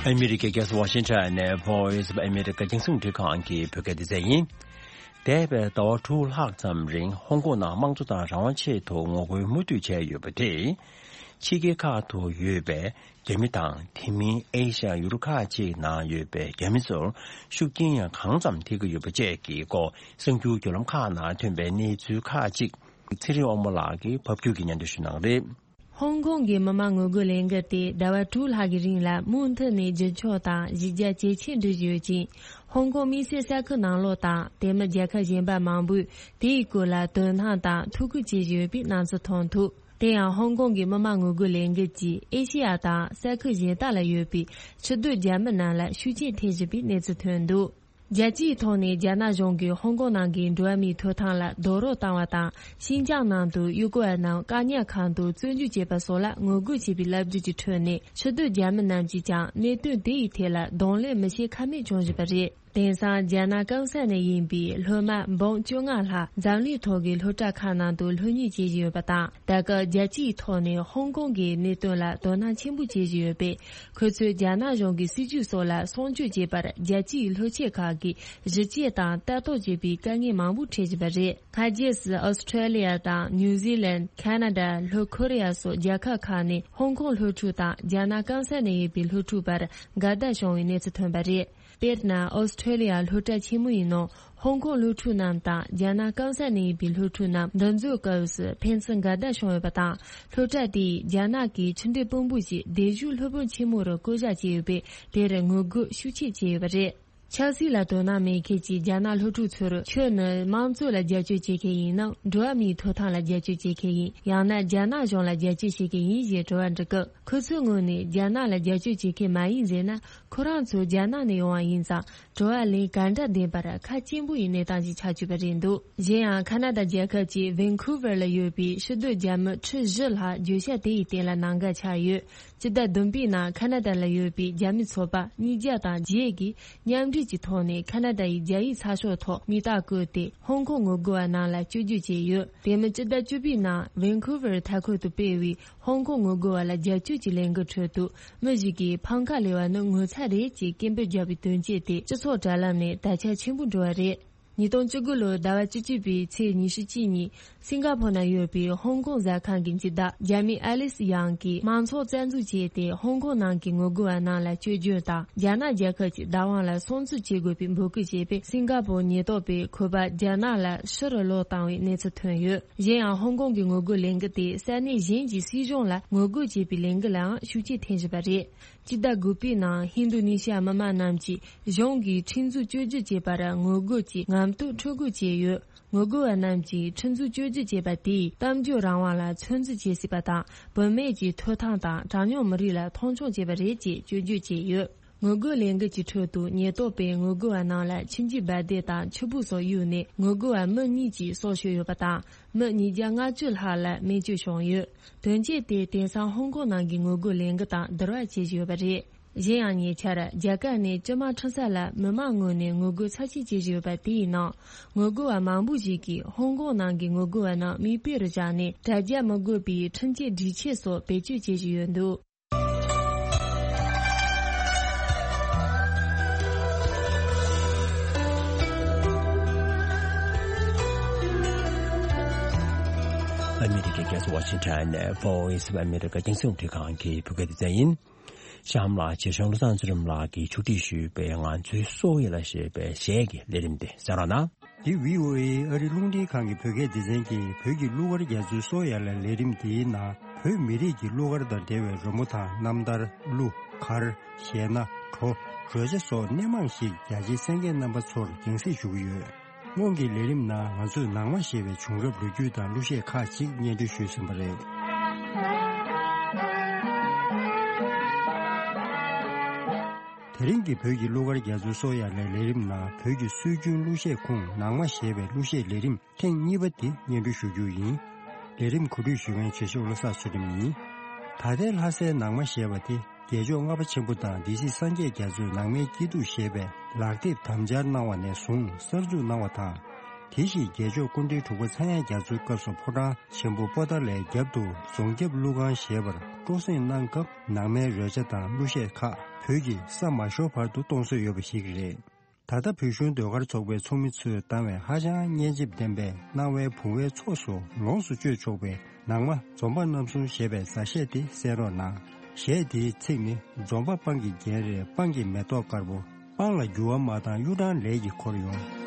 ཨ་མི་རི་ཀའི་རྒྱལ་ས་ཝ་ཤིང་ཊོན་ནས་Voice of America རྒྱང་སྲིང་འཕྲིན་ཁང་གི་བོད་སྐད་སྡེ་ཚན་ཡིན། འདས་པའི་ཟླ་བ་དྲུག་ལྷག་ཙམ་རིང་ཧོང་ཀོང་ནང་དམངས་གཙོ་དང་རང་དབང་ཆེད་དུ་ངོ་རྒོལ་མུ་མཐུད་བྱས་ཡོད་པ་དེས། ཕྱི་རྒྱལ་ཁག་ཏུ་ཡོད་པའི་རྒྱ་མི་དང་དེ་མིན་ཨེ་ཤ་ཡ་ཡུལ་ཁག་ཅིག་ནང་ཡོད་པའི་རྒྱ་མི་ཚོར་ཤུགས་རྐྱེན་ཡང་གང་ཙམ་ཐེབས་ཀྱི་ཡོད་པ་བཅས་ཀྱི་སྐོར་གསར་འགྱུར་བརྒྱུད་ལམ་ཁག་ནང་ཐོན་པའི་གནས་ཚུལ་ཁག་ཅིག་ཚེ་རིང་དབང་མོ་ལགས་ཀྱིས་ཕབ་སྒྱུར་གྱིས་སྙན་སྒྲོན་ཞུ་གནང་གི་རེད། ཧོང་ཀོང་གི་མི་མང་ངོ་རྒོལ་ལས་འགུལ་དེ་ཟླ་བ་དྲུག་ལྷག་གི་རིང་ལ་མུ་མཐུད་ནས་རྒྱུན་འཁྱོངས་དང་གཞི་རྒྱ་ཇེ་ཆེར་འགྲོ་བཞིན་ཡོད་ཅིང་། ཧོང་ཀོང་དམིགས་བསལ་ས་ཁུལ་ནང་ལོགས་དང་དེ་མིན་རྒྱལ་ཁབ་གཞན་པ་མང་པོས་དེའི་སྐོར་ལ་དོ་སྣང་དང་ཐུགས་ཁུར་བྱེད་བཞིན་ཡོད་པའི་སྣང་ཚུལ་ཐོན་ཐུབ། དེ་ཡང་ཧོང་ཀོང་གི་མི་མང་ངོ་རྒོལ་ལས་འགུལ་གྱིས་ཨེ་ཤེ་ཡ་དང་ས་ཁུལ་གཞན་དག་ལ་ཡོད་པའི་ཕྱི་སྡོད་རྒྱ་མི་རྣམས་ལ་ཤུགས་རྐྱེན་ཐེབས་བཞིན་པའི་གནས་ཚུལ་ཐོན་འདུག་རྒྱལ་སྤྱིའི་ཐོག་ནས་རྒྱ་ནག་གཞུང་གིས་ཧོང་ཀོང་ནང་གི་འགྲོ་བ་མིའི་ཐོབ་ཐང་ལ་རྡོག་རོལ་བཏང་བ་དང་། ཤིན་ཅང་ནང་དུ་ཡུལ་སྐོར་བ་རྣམས་བཀག་ཉར་ཁང་དུ་བཙོན་འཇུག་བྱས་པ་སོགས་ལ་ངོ་རྒོལ་བྱས་པའི་ལབ་བརྗོད་ཀྱི་ཁྲོད་ནས། ཕྱི་སྡོད་རྒྱ་མི་རྣམས་ཀྱིས་ཀྱང་གནད་དོན་དེ་ཡི་ཐད་ལ་གདོང་ལེན་མི་བྱེད་ཁ་མེད་བྱུང་བཞིན་པ་རེད། དེང་སང་རྒྱ་ནག་གང་ས་ནས་ཡིན་པའི་སློབ་མ་འབུམ་བཅོ་ལྔ་ལྷག་འཛམ་གླིང་ཐོག་གི་སློབ་གྲྭ་ཁག་ནང་དུ་སློབ་གཉེར་བྱེད་བཞིན་ཡོད་པ་དང་། ད་སྐབས་རྒྱལ་སྤྱིའི་ཐོག་ནས་ཧོང་ཀོང་གི་གནད་དོན་ལ་དོ་སྣང་ཆེན་པོ་བྱེད་བཞིན་ཡོད་པས། ཁོ་ཚོས་རྒྱ་ནག་གཞུང་གི་སྲིད་བྱུས་སོགས་ལ་སྲུང་སྐྱོབ་བྱེད་པར་རྒྱལ་སྤྱིའི་སློབ་ཆེན་ཁག་གིས་གཞི་བཅོས་དང་ལྟ་རྟོག་བྱེད་པའི་དཀའ་ངལ་མང་པོ་འཕྲད་བཞིན་པ་རེད། སྔ་རྗེས་སུ་ཨོ་སི་ཁྲེ་ལི་ཡ་དང་ནིའུ་ཛི་ལན། ཁ་ན་ཌ། ལྷོ་ཁོ་རེ་ཡ་སོགས་རྒྱལ་ཁབ་ཁག་ནས་ཧོང་ཀོང་སློབ་ཕྲུག་དང་རྒྱ་ནག་གང་ས་ནས་ཡོད་པའི་སློབ་ཕྲུག་བར་འགལ་ཟླ་བྱུང་བའི་གནས་ཚུལ་ཐོན་པ་རེད། དཔེར་ན། ཨོ་སི་ཁྲེ་ལི་ཡ་སློབ་གྲྭ་ཆེན་མོ་ཡི་ནང་ཧོང་ཀོང་སློབ་ཕྲུག་རྣམས་དང་རྒྱ་ནག་གང་ས་ནས་ཡིན་པའི་སློབ་ཕྲུག་རྣམས་འདུ་འཛོམས་སྐབས་སུ་ཕན་ཚུན་འགལ་ཟླ་བྱུང་ཡོད་པ་དང་། སློབ་གྲྭ་དེས་རྒྱ་ནག་གི་ཆུ་འབྲེལ་དཔོན་པོ་ཞིག་སྡེབ་ཞུགས་སློབ་དཔོན་ཆེན་མོ་རུ་བསྐོ་བཞག་བྱས་ཡོད་པས། དེར་ངོ་རྒོལ་ཤུགས་ཆེ་བྱས་ཡོད་པ་རེད། ཆབ་སྲིད་ལ་དོ་སྣང་མེད་མཁན་གྱི་རྒྱ་ནག་སློབ་ཕྲུག་ཚོར་ཁྱོད་ནི་དམངས་གཙོ་ལ་རྒྱབ་སྐྱོར་བྱེད་མཁན་ཡིན་ནམ། འགྲོ་བ་མིའི་ཐོབ་ཐང་ལ་རྒྱབ་སྐྱོར་བྱེད་མཁན་ཡིན། ཡང་ན་རྒྱ་ནག་གཞུང་ལ་རྒྱབ་སྐྱོར་བྱེད་མཁན་ཡིན་ཞེས་དྲི་བ་འདྲི་སྐབས། ཁོ་ཚོའི་ངོས་ནས་རྒྱ་ནག་ལ་རྒྱབ་སྐྱོར་བྱེད་མཁན་མ་ཡིན་ཟེར་ན། ཁོ་རང་ཚོ་རྒྱ་ནག་ནས་ཡོང་བ་ཡིན་ཙང་། དྲི་བ་ལན་ག་འདྲ་འདེབས་པར་ཁ་སྐྱེངས་པོ་ཡི་གནས་སྟངས་ཤིག་ཆགས་བཅུག་པ་རེད་འདུག་གཞན་ཡང་། ཁ་ན་ཌ་རྒྱལ་ཁབ་ཀྱི་ཝན་ཁུ་ཝར་ལ་ཡོད་པའི་ཕྱི་སྡོད་རྒྱ་མི་ཁྲི་བཞི་ལྷག་བརྗོད་བྱ་དེ་ཡི་སྟེང་ལ་ནང་འགལ་ཆགས་ཡོད། སྤྱི་ཟླ་བདུན་པའི་ནང་ཁ་ན་ཌ་ལ་ཡོད་པའི་རྒྱ་མི་ཚོགས་པ་ཉིས་བརྒྱ་དང་བརྒྱད་ཀྱིས་མཉམ་འབྲེལ་གྱི་ཐོག་ནས་ཁ་ན་ཌ་ཡི་རྒྱ་ཡིག་ཚགས་ཤོག་ཐོག་མིང་རྟགས་བཀོད་དེ། ཧོང་ཀོང་ངོ་རྒོལ་བ་རྣམས་ལ་སྐྱོན་བརྗོད་བྱས་ཡོད། དེ་མིན། སྤྱི་ཟླ་བཅུ་པའི་ནང་ཝན་ཁུ་ཝར་མཐའ་འཁོར་དུ་སྤེལ་བའི་ཧོང་ཀོང་ངོ་རྒོལ་བ་ལ་རྒྱབ་སྐྱོར་གྱི་ལས་འགུལ་ཁྲོད་དུ། མི་ཞིག་གིས་འཕང་ཁ་ལས་པ་ནི་ངོ་ཚ་རེད་ཅེས་སྐད་འབོད་བརྒྱབ་པའི་དོན་རྐྱེན་དེ་སྤྱི་ཚོགས་དྲ་ལམ་ནས་དར་ཁྱབ་ཆེན་པོ་འགྲོ་བ་རེད། ཉིས་སྟོང་བཅུ་དགུ་ལོའི་ཟླ་བ་བཅུ་གཅིག་པའི་ཚེས་ཉི་ཤུ་གཅིག་ཉིན། སིང་ག་ཕོར་ན་ཡོད་པའི་ཧོང་ཀོང་ཟ་ཁང་གི་སྤྱི་བདག་རྒྱ་མི་ཨ་ལི་སི་ཡང་གིས་མང་ཚོགས་རྩ་འཛུགས་བྱས་ཏེ། ཧོང་ཀོང་ནང་གི་ངོ་རྒོལ་བ་རྣམས་ལ་སྐྱོན་བརྗོད་དང་། རྒྱ་ནག་རྒྱལ་ཁབ་ཀྱི་བདག་དབང་ལ་སྲུང་བརྩི་བྱེད་དགོས་པའི་འབོད་སྐུལ་བྱས་པས། སིང་ག་ཕོར་ཉེན་རྟོག་པས་ཁོ་པ་རྒྱ་ནག་ལ་ཕྱིར་ལོག་བཏང་བའི་གནས་ཚུལ་ཐོན་ཡོད། གཞན་ཡང་། ཧོང་ཀོང་གི་ངོ་རྒོལ་ལས་འགུལ་དེས་ས་གནས་གཞན་གྱི་སྲིད་གཞུང་ལ་ངོ་རྒོལ་བྱེད་པའི་ལས་འགུལ་ལའང་ཤུགས་རྐྱེན་ཐེབས་བཞིན་པ་རེད། སྤྱི་ཟླ་དགུ་པའི་ནང་ཧིན་རྡུ་ནི་ཤི་ཡ་མི་མང་རྣམས་ཀྱིས་གཞུང་གིས་ཁྲིམས་འཛུགས་བཅོས་སྒྱུར་བྱས་པར་ངོ་རྒོལ་གྱིས་ངམ་ཐོག་འཕྲུལ་འཁོར་བྱས་ཡོད། ངོ་རྒོལ་བ་རྣམས་ཀྱིས་ཁྲིམས་འཛུགས་བཅོས་སྒྱུར་བྱས་པ་དེས་གཏམ་བརྗོད་རང་དབང་ལ་ཚོད་འཛིན་བྱེད་སྲིད་པ་དང་། བུད་མེད་ཀྱི་ཐོབ་ཐང་དང་གྲངས་ཉུང་མི་རིགས་ལ་མཐོང་ཆུང་བྱས་པ་རེད་ཅེས་སྐྱོན་བརྗོད་བྱས་ཡོད། ངོ་རྒོལ་ལས་འགུལ་གྱི་ཁྲོད་དུ་ཉེན་རྟོག་པས་ངོ་རྒོལ་བ་རྣམས་ལ་ཁྱིམ་རྒྱུད་འབར་མདེལ་དང་ཆུ་འབུ་སོགས་གཡུགས་ནས། ངོ་རྒོལ་བ་མི་གཉིས་ཀྱི་སྲོག་ཤོར་ཡོད་པ་དང་། མི་ཉིས་བརྒྱ་ལྔ་བཅུ་ལྷག་ལ་རྨས་སྐྱོན་བྱུང་ཡོད། དོན་རྐྱེན་དེས་དེང་སང་ཧོང་ཀོང་ནང་གི་ངོ་རྒོལ་ལས་འགུལ་དང་བསྡུར་བ་བྱེད་བཞིན་ཡོད་པ་རེད། གཞན་ཡང་། ཉེ་ཆར་རྒྱ་གར་ནས་སྤྱི་དམངས་ཁྲིམས་ས་ལ་མི་མང་ངོས་ནས་ངོ་རྒོལ་ཚབས་ཆེན་བྱེད་བཞིན་ཡོད་པ་དེའི་ནང་། ངོ་རྒོལ་བ་མང་པོ་ཞིག་གིས་ཧོང་ཀོང་ནང་གི་ངོ་རྒོལ་བ་རྣམས་མིག་དཔེ་རུ་བཞག་ནས། དྲ་རྒྱ་མི་དགོས་པའི་ཁྲིམས་ཆད་སྒྲིག་ཆས་སོགས་བེད་སྤྱོད་བྱེད་བཞིན་ཡོད་འདུག་ཨ་མི་རི་ཀའི་རྒྱལ་ས་ཝ་ཤིང་ཊོན་ནས་Voice of America རྒྱང་སྲིང་རླུང་འཕྲིན་ཁང་གི་བོད་སྐད་སྡེ་ཚན་ཡིན། གཤམ་ལ་རྗེ་གཞུང་བློ་བཟང་ཚུལ་ཁྲིམས་ལགས་ཀྱིས་ཕྱོགས་སྒྲིག་ཞུས་པའི་ང་ཚོའི་སྲོག་ཡོད་ལ་ཞེས་པའི་གཞས་ཀྱི་ལས་རིམ་དེ་གསན་རོགས་གནང་། འདི་བྷི་ཨོ་ཨེ་ཨ་རི་རླུང་འཕྲིན་ཁང་གི་བོད་སྐད་སྡེ་ཚན་གྱི་བོད་ཀྱི་གླུ་གར་རྒྱ་མཚོའི་སྲོག་ཡོད་ལ་ལས་རིམ་འདིའི་ནང་བོད་མི་རིགས་ཀྱི་གླུ་གར་དང་འབྲེལ་བའི་རོལ་མོ་དང་རྣམ་ཐར། གླུ། གར། གཞས་སྣ། བྲོ། རོལ་ཆ་སོགས་སྣེ་མང་ཞིག་རྒྱ་ཆེའི་གསན་མཁན་རྣམ་པ་ཚོར་རྒྱང་སྲིང་ཞུ་གི་ཡོད། སྔོན་གྱི་ལས་རིམ་ནང་ང་ཚོས་ནང་མ་ཞེས་པའི་བྱུང་རབས་ལོ་རྒྱུས་དང་གླུ་གཞས་ཁག་ཅིག་སྙན་སྒྲོན་ཞུས་ཟིན་པ་རེད། དེ་རིང་གི་བོད་ཀྱི་གླུ་གར་རྒྱ་མཚོའི་སྲོག་ཡོད་ལ་ལས་རིམ་ནང་བོད་ཀྱི་སྲོལ་རྒྱུན་གླུ་གཞས་ཁུངས་ནང་མ་ཞེས་པའི་གླུ་གཞས་ལས་རིམ་ཐེངས་གཉིས་པ་འདི་སྙན་སྒྲོན་ཞུ་རྒྱུ་ཡིན། ལས་རིམ་གོ་སྒྲིག་ཞུ་མཁན་བྱེད་ཤོག་བློ་བཟང་ཚུལ་ཁྲིམས་ཡིན། ད་ལྟའི་ལྷ་སའི་ནང་མ་ཞེས་པ་དེ་རྒྱལ་མཆོག་ལྔ་པ་ཆེན་པོ་དང་སྡེ་སྲིད་སངས་རྒྱས་རྒྱ་མཚོས་ནང་མའི་སྐྱིད་སྡུག་ཞེས་པའི་ལག་དེབ་དམ་སྦྱར་གནང་བ་ནས་བཟུང་གསར་འཛུགས་གནང་བ་དང་། དེ་བཞིན་རྒྱལ་མཆོག་སྐུ་ཕྲེང་དྲུག་པ་ཚངས་དབྱངས་རྒྱ་མཚོའི་སྐབས་སུ་ཕོ་བྲང་ཆེན་པོ་པོ་ཏཱ་ལའི་རྒྱབ་ཏུ་རྫོང་རྒྱབ་གླུ་ཁང་ཞེས་པར་སྤྲོ་གསེང་གནང་སྐབས་ནང་མའི་རོལ་ཆ་དང་གླུ་གཞས་ཁག་བོད་ཀྱི་ས་མ་ཤོར་བར་དུ་གཏོང་སྲོལ་ཡོད་པ་ཞིག་རེད། ད་ལྟ་བོད་གཞུང་ཟློས་གར་ཚོགས་པའི་ཚོགས་མི་ཚོས་བཏང་བའི་ཧ་ཅང་སྙན་འཇེབས་ལྡན་པའི་སྣང་བའི་བུང་བའི་ཚོགས་སུ་ལོངས་སུ་སྤྱོད་ཆོག་པའི་ ནང་མ་འཛོམས་པ་རྣམ་གསུམ་ཞེས་པའི་མཛའ་གཞས་དེ་གསན་རོགས་གནང་། གཞས་དེའི་ཚིག་ནི། འཛོམས་པ་སྤང་གི་རྒྱན་རེད། སྤང་གི་མེ་ཏོག་དཀར་པོ། སྤང་ལ་འགྱུར་བ་མ་བཏང་གཡུ་སྦྲང་ལས་ཀྱིས་འཁོར་ཡོང་།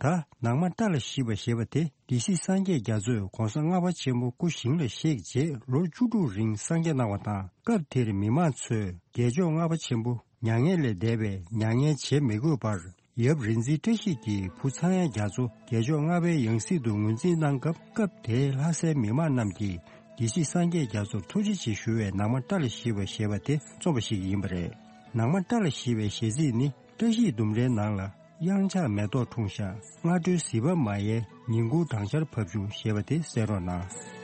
ད་ནང་མ་བཀྲ་ལ་ཤིས་པ་ཞེས་པ་དེ་སྡེ་སྲིད་སངས་རྒྱས་རྒྱ་མཚོས་གོང་ས་ལྔ་པ་ཆེན་པོ་སྐུ་ཞིང་ལ་གཤེགས་རྗེས་ལོ་བཅུ་དྲུག་རིང་སངས་རྒྱས་གནང་བ་དང་། སྐབས་དེར་མི་མང་ཚོས་རྒྱལ་མཆོག་ལྔ་པ་ཆེན་པོ་མྱ་ངན་ལས་འདས་པའི་མྱ་ངན་བྱེད་མི་དགོས་པར། ཡབ་རིག་འཛིན་བཀྲ་ཤིས་ཀྱིས་བུ་ཚངས་དབྱངས་རྒྱ་མཚོ་རྒྱལ་མཆོག་ལྔ་པའི་ཡང་སྲིད་དུ་ངོས་འཛིན་གནང་སྐབས། སྐབས་དེའི་ལྷ་སའི་མི་མང་རྣམས་ཀྱིས་སྡེ་སྲིད་སངས་རྒྱས་རྒྱ་མཚོར་ཐུགས་རྗེ་ཆེ་ཞུ་བའི་ནང་མ་བཀྲ་ལ་ཤིས་པ་ཞེས་པ་དེ་རྩོམ་པ་ཞིག་ཡིན་པ་རེད། ནང་མ་བཀྲ་ལ་ཤིས་པའི་གཞས་ཚིག་ནི། བཀྲ་ཤིས་ལྡུམ་རའི་ནང་ལ། གཡང་ཆགས་མེ་ཏོག་འཁྲུངས་ཤག་སྔ་དྲོའི་ཟིལ་པ་མ་ཡལ། ཉིན་གུང་སྦྲང་ཆར་བབས་བྱུང་ཞེས་པ་དེ་གསན་རོགས་གནང་།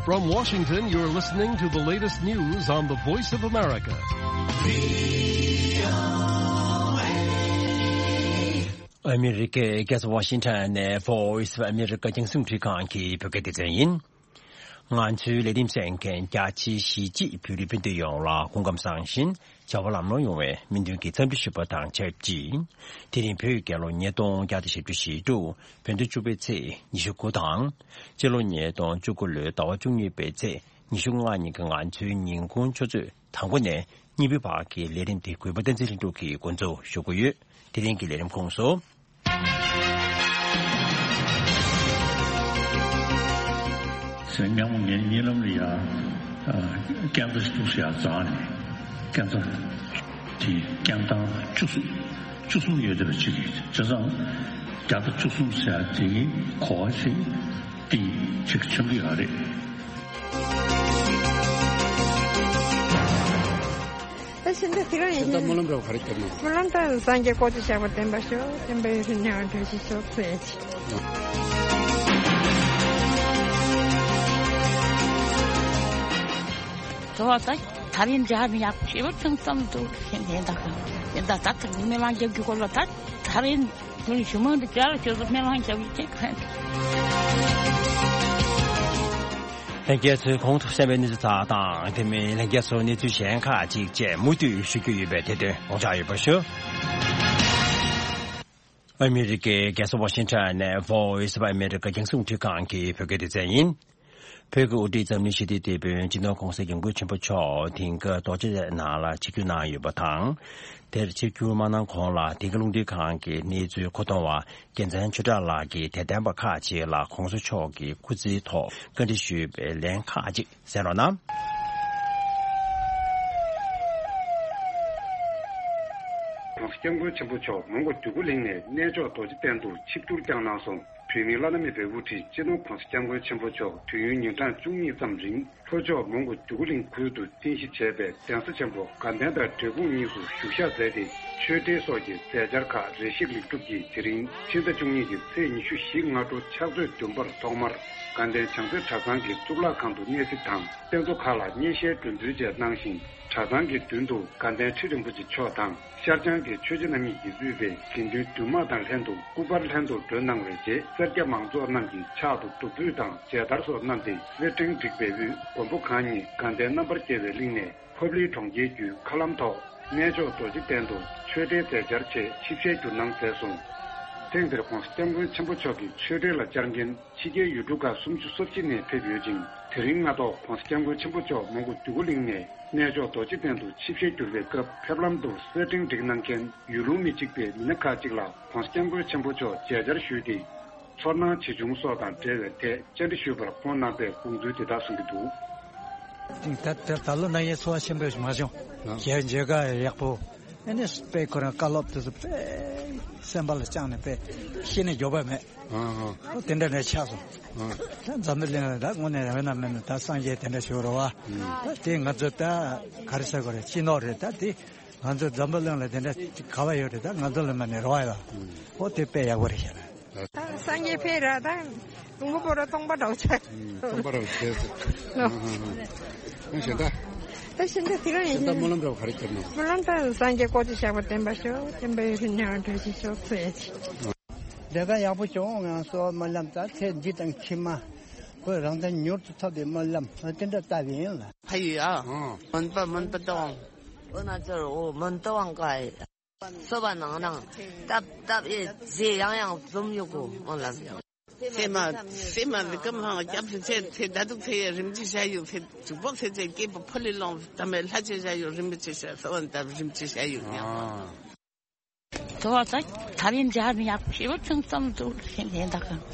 From Washington, you're listening to the latest news on the Voice of America. ཨ་མི་རི་ཀའི་རྒྱལ་ས་ཝ་ཤིང་ཊོན་ནས་Voice of America རྒྱང་སྲིང་རླུང་འཕྲིན་ཁང་གི་བོད་སྐད་སྡེ་ཚན་ཡིན། ང་ཚོའི་ལས་རིམ་གསན་མཁན་རྒྱ་ཆེའི་གཞིས་བྱེས་བོད་རིགས་སྤུན་ཟླ་ཡོངས་ལ་སྐུ་ཁམས་བཟང་ཞིང་བྱ་བ་ལམ་ལྷོང་ཡོང་བའི་སྨོན་འདུན་གྱི་འཚམས་འདྲི་ཞུ་བ་དང་ཆབས་ཅིག་དེ་རིང་བོད་རྒྱལ་ལོ་ཉིས་སྟོང་བརྒྱ་དང་ཞེ་དྲུག་བོད་ཟླ་བཅུ་པའི་ཚེས་ཉི་ཤུ་དགུ་དང་། སྤྱི་ལོ་ཉིས་སྟོང་བཅུ་དགུ་ལོའི་ཟླ་བ་བཅུ་གཉིས་པའི་ཚེས་ཉི་ཤུ་ལྔ་ཉིན་གྱི་ང་ཚོའི་ཉིན་གུང་ཆུ་ཚོད་དང་པོ་ནས་གཉིས་པའི་བར་གྱི་ལས་རིམ་དེ་གུས་པ་བསྟན་འཛིན་ལྷུན་གྲུབ་ཀྱིས་འགོ་འཛུགས་ཞུ་གི་ཡོད། དེ་རིང་གི་ལས་རིམ་ཁོངས་སུ། སེམས་སྙམ་མོ་ངའི་གཉིད་ལམ་ལ་ཡ། སྐྱག་རྫ་ཞིག་ཐུག་སེ་ཡ་འཛག་ནས་སྐྱག་རྫ་དེ་སྐྱག་ཐང་བཅུ་གསུམ་བཅུ་གསུམ་ཡོད་བསྡད་པ་ཅིག་རེད། བྱས་ཙང་བརྒྱ་དང་བཅུ་གསུམ་ཟེར་ཡ་དེ་གི་གོ་བ་ཞིག་ཏིང་ཅིག་ཆོན་གི་ཡོད་རེད། ད་ཕྱི་ཟླ་དེ་རང་ཡིན། ད་སྨོན་ལམ་འདྲ་བ་ག་རེ་བརྒྱབ་ན། སྨོན་ལམ་ད་སངས་རྒྱས་བསྐོ་ཅིག་བཞག་པ་བདེན་པ་ཤོག་བདེན་པའི་ཡོན་ཏན་མྱང་བ་འདྲ་ཞིག་ཤོག་ཟེར་ཡ་ཅིག་དོ་བ་ད་ཐ་རིན་འཇག་ནི་ཡག་ཤེས་པ་ཆུང་ཙམ་འདུག་ཤེས་ནས་ད་ག་ཡིན་ད་ད་ད་མི་ལང་རྒྱབ་རྒྱུ་སྐོར་ལ་ད་ཐ་རིན་ཁྱོད་ཞུ་མ་འདི་ཅག་ལ་ཁྱོད་ཚོ་སྨོན་ལམ་རྒྱབ་ཡི་ཅེས་ག་ལྷན་རྒྱས་ཚོས་གོང་དུ་གསན་པའི་གནས་ཚུལ་ཁག་དང་དེ་མིན་ལྷན་རྒྱས་ཚོར་གནས་ཚུལ་གཞན་ཁག་ཅིག་བཅས་མུ་མཐུད་ཞུ་རྒྱུ་ཡོད་པས་དེ་དོན་དགོངས་འཇགས་ཡོད་པ་ཞུ། ཨ་མི་རི་ཀའི་རྒྱལ་ས་ཝ་ཤིང་ཊོན་ནས་Voice of America རྒྱང་སྲིང་རླུང་འཕྲིན་ཁང་གི་བོད་སྐད་སྡེ་ཚན་ཡིན། བོད་ཀྱི་དབུ་ཁྲིད་འཛམ་གླིང་ཞི་བདེའི་དེད་དཔོན་སྤྱི་ནོར་༧གོང་ས་༧སྐྱབས་མགོན་ཆེན་པོ་མཆོག་དེང་སྐབས་རྡོ་རྗེ་གདན་ནང་ལ་ཆིབས་བསྒྱུར་གནང་ཡོད་པ་དང་། དེར་ཆིབས་བསྒྱུར་མ་གནང་གོང་ལ་དེང་སྐབས་རླུང་འཕྲིན་ཁང་གི་གནས་ཚུལ་མཁོ་གཏོང་བ་རྒྱལ་མཚན་ཆོས་གྲགས་ལགས་ཀྱིས་དད་ལྡན་པ་ཁག་ཅིག་ལ་༧གོང་ས་མཆོག་གི་སྐུ་ཚེའི་ཐོག་བཀའ་འདྲི་ཞུས་པའི་ལན་ཁག་ཅིག་གསན་རོགས་གནང་། ༧གོང་ས་༧སྐྱབས་མགོན་ཆེན་པོ་མཆོག་མོན་གྷོ་འདོད་རྒུ་གླིང་ནས་གནས་མཆོག་རྡོ་རྗེ་གདན་དུ་ཆིབས་བསྒྱུར་བསྐྱངས་གནང་སོང་། བོད་མིའི་བླ་ན་མེད་པའི་དབུ་ཁྲིད་སྤྱི་ནོར་༧གོང་ས་༧སྐྱབས་མགོན་ཆེན་པོ་མཆོག་དུས་ཡུན་ཉིན་གྲངས་བཅུ་གཉིས་ཙམ་རིང་ལྷོ་ཕྱོགས་མོན་གྷོ་འདོད་རྒུ་གླིང་ཁུལ་དུ་རྟེན་གཞི་བྱས་པའི་གདན་ས་ཆེན་པོ་དགའ་ལྡན་དང་འབྲས་སྤུངས་གཉིས་སུ་བཞུགས་ཞག་མཛད་དེ། ཆོས་འབྲེལ་སོགས་ཀྱི་མཛད་འཆར་ཁག་རེ་ཞིག་ལེགས་གྲུབ་ཀྱིས་དེ་རིང་ཕྱི་ཟླ་བཅུ་གཉིས་ཀྱི་ཚེས་ཉི་ཤུ་བཞི་སྔ་དྲོ་ཕྱག་ཚོད་བདུན་པར་ཐོག་མར་དགའ་ལྡན་བྱང་རྩེ་གྲྭ་ཚང་གི་གཙུག་ལག་ཁང་དུ་གནས་གཟིགས་དང་། རྟེན་གཙོ་ཁག་ལ་བརྙན་ཤེལ་སྒྲོན་འབུལ་བཅས་གནང་ཞིང་། གྲྭ་ཚང་གི་མདུན་དུ་དགའ་ལྡན་ཁྲི་རིན་པོ་ཆེ་མཆོག་དང་། ཤར་བྱང་གི་ཆོས་རྗེ་རྣམ་གཉིས་ཀྱིས་དབུས་པའི་དགེ་འདུན་འདུས་དམངས་དང་ལྷན་དུ་སྐུ་པར་ལྷན་དུ་མགྲོན་གནང་བའི་རྗེས། སེར་སྐྱ་མང་ཚོགས་རྣམས་ཀྱིས་ཕྱག་ཏུ་བདུག་སྤོས་དང་མཇལ་དར་སོགས་བསྣམས་ཏེ། སེར་ཕྲེང་བསྒྲིགས་པའི་དབུས་མགོན་པོ་གང་ཉིད་དགའ་ལྡན་རྣམ་པར་རྒྱལ་བའི་གླིང་ནས་ཕབ་ལེན་གྲོང་ཁྱེར་བརྒྱུད་མཁའ་ལམ་ཐོག་གནས་མཆོག་རྡོ་རྗེ་གདན་དུ་ཆོས་འབྲེལ་མཛད་འཆར་ཆེད་ཆིབས་ཞལ་བསྒྱུར་གནང་མཛད་སོང་། ཐེངས་འདིར་༧གོང་ས་༧སྐྱབས་མགོན་ཆེན་པོ་མཆོག་གི་ཆོས་འབྲེལ་ལ་བཅར་མཁན་ཕྱི་རྒྱལ་ཡུལ་གྲུ་ཁག་སུམ་ཅུ་སོ་གཅིག་ནས་ཕེབས་ཡོད་ཅིང་། དེ་རིང་སྔ་ཐོག་༧གོང་ས་༧སྐྱབས་མགོན་ཆེན་པོ་མཆོག་མོན་གྷོ་འདོད་རྒུ་གླིང་ནས་གནས་མཆོག་རྡོ་རྗེ་གདན་དུ་ཆིབས་ཞལ་བསྒྱུར་བའི་སྐབས། ཕེབས་ལམ་དུ་སེར་ཕྲེང་བསྒྲིགས་གནང་མཁན་ཡུལ་ལུང་མི་གཅིག་པའི་མི་སྣ་ཁག་ཅིག་ལ་༧གོང་ས་༧སྐྱབས་མགོན་ཆེན་པོ་མཆོག་མཇལ་བཅར་ཞུས་ཏེ། ཚོར་སྣང་ཇི་བྱུང་སོགས་དང་འབྲེལ་བའི་ཐད་བཅར་འདྲི་ཞུས་པར་ཁོང་གནང་པའི་དགོངས་ཚུལ་འདི་དག་གསུང་གི་འདུག། ད་ད་ད་ལོ་ན་ཡའི་ཚོར་བ་ཆེན་པོ་ཞིག་མ་བྱུང་། ཨ། ཞལ་མཇལ་ཁ་ཡག་པོ། ཨ་ནི་དཔེ་ཁོ་རང་བཀའ་སློབ་དེ་ཚོ་དཔེ་སེམས་པ་ལ་བཅངས་ནས་དཔེ་ཤེས་ནས་མགྱོགས་པ་མེད། ཨ་ཨ། ཨོ་དེ་འདྲ་འདྲ་ཆགས་སོང་། ཨ། ད་འཛམ་བུ་གླིང་ལ་ད་དངོས་གནས་རང་ན་མེད་ན་ད་སངས་རྒྱས་དེ་འདྲ་ཞིག་རེད་བ། ཨ། ད་དེ་ང་ཚོ་ད་ག་རེ་ཟེར་དགོས་རེད། སྤྱི་ནོར་རེད། ད་དེ་ང་ཚོ་འཛམ་བུ་གླིང་ལ་དེ་འདྲ་ག་བ་ཡོད་རེད། ད་ང་ཚོ་ལ་མ་ནས་རེ་བ་ཡོད། ཨ། ཨོ་དེ་དཔེ་ཡག་པོ་རེད་ཤག་ན། ད་སངས་རྒྱས་ཕེབས་ར་ད་ལུང་པ་པོ་ར་སྟོང་པ་འདྲ་བོ་ཆགས། ཨུམ། སྟོང་པ་འདྲ་བོ་ཆགས་སོང་། ལོ། ཨ་ཧ་ཧ། ཨ་གཞན་དག་ད་གཞན་དག་དེ་རང་ཡིན། གཞན་དག་སྨོན་ལམ་འདྲ་བོ་ག་རེ་བརྒྱབ་ན། སྨོན་ལམ་ད་སངས་རྒྱས་བསྐོ་ཅིག་བཞག་པ་བདེན་པ་ཤོག་བདེན་པའི་ཡོན་ཏན་མྱང་བ་འགྲུབ་ཅིག་ཤོག་ཟེར་ཡ་ཅིག། ལས་ཀ་ཡག་པོ་བྱུང་། ང་གསོལ་བ་སྨོན་ལམ་ད་ཚེ་འདི་དང་ཕྱི་མ་ཁོས་རང་དོན་མྱུར་དུ་ཐོབ་པའི་སྨོན་ལམ་དེ་འདྲ་བཏབ་ཡིན་ལ། ཕ་ཡུལ་ཨ། ཨང་། མོན་པ་མོན་པ་ཏོང་། འོ་ན་ཚོར་འོ་མོན་ཏོ་ཝང་ཀ་ཨེ། སོ་བ་ནང་ནང་སྟབས་སྟབས་ཨེ་རྗེས་ཡང་ཡང་འཛོམས་ཡོད་གོ་མོ་ལ། སེ་མ་སེ་མ་བི་ཀམ་ཧང་སྐྱབས་སུ་ཚེ་ཚེ་ད་དུག་ཚེ་ཡ་རིམ་གྱིས་བྱ་ཡོད་ཚེ་དུག་པོག་ཚེ་ཚེ་སྐྱེས་པ་ཕོ་ལི་ལོང་ད་མེ་ལྷ་ཆེ་བྱ་ཡོད་རིམ་གྱིས་བྱ་སོ་བ་ད་རིམ་གྱིས་བྱ་ཡོད་ཡང་། དོ་བ་ད་ཐ་རིན་འཇག་ནི་ཡག་ཞེ་པོ་ཆུང་ཙམ་འདུག་ཤེས་ནས་ད་ག་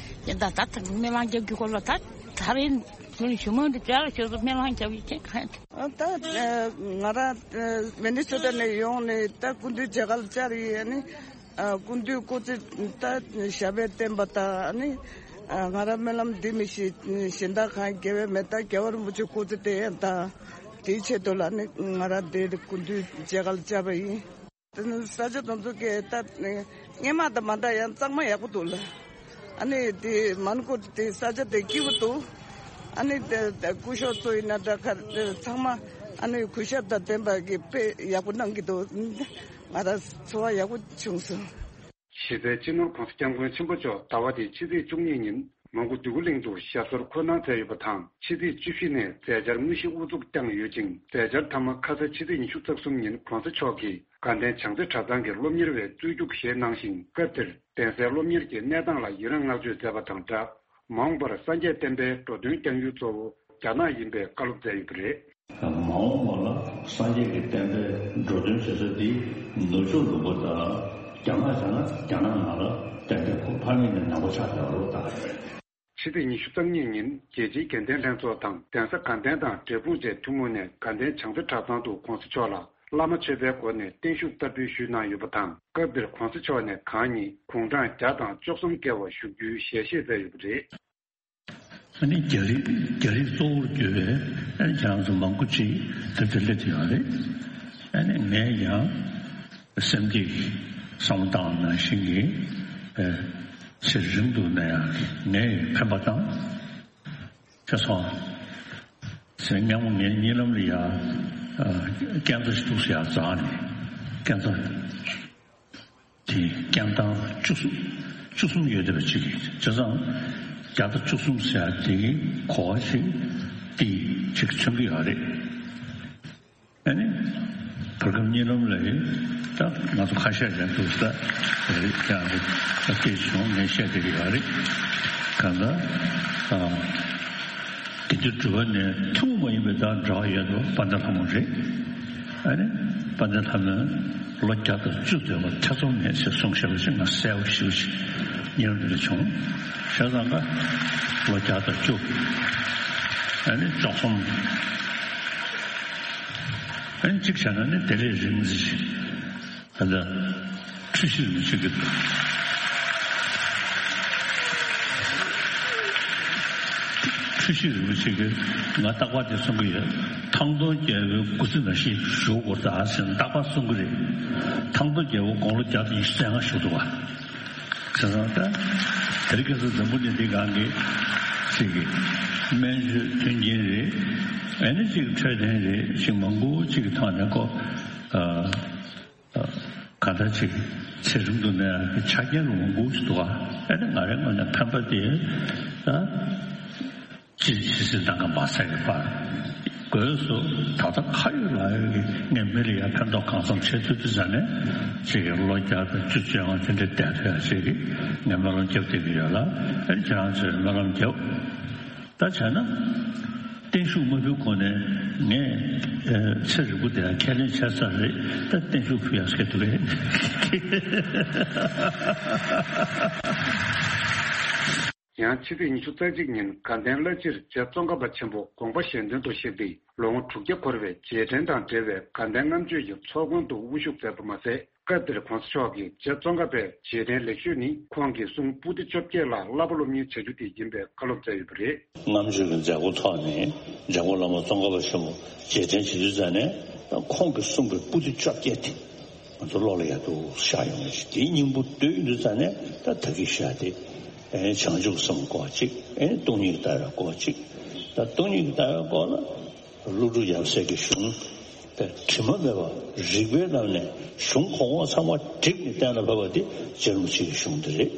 ཡིན་ད་ད་ད་མི་མང་རྒྱབ་རྒྱུ་སྐོར་ལ་ད་ཐ་རིན་ཞུ་མོ་འདི་འཇག་ལ་ཞུ་སོ་མི་མང་རྒྱབ་ཡི་ཁྱེད་ག་ཡིན། ད་ང་ར་མི་ནི་སོ་ཊ་ནས་ཡོང་ནས་ད་སྐུ་མདུན་མཇལ་ཁ་ལ་བཅར་ཡི་ནི་སྐུ་མདུན་སྐུ་ཚེ་ད་ཞབས་པད་བརྟན་པ་ད་ནི་ང་ར་སྨོན་ལམ་འདི་མི་ཤེས་གཞན་དག་གང་དགེ་བའི་མེ་ད་རྒྱལ་བ་རིན་པོ་ཆེ་སྐུ་ཚེ་བརྟན་ད་དེའི་ཆེད་དུ་ལ་ནི་ང་ར་འདི་སྐུ་མདུན་མཇལ་ཁ་ལ་བཅར་བ་ཡིན། ས་ཆ་དེ་ཚོ་གི་ད་སྔོན་མ་དང་མ་འདྲ་ཡང་གཙང་མ་ཡག་པོ་འདུག་ལ། ཨ་ནི་དེ་མོན་གྷོ་དེ་ས་ཆ་དེ་སྐྱིད་པོ་འདུག། ཨ་ནི་དེ་དེ་སྐུ་ཞབས་ཚོ་ཡིན་ན་འདྲ་ཁ་དེ་ཚང་མ་ཨ་ནི་གུས་ཞབས་དང་ལྡན་པ་གི་དཔེ་ཡག་པོ་གནང་གི་འདུག་ང་རང་ཚོར་བ་ཡག་པོ་བྱུང་སོང་། གཞི་རྩའི་སྤྱི་ནོར་༸གོང་ས་༸སྐྱབས་མགོན་ཆེན་པོ་མཆོག་ཟླ་བ་འདིའི་ཕྱི་ཚེས་བཅུ་གཉིས་ཉིན་མོན་གྷོ་འདོད་རྒུ་གླིང་དུ་ཞབས་སོར་འཁོད་གནང་མཛད་ཡོད་པ་དང་། ཕྱི་ཚེས་བཅུ་བཞི་ནས་མཛད་འཆར་དངོས་གཞི་དབུ་འཛུགས་བསྐྱངས་ཡོད་ཅིང་། མཛད་འཆར་མཐའ་མ་ཁ་ས་ཕྱི་ཚེས་ཉི་ཤུ་རྩ་གསུམ་ཉིན་༸གོང་ས་མཆོག་གིས་དགའ་ལྡན་བྱང་རྩེ་གྲྭ་ཚང་གི་སློབ་གཉེར་བའི་རྩོད་རྒྱུགས་བཞེས་གནང་ཞིང་། སྐབས་དེར་གདན་སའི་སློབ་གཉེར་གྱི་གནས་སྟངས་ལ་ཡི་རངས་བསྔགས་བརྗོད་མཛད་པ་དང་སྦྲགས། མ་འོངས་པར་སངས་རྒྱས་བསྟན་པའི་འགྲོ་དོན་བསྐྱང་ཡུལ་གཙོ་བོ་རྒྱ་ནག་ཡིན་པའི་བཀའ་སློབ་མཛད་ཡོད་པ་རེད། མ་འོངས་པ་ལ་སངས་རྒྱས་ཀྱི་བསྟན་པའི་འགྲོ་དོན་བྱེད་ས་འདི་ནུབ་ཕྱོགས་ལུང་པ་དང་། རྒྱ་ནག་བྱས་ན་རྒྱ་ནག་ནང་ལ་ཏན་ཏན་ཁོ་ཕ་མེས་ནས་ནང་པ་ཆགས་བསྡད་པ་རེད་ད། ཕྱི་ཚེས་ཉི་ཤུ་རྩ་གཉིས་ཉིན་རྒྱལ་སྤྱིའི་དགེ་ལྡན་ལྷན་ཚོགས་དང་གདན་ས་དགའ་ལྡན་དང་འབྲས་སྤུངས་བཅས་ཐུན་མོང་ནས་དགའ་ལྡན་བྱང་རྩེ་གྲྭ་ཚང་དུ་༸གོང་ས་མཆོག་ལ་བླ་མ་མཆོད་པའི་སྒོ་ནས་བརྟན་བཞུགས་བསྟར་འབུལ་ཞུས་གནང་ཡོད་པ་དང་། སྐབས་དེར་༸གོང་ས་མཆོག་ནས་གང་ཉིད་དགུང་གྲངས་བརྒྱ་དང་བཅུ་གསུམ་བརྒལ་བ་བཞུགས་རྒྱུའི་ཞལ་བཞེས་མཛད་ཡོད་པ་རེད། ཨ་ནི་རྒྱ་རིགས་རྒྱ་རིགས་གཙོ་བོར་གྱུར་པའི་ཨ་ནི་ཁྱེད་རང་ཚོ་མང་པོ་ཅིག་དེ་ཚོ་སླེབས་ཡོད་རེད། ཨ་ནི་ངས་ཀྱང་སེམས་ཀྱི་བསམ་བློ་བཏང་བ་ནང་བཞིན་གྱི་ཨ་ཚེ་རིང་དུ་གནས་ཡག་གི་ངས་འཕེན་པ་དང་། ཁྱེད་ཚོ་ཚེ་སྔ་མོ་ངའི་གཉིད་ལམ་ལ་ཡ་ཨ་རྐྱང་རྩ་ཞིག་འདུག་ཟེར་ཡ་རྩ་ནས་རྐྱང་རྩ། དེ་རྐྱང་ཐང་བཅུ་གསུམ་བཅུ་གསུམ་ཡོད་བསྡད་པ་གཅིག་གིས་བྱས་ཙང་། བརྒྱ་དང་བཅུ་གསུམ་ཟེར་ཡ་དེ་གོ་བ་ཞིག་དེ་ཅིག་མཚོན་གྱི་ཡོད་རེད། ཨ་ནི་བར་སྐབས་གཉིད་ལམ་ལ་ཡིན་ད་ང་ཚོ་ཁ་ཤས་ཀྱང་འདུག་ས་རེད་ཀྱང་རེད་ད་སྐད་བྱུང་ངས་བཤད་བསྡད་ཀྱི་ཡོད་རེད། གང་ལྟར་ཨ། དེ་དུས་གྲུབ་པ་ནས་ཐུན་མོང་མ་ཡིན་པའི་དང་འབྲེལ་བ་ཡོད་པ་དཔལ་ལྡན་ལྷ་མོ་རེད། ཨ་ནི་དཔལ་ལྡན་ལྷ་མོས་ལོ་བརྒྱ་དང་བཅུ་སྡོད་པ་ཐེ་ཚོམ་མེད་ཟེར་གསུངས་བཞག་པ་ཞིག་ང་གསལ་པོ་ཞེ་པོ་ཞིག་ཉེ་རབས་འདི་ལ་བྱུང་། བྱས་ཙང་ཀ་ལོ་བརྒྱ་དང་བཅུ། ཨ་ནི་བཅུ་གསུམ། ཨ་ནི་གཅིག་བྱས་ན་ནི་དེ་ལས་རིང་ཙམ་ཞིག་ད་ལྟ་འཁྲུལ་ཞིག་རིན་པོ་ཆེ་གི་འཁྲུལ་ཞིག་རིན་པོ་ཆེ་གི་ང་རྟག་པར་དེ་གསུང་གི་ཡོད། ཐང་སྟོང་རྒྱལ་པོའི་སྐུ་ཚེ་ནང་བཞིན་བཞུགས་དགོས་ད་ཟེར་ན་རྟག་པར་གསུང་གི་རེད། ཐང་སྟོང་རྒྱལ་པོ་དགུང་ལོ་བརྒྱ་དང་ཉི་ཤུ་རྩ་ལྔ་བཞུགས་འདུག་བ། བྱས་ཙང་ད་དེ་རིང་ཁ་སང་འཛམ་བུ་གླིང་འདི་སྒང་གི་ཅིག་གི་སྨན་བཅོས་མཐུན་རྐྱེན་རེད། ཨ་ནི་ཅིག་འཕྲོད་བསྟེན་རེད། ཅིག་མང་པོ་ཅིག་གི་ཐོག་ནས་ཁོ་ཨ། གང་ལྟར་ཅིག་ཚེ་རིང་དུ་གནས་ཡག་གི་ཆ་རྐྱེན་རུ་མང་པོ་ཞིག་འདུག་ག་ཨ་ནི་ང་རའི་ངོས་ནས་ཕན་པ་དེ་ད་ཅི་ཇི་སྲིད་ནམ་མཁའ་མ་ཟད་ཀྱི་བར་དགོས་སུ་ད་ལྟ་ཁ་ཡོད་ལག་ཡོད་ཀྱི་ངས་མི་ལ་ཡང་ཕན་ཐོགས་གང་འཚམ་བྱེད་ཐུབ་དུས་ཙང་ནས་ཅིག་གི་ལོ་བརྒྱ་དང་བཅུ་བཅོ་ལྔ་དེ་འདྲ་བསྡད་ཐུབ་ཡག་ཅིག་གི་ངས་སྨོན་ལམ་རྒྱབ་བསྡད་ཀྱི་ཡོད་ལ། ཨ་ནི་ཁྱེད་རང་ཚོས་སྨོན་ལམ་རྒྱབ། ད་བྱས་ན། བརྟན་བཞུགས་མ་ཕུལ་གོང་ནས་ངས་ཨ་ཚེ་རིང་པོ་དེ་ལ་ཁས་ལེན་བྱས་ཚར་རེད། ད་བརྟན་བཞུགས་ཕུལ་ཡག་སྐད་འདུག་གས། ཡང་ཕྱི་ཚེས་ཉི་ཤུ་རྩ་གཅིག་ཉིན་དགའ་ལྡན་བླ་སྤྱིར་རྗེ་ཙོང་ཁ་པ་ཆེན་པོ་དགོངས་པ་གཞན་དོན་དུ་གཤེགས་ཏེ་ལོ་ངོ་དྲུག་བརྒྱ་འཁོར་བའི་རྗེས་དྲན་དང་འབྲེལ་བའི་དགའ་ལྡན་ལྔ་མཆོད་ཀྱི་ཚོགས་མགོན་དུ་དབུ་བཞུགས་མཛད་པ་མ་ཟད། སྐབས་དེར་༸གོང་ས་མཆོག་གིས་རྗེ་ཙོང་ཁ་པའི་རྗེས་དྲན་ལེགས་ཤོས་ནི་ཁོང་གིས་གསུང་པོ་ཏི་བཅོ་བརྒྱད་ལ་བསླབ་པ་སློབ་གཉེར་བྱ་རྒྱུ་དེ་ཡིན་པའི་བཀའ་སློབ་མཛད་ཡོད་པ་རེད། ལྔ་མཆོད་ཀྱི་མཛད་སྒོ་ཐོག་ནས་འཇམ་མགོན་བླ་མ་ཙོང་ཁ་པ་ཆེན་པོ་རྗེས་དྲན་བྱེད་དུས་ཙང་ནས་ཁོང་གིས་གསུངས་པའི་པོ་ཏི་བཅོ་བརྒྱད་དེ་ང་ཚོ་བློ་ལ་ཡག་ཏུ་ཤར་ཡོང་བ་ཞིག་དེའི་སྙིང་པོ་བསྡུས་ཡོང་དུས་ཙང་ནས་ད་ད་གིན་བཤད་དེ་བྱང་ཆུབ་སེམས་སྐོར་གཅིག་སྟོང་ཉིད་ལྟ་བའི་སྐོར་གཅིག་ད་སྟོང་ཉིད་ལྟ་བའི་སྐོར་ལ། ཀླུ་སྒྲུབ་ཡབ་སྲས་ཀྱི་གཞུང་དེ་དྲི་མ་མེད་པ་རིགས་པའི་ངང་ནས་གཞུང་གོང་འོག་ཚང་མ་བསྒྲིགས་ནས་གཏན་ལ་ཕབ་པ་དེ་རྗེ་རིན་པོ་ཆེ་གི་གཞུང་དེ་རེད།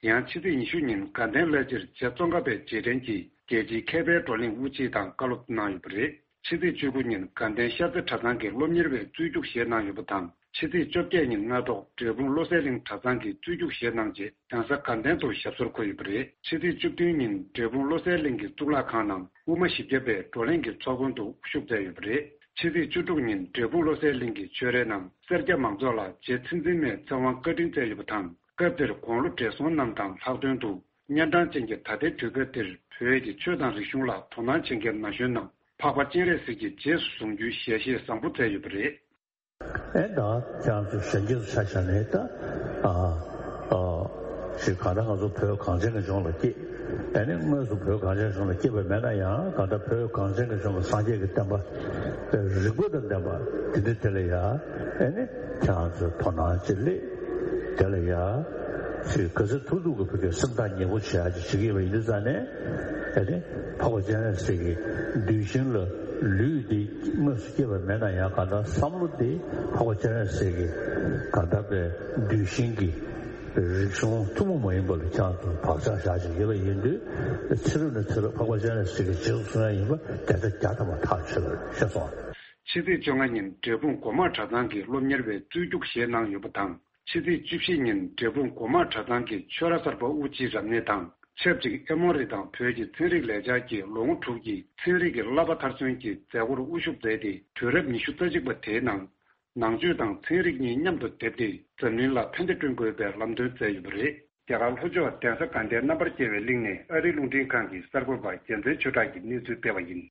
ཡང་ཕྱི་ཚེས་ཉི་ཤུ་ཉིན་དགའ་ལྡན་བླ་སྤྱིར་རྗེ་ཙོང་ཁ་པའི་རྗེས་དྲན་གྱིས་རྒྱལ་སྤྱིའི་མཁས་པའི་བགྲོ་གླེང་དབུ་འབྱེད་དང་བཀའ་སློབ་གནང་ཡོད་པ་རེད། ཕྱི་ཚེས་བཅུ་དགུ་ཉིན་དགའ་ལྡན་ཤར་རྩེ་གྲྭ་ཚང་གི་སློབ་གཉེར་བའི་རྩོད་རྒྱུགས་བཞེས་གནང་ཡོད་པ་དང་། ཕྱི་ཚེས་བཅོ་བརྒྱད་ཉིན་སྔ་དྲོ་འབྲས་སྤུངས་བློ་གསལ་གླིང་གྲྭ་ཚང་གི་རྩོད་རྒྱུགས་བཞེས་གནང་རྗེས་གདན་ས་དགའ་ལྡན་དུ་ཞབས་སོར་འཁོད་ཡོད་པ་རེད། ཕྱི་ཚེས་བཅུ་བདུན་ཉིན་འབྲས་སྤུངས་བློ་གསལ་གླིང་གི་གཙུག་ལག་ཁང་ནང་དབུ་མ་བཞི་བརྒྱ་པའི་བགྲོ་གླེང་གི་ཚོགས་མགོན་དུ་དབུ་བཞུགས་མཛད་ཡོད་པ་རེད། ཕྱི་ཚེས་བཅུ་དྲུག་ཉིན་འབྲས་སྤུངས་བློ་གསལ་གླིང་གི་ཆོས་རའི་ནང་སེར་སྐྱ་མང་ཚོགས་ལ་རྗེ་ཚེ་བཙུན་མའི་ཚེ་དབང་བཀའ་དྲིན་སྩལ་ཡོད་པ་དང་། སྐབས་དེར་དགུང་ལོ་བགྲེས་སོང་རྣམས་དང་ལྷག་དོན་དུ་གཉན་འཕྲང་ཅན་གྱི་ད་ལྟའི་དུས་སྐབས་འདིར་བོད་ཀྱི་ཆོས་དང་རིག་གཞུང་ལ་དོ་སྣང་བྱེད་མཁན་ན་གཞོན་རྣམས་འཕགས་པ་སྤྱན་རས་གཟིགས་ཀྱི་རྗེས་སུ་བཟུང་རྒྱུའི་ཞལ་བཞེས་བཟང་པོ་མཛད་ཡོད་པ་རེད། ཨེ་ད་ཁྱེད་རང་ཚོ་གཞོན་སྐྱེས་ཚོ་ཆ་བཞག་ནས་ད་ཨ་ཨ་ཞིག་གང་ལྟར་ང་ཚོ་བོད་གངས་ཅན་གྱི་ལྗོངས་ལ་སྐྱེས། ཨེ་ནི་དངོས་སུ་བོད་གངས་ཅན་ལྗོངས་ལ་སྐྱེས་པ་མེད་ན་ཡང་གང་ལྟར་བོད་གངས་ཅན་གྱི་ལྗོངས་ལ་སངས་རྒྱས་ཀྱི་བསྟན་པ་རིག་པ་དང་ལྡན་པ་དེ་འདྲ་དེ་ལ་ཡ་ཨེ་ནི་ཁྱེད་རང་ཚོས་དོ་སྣང་ཅིག་སླེབས། དེ་ལ་ཡ་ ཚོས་ག་ཚོད་ཐུབ་ཐུབ་ཀྱི་བོད་སྐད་སེམས་ཐག་ཉེ་པོ་བྱེད་ཡག་ཅིག་བྱེད་ཀྱི་ཡོད་པ་ཡིན་དུས་ཙང་ནས། ཨ་ནི་འཕགས་པ་སྤྱན་རས་གཟིགས་ཀྱི་གདུལ་ཞིང་ལ་ལུས་འདི་དངོས་སུ་སྐྱེས་པ་མེད་ན་ཡང་གང་ལྟར་བསམ་བློ་འདི་འཕགས་པ་སྤྱན་རས་གཟིགས་ཀྱི་གང་ལྟར་པའི་གདུལ་ཞིང་གི་རིག་གཞུང་ཐུན་མོང་མ་ཡིན་པ་ལ་ཀྱང་དུ་བག་ཆགས་བཞག་ཅིག་ཡོད་པ་ཡིན་དུས། ཚེ་རབས་ནས་ཚེ་རབས་འཕགས་པ་སྤྱན་རས་གཟིགས་ཀྱི་རྗེས་སུ་བཟུང་ཡ་ཡིན་པ་བརྒྱ་ཆ་བརྒྱ་ཐམ་པ་ཐག་ཆོད་པ་རེད། ཤེས་སོང་། ཕྱི་ཚེས་བཅོ་ལྔ་ཉིན་འབྲས་སྤུངས་སྒོ་མང་གྲྭ་ཚང་གི་སློབ་གཉེར་བས་རྩོད་རྒྱུགས་བཞེས་གནང་ཡོད་པ་དང་། ཕྱི་ཚེས་བཅུ་བཞི་ཉིན་འབྲས་སྤུངས་སྒོ་མང་གྲྭ་ཚང་གི་ཆོས་ར་གསར་པ་དབུ་དཔྱིད་རབ་གནས་དང་ཆབས་ཅིག་ཨེ་མོ་རི་དང་བོད་ཀྱི་ཚན་རིག་ལས་འཆར་གྱི་ལོ་ངོ་དྲུག་གི་ཚན་རིག་གི་བསླབ་པ་མཐར་སོན་གྱི་མཛད་སྒོར་དབུ་བཞུགས་མཛད་དེ། དུས་རབས་ཉི་ཤུ་རྩ་གཅིག་པ་དེའི་ནང་ནང་ཆོས་དང་ཚན་རིག་གཉིས་མཉམ་དུ་སྡེབས་ཏེ་འཛམ་གླིང་ལ་ཕན་བདེ་བསྐྲུན་དགོས་པའི་ལམ་སྟོན་མཛད་ཡོད་པ་རེད། རྒྱ་གར་ལྷོ་ཕྱོགས་གདན་ས་དགའ་ལྡན་རྣམ་པར་རྒྱལ་བའི་གླིང་ནས་ཨ་རིའི་རླུང་འཕྲིན་ཁང་གི་གསར་འགོད་པ་རྒྱལ་མཚན་ཆོས་གྲགས་ཀྱིས་གནས་ཚུལ་སྤེལ་བ་ཡིན།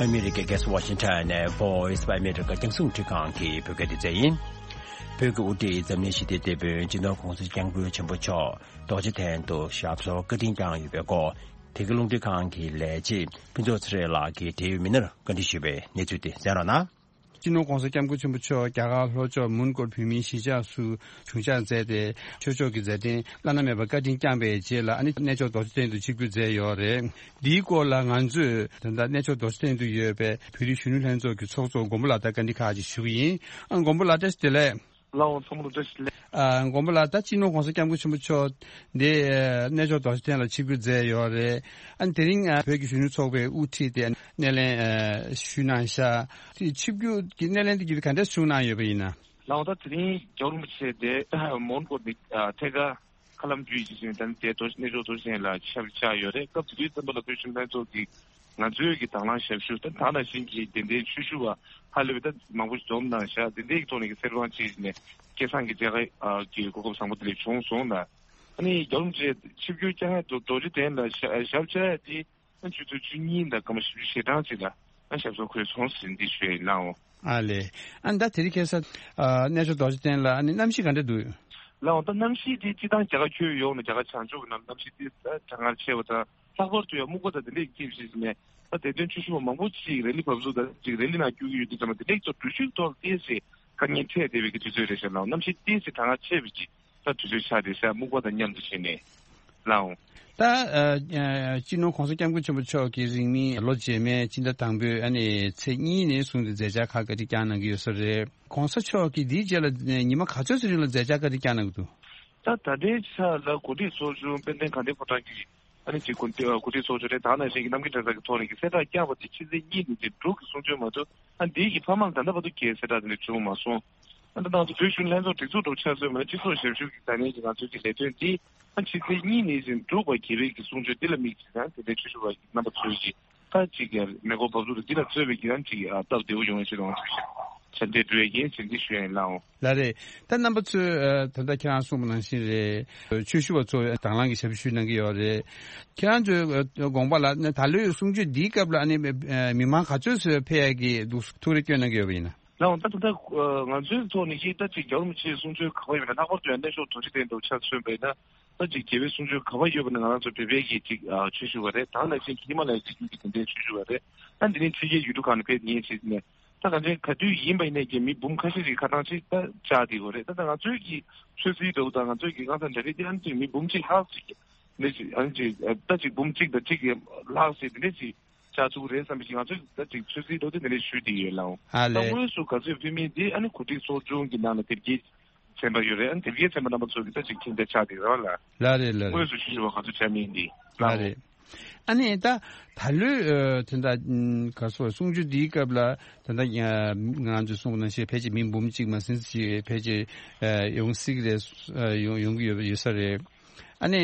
ཨ་མི་རི་ཀའི་རྒྱལ་ས་ཝ་ཤིང་ཊོན་ནས་Voice of America རྒྱང་སྲིང་རླུང་འཕྲིན་ཁང་གི་བོད་སྐད་སྡེ་ཚན་ཡིན། བོད་ཀྱི་དབུ་ཁྲིད་འཛམ་གླིང་ཞི་བདེའི་དེད་དཔོན་སྤྱི་ནོར་༸གོང་ས་༸སྐྱབས་མགོན་ཆེན་པོ་མཆོག་རྡོ་རྗེ་གདན་དུ་ཞབས་སོར་བཀའ་དྲིན་བསྐྱངས་ཡོད་པའི་སྐོར། དེ་གའི་རླུང་འཕྲིན་ཁང་གི་ལས་བྱེད་ཕུན་ཚོགས་ཚེ་རིང་ལགས་ཀྱིས་འབྲེལ་ཡོད་མི་སྣར་བཀའ་འདྲི་ཞུས་པའི་གནས་ཚུལ་དེ་གསན་རོགས་གནང་། སྤྱི་ནོར་༸གོང་ས་༸སྐྱབས་མགོན་ཆེན་པོ་མཆོག་རྒྱ་གར་ལྷོ་ཕྱོགས་མོན་གྷོར་བོད་མིའི་གཞིས་ཆགས་སུ་བྱུང་འཇགས་མཛད་དེ། ཆོས་ཕྱོགས་ཀྱི་མཛད་འཕྲིན་བླ་ན་མེད་པ་བཀའ་དྲིན་བསྐྱངས་པའི་རྗེས་ལ། ཨ་ནི་གནས་མཆོག་རྡོ་རྗེ་གདན་དུ་ཆིབས་བསྒྱུར་མཛད་ཡོད་རེད། འདིའི་སྐོར་ལ་ང་ཚོས་ད་ལྟ་གནས་མཆོག་རྡོ་རྗེ་གདན་དུ་ཡོད་པའི་བོད་རིགས་གཞོན་ནུ་ལྷན་ཚོགས་ཀྱི་ཚོགས་གཙོ་མགོན་པོ་ལགས་དང་བཀའ་འདྲི་ཁག་ཅིག་ཞུ་གི་ཡིན། ཨ། མགོན་པོ་ལགས་བཀྲ་ཤིས་བདེ་ལེགས། ལགས་འོང་། ཚང་མ་ལ་བཀྲ་ཤིས་བདེ་ལེགས། ཨ། མགོན་པོ་ལགས། ད་སྤྱི་ནོར་༸གོང་ས་༸སྐྱབས་མགོན་ཆེན་པོ་མཆོག་འདི་གནས་མཆོག་རྡོ་རྗེ་གདན་ལ་ཆིབས་བསྒྱུར་མཛད་ཡོད་རེད། ཨ་ནི་དེ་རིང་བོད་ཀྱི་གཞོན་ནུ་ཚོགས་པའི་དབུ་ཁྲིད་དེ་སྣེ་ལེན་ཞུས་གནང་ཤག་དེ་ཆིབས་བསྒྱུར་གྱི་སྣེ་ལེན་དེ་ག་འདྲ་བྱུང་གནང་ཡོད་པ་ཡིན་ན། ལགས་འོང་། ད་དེ་རིང་རྒྱལ་བ་རིན་པོ་ཆེ་དེ་མོན་གྷོ་ནས་ཐད་ཀར་མཁའ་ལམ་བརྒྱུད་ཀྱི་ཞིང་དང་དེ་རྡོ་གནས་མཆོག་རྡོ་རྗེ་གདན་ལ་ཆིབས་བཅགས་ཡོད་རེད། སྐབས་དེ་དུས་ཙམ་པ་ལ་བོད་གཞོན་ལྷན་ཚོགས་ཀྱི་ང་ཚོའི་གི་དང་བླངས་ཞབས་ཞུ་ད་ད་ནང་བཞིན་གྱི་དེ་འདྲའི་ཆོས་ཞུ་བ་ཧ་ལས་པའི་ད་མང་པོ་ཞིག་འཛོམས་གནང་ཤག་དེ་འདྲའི་གི་ཐོག་ནས་གི་གསེར་དབང་ཅིག་ནས་སྐལ་བཟང་གི་མཇལ་ཁ་གི་གོ་སྐབས་བཟང་པོ་དེ་འདྲ་བྱུང་སོང་ལ། ཨ་ནི་རྒྱལ་བ་རིན་པོ་ཆེ་ཆིབས་བསྒྱུར་བསྐྱངས་ཡ་རྡོ་རྡོ་རྗེ་གདན་ལ་ཞབས་ཞབས་བཅགས་ཡ་དེ་ཨ་ཆུ་ཚོད་བཅུ་གཉིས་དང་སྐར་མ་བཞི་བཅུ་ཞེ་གྲངས་ཅིག་ལ་ཨ་ཞབས་སོར་འཁོད་སོང་ཟེར་འདི་ཞུ་ཡ་ཡིན། ལགས་འོང་། ཨ་ལས། ཨ་ནི་ད་དེ་རིང་ཁ་སང་གནས་མཆོག་རྡོ་རྗེ་གདན་ལ་ཨ་ནི་གནམ་གཤིས་ག་འདྲ་འདུག་ལགས་འོང་། ད་གནམ་གཤིས་དེ་སྤྱིར་བཏང་རྒྱ་གར་ཁྱོན་ཡོངས་ནས་རྒྱ་གར་བྱང་ཕྱོགས་ཀྱི་ནང་གནམ་གཤིས་དེ་གྲང་ངར་ཆེ་བ་དང་། ལྷག་པར་དུ་ཡང་སྨུག་པ་དང་དེ་འདྲས་ཀྱི་ཐེབས་ཤིང་ནས་ད་དེ་དོན་ཆོས་ཞུ་བ་མང་པོ་ཅིག་རེ་ལི་བབས་ཚུགས་དང་ཅིག་རེ་ལི་ནང་བསྐྱོད་ཀྱི་ཡོད་དུས་ཙམ་པ་དེ་འདྲས་ཀྱི་ཐོག་འགྲུལ་བཞུད་ཐོག་ཏོག་ཙམ་དཀའ་ངལ་འཕྲད་བསྡད་པའི་གི་དུས་ཚོད་རེད་ཤག་ལགས་འོང་། གནམ་གཤིས་ཏོག་ཙམ་གྲང་ངར་ཆེ་བའི་གི་ད་དུས་ཚོད་ཆགས་བསྡད་ཤག་སྨུག་པ་དང་མཉམ་དུ་བྱས་ནས། ལགས་འོང་། ད་ཨ་ཨ་སྤྱི་ནོར་༸གོང་ས་༸སྐྱབས་མགོན་ཆེན་པོ་མཆོག་གི་རིང་མིན་ལོ་རྗེས་མའི་སྤྱི་ཟླ་དང་པོའི་ཨ་ནི་ཚེས་གཉིས་ནས་བཟུང་སྟེ་མཛད་འཆར་ཁག་བཀའ་དྲིན་བསྐྱངས་གནང་གི་ཡོད་ས་རེད། ༸གོང་ས་མཆོག་གིས་འདིའི་རྗེས་ལ་ཉི་མ་ག་ཚོད་ཙམ་རིང་ལ་མཛད་འཆར་བཀའ་དྲིན་བསྐྱངས་གནང་གི་འདུག་ད་ད་ལྟའི་ཆ་ལ་གོ་སྒྲིག་ཚོགས་ཆུང་དཔལ་ལྡན་དགའ་ལྡན་ཕོ་བྲང་གི་ཨ་ནི་ཅིག་གོ་གོ་སྒྲིག་ཚོགས་ཆུང་རེད། ད་ནང་བཞིན་གྱི་རྣམ་རྒྱལ་གྲྭ་ཚང་གི་ཐོག་ནས་ཀྱི་གསལ་བསྒྲགས་བསྐྱངས་པ་དེ་ཕྱི་ཚེས་གཉིས་ནས་ཀྱི་འབྲུག་གི་གསུང་ཆོས་མ་གཏོགས་ཨ་འདིའི་གི་ཕ་མ་ལ་ད་ལྟ་བར་དུ་གའི་གསལ་བསྒྲགས་དེ་འདྲ་བྱུང་མ་སོང་། ཨ་ནི་ད་ང་ཚོ་བོད་གཞོན་ལྷན་ཚོགས་སྒྲིག་འཛུགས་འགྲོ་ཆ་ཚོད་མ་ནས་སྤྱི་ཚོགས་ཞབས་ཞུ་གི་ས་གནས་ཀྱི་ང་ཚོའི་གི་ལས་དོན་འདི་ཨ་ཕྱི་ཚེས་གཉིས་ནས་ཀྱི་འབྲུག་པ་དགེ་བའི་གི་གསུང་ཆོས་འདི་ལ་དམིགས་ཀྱི་ད་དེ་འདྲའི་ཆོས་ཞུ་བ་གི་རྣམ་པ་ཚོའི་གི་ད་ཅིག་ཡ་མེ་འཁོར་འབབ་ཚུགས་དང་འདི་ལ་གཙོས་པའི་གི་ཡང་ཅིག་ཡ་སྟབས་བདེ་བོ་ཡོང་བའི་ཆེད་དུ་ང་ཚོས་ཞབས་འདེགས་སྒྲུབ་ཡས་ཀྱི་ཡིན་ཟེར་འདི་ཞུ་ཡ་ཡིན། ལགས་འོང་། ལགས་རེད། ད་རྣམ་པ་ཚོས་ཨ་ད་ལྟ་ཁྱེད་རང་གསུངས་པ་ནང་བཞིན་རེད། ཆོས་ཞུ་བ་ཚོ་དང་བླངས་ཀྱི་ཞབས་ཞུ་གནང་གི་ཡོད་རེད། ཁྱེད་རང་ཚོའི་ཨ་དགོངས་པ་ལ་ཨ་ད་ལོའི་གསུང་ཆོས་འདིའི་སྐབས་ལ་ཨ་ནི་ཨ་མི་མང་ག་ཚོད་ཙམ་ཕེབས་ཡ་གི་འདུག་ཐུགས་རེ་བསྐྱོན་གནང་གི་ཡོད་པ་ཡིན་ན། ལགས་འོང་། ད་ད་ལྟ་ང་ཚོའི་ཐོག་ནས་ཀྱི་ད་ཅིག་རྒྱལ་བ་རིན་པོ་ཆེའི་གསུང་ཆོས་ག་པར་ཡོད་པ་ན་ལྷག་པར་དུ་ཡང་གནས་མཆོག་རྡོ་རྗེ་གདན་དུ་ཆ་མཚོན་པ་ཡིན་ན། ད་ཅིག་རྒྱལ་བའི་གསུང་ཆོས་ག་པར་ཡོད་པ་ན་ང་རང་ཚོ་བོད་པའི་གི་ཅིག་ཨ་ཆོས་ཞུ་བ་རེད། ད་ནང་བཞིན་གྱི་ཧི་མ་ལ་ཡའི་རི་རྒྱུད་ཀྱི་དེ་འདྲའི་ཆོས་ཞུ་བ་རེད། ད་འདི་ནས་ཕྱི་རྒྱལ་ཡུལ་གྲུ་ཁག་ནས་ཕེབས་མཁན་ཞིག་ནས་ད་གང་ཅན་ག་དུས་ཡིན་པ་ཡིན་ནས་ཀྱི་མི་འབུམ་ཁ་ཤས་ཤིག་ཁ་གྲངས་ཅིག་ད་བཅག་བསྡད་ཡོད་རེད། ད་ད་ང་ཚོའི་གི་ཆོས་སྲིད་འདྲ་བོ་དང་ང་ཚོའི་གི་གང་ཟག་འདྲ་རེད་དེ་ཨ་ནི་ཅིག་མི་འབུམ་གཅིག་ལྷག་ཅིག་འདི་ཅིག་ཨ་ནི་ཅིག་ད་ཅིག་འབུམ་གཅིག་དང་གཅིག་ལྷག་ཅིག་འདི་འདྲ་ཅིག་བཅག་ཐུབ་ཀྱི་རེད་བསམ་པའི་ཅིག་ང་ཚོས་ད་ཅིག་ཆོས་སྲིད་འདྲ་བོ་དེ་འདི་འདྲ་ཞུས་བསྡད་ཡོད། ལགས་འོང་། ཨ་ད་ལས། དངོས་སུ་ག་ཚོད་ཕེབས་མིན་དེ་ཨ་ནི་གོ་སྒྲིག་ཚོགས་ཆུང་གི་ནང་ལ་དེབ་སྐྱེལ་ཚན་པ་ཡོད་རེད། ཨ་ནི་དེབ་སྐྱེལ་ཚན་པ་རྣམ་པ་ཚོ་གི་ད་ཅིག་མཁྱེན་རྒྱ་ཆགས་བསྡད་རེད་བ་ལ། ལགས་རེད་ལགས་རེད། དངོས་སུ་ཞུ་ཞུ་བ་ག་ཚོད་བྱ་མིན་འདི། ལགས་ལགས་རེད། ཨ་ནི་ད་ད་ལོའི་ཨ་དེ་འདྲ་ག་སོ་གསུང་ཆོས་འདིའི་སྐབས་ལ་ད་ལྟ་ང་ང་ཚོས་གསུངས་པ་ནང་བཞིན་ཕལ་ཆེར་མི་འབུམ་གཅིག་མ་ཟིན་ཞིག་ཕལ་ཆེར་ཨ་ཡོང་སྲིད་ཀྱི་རེད། ཨ་ཡོང་ཡོང་གི་ཡོད་ཡོད་ས་རེད། ཨ་ནི་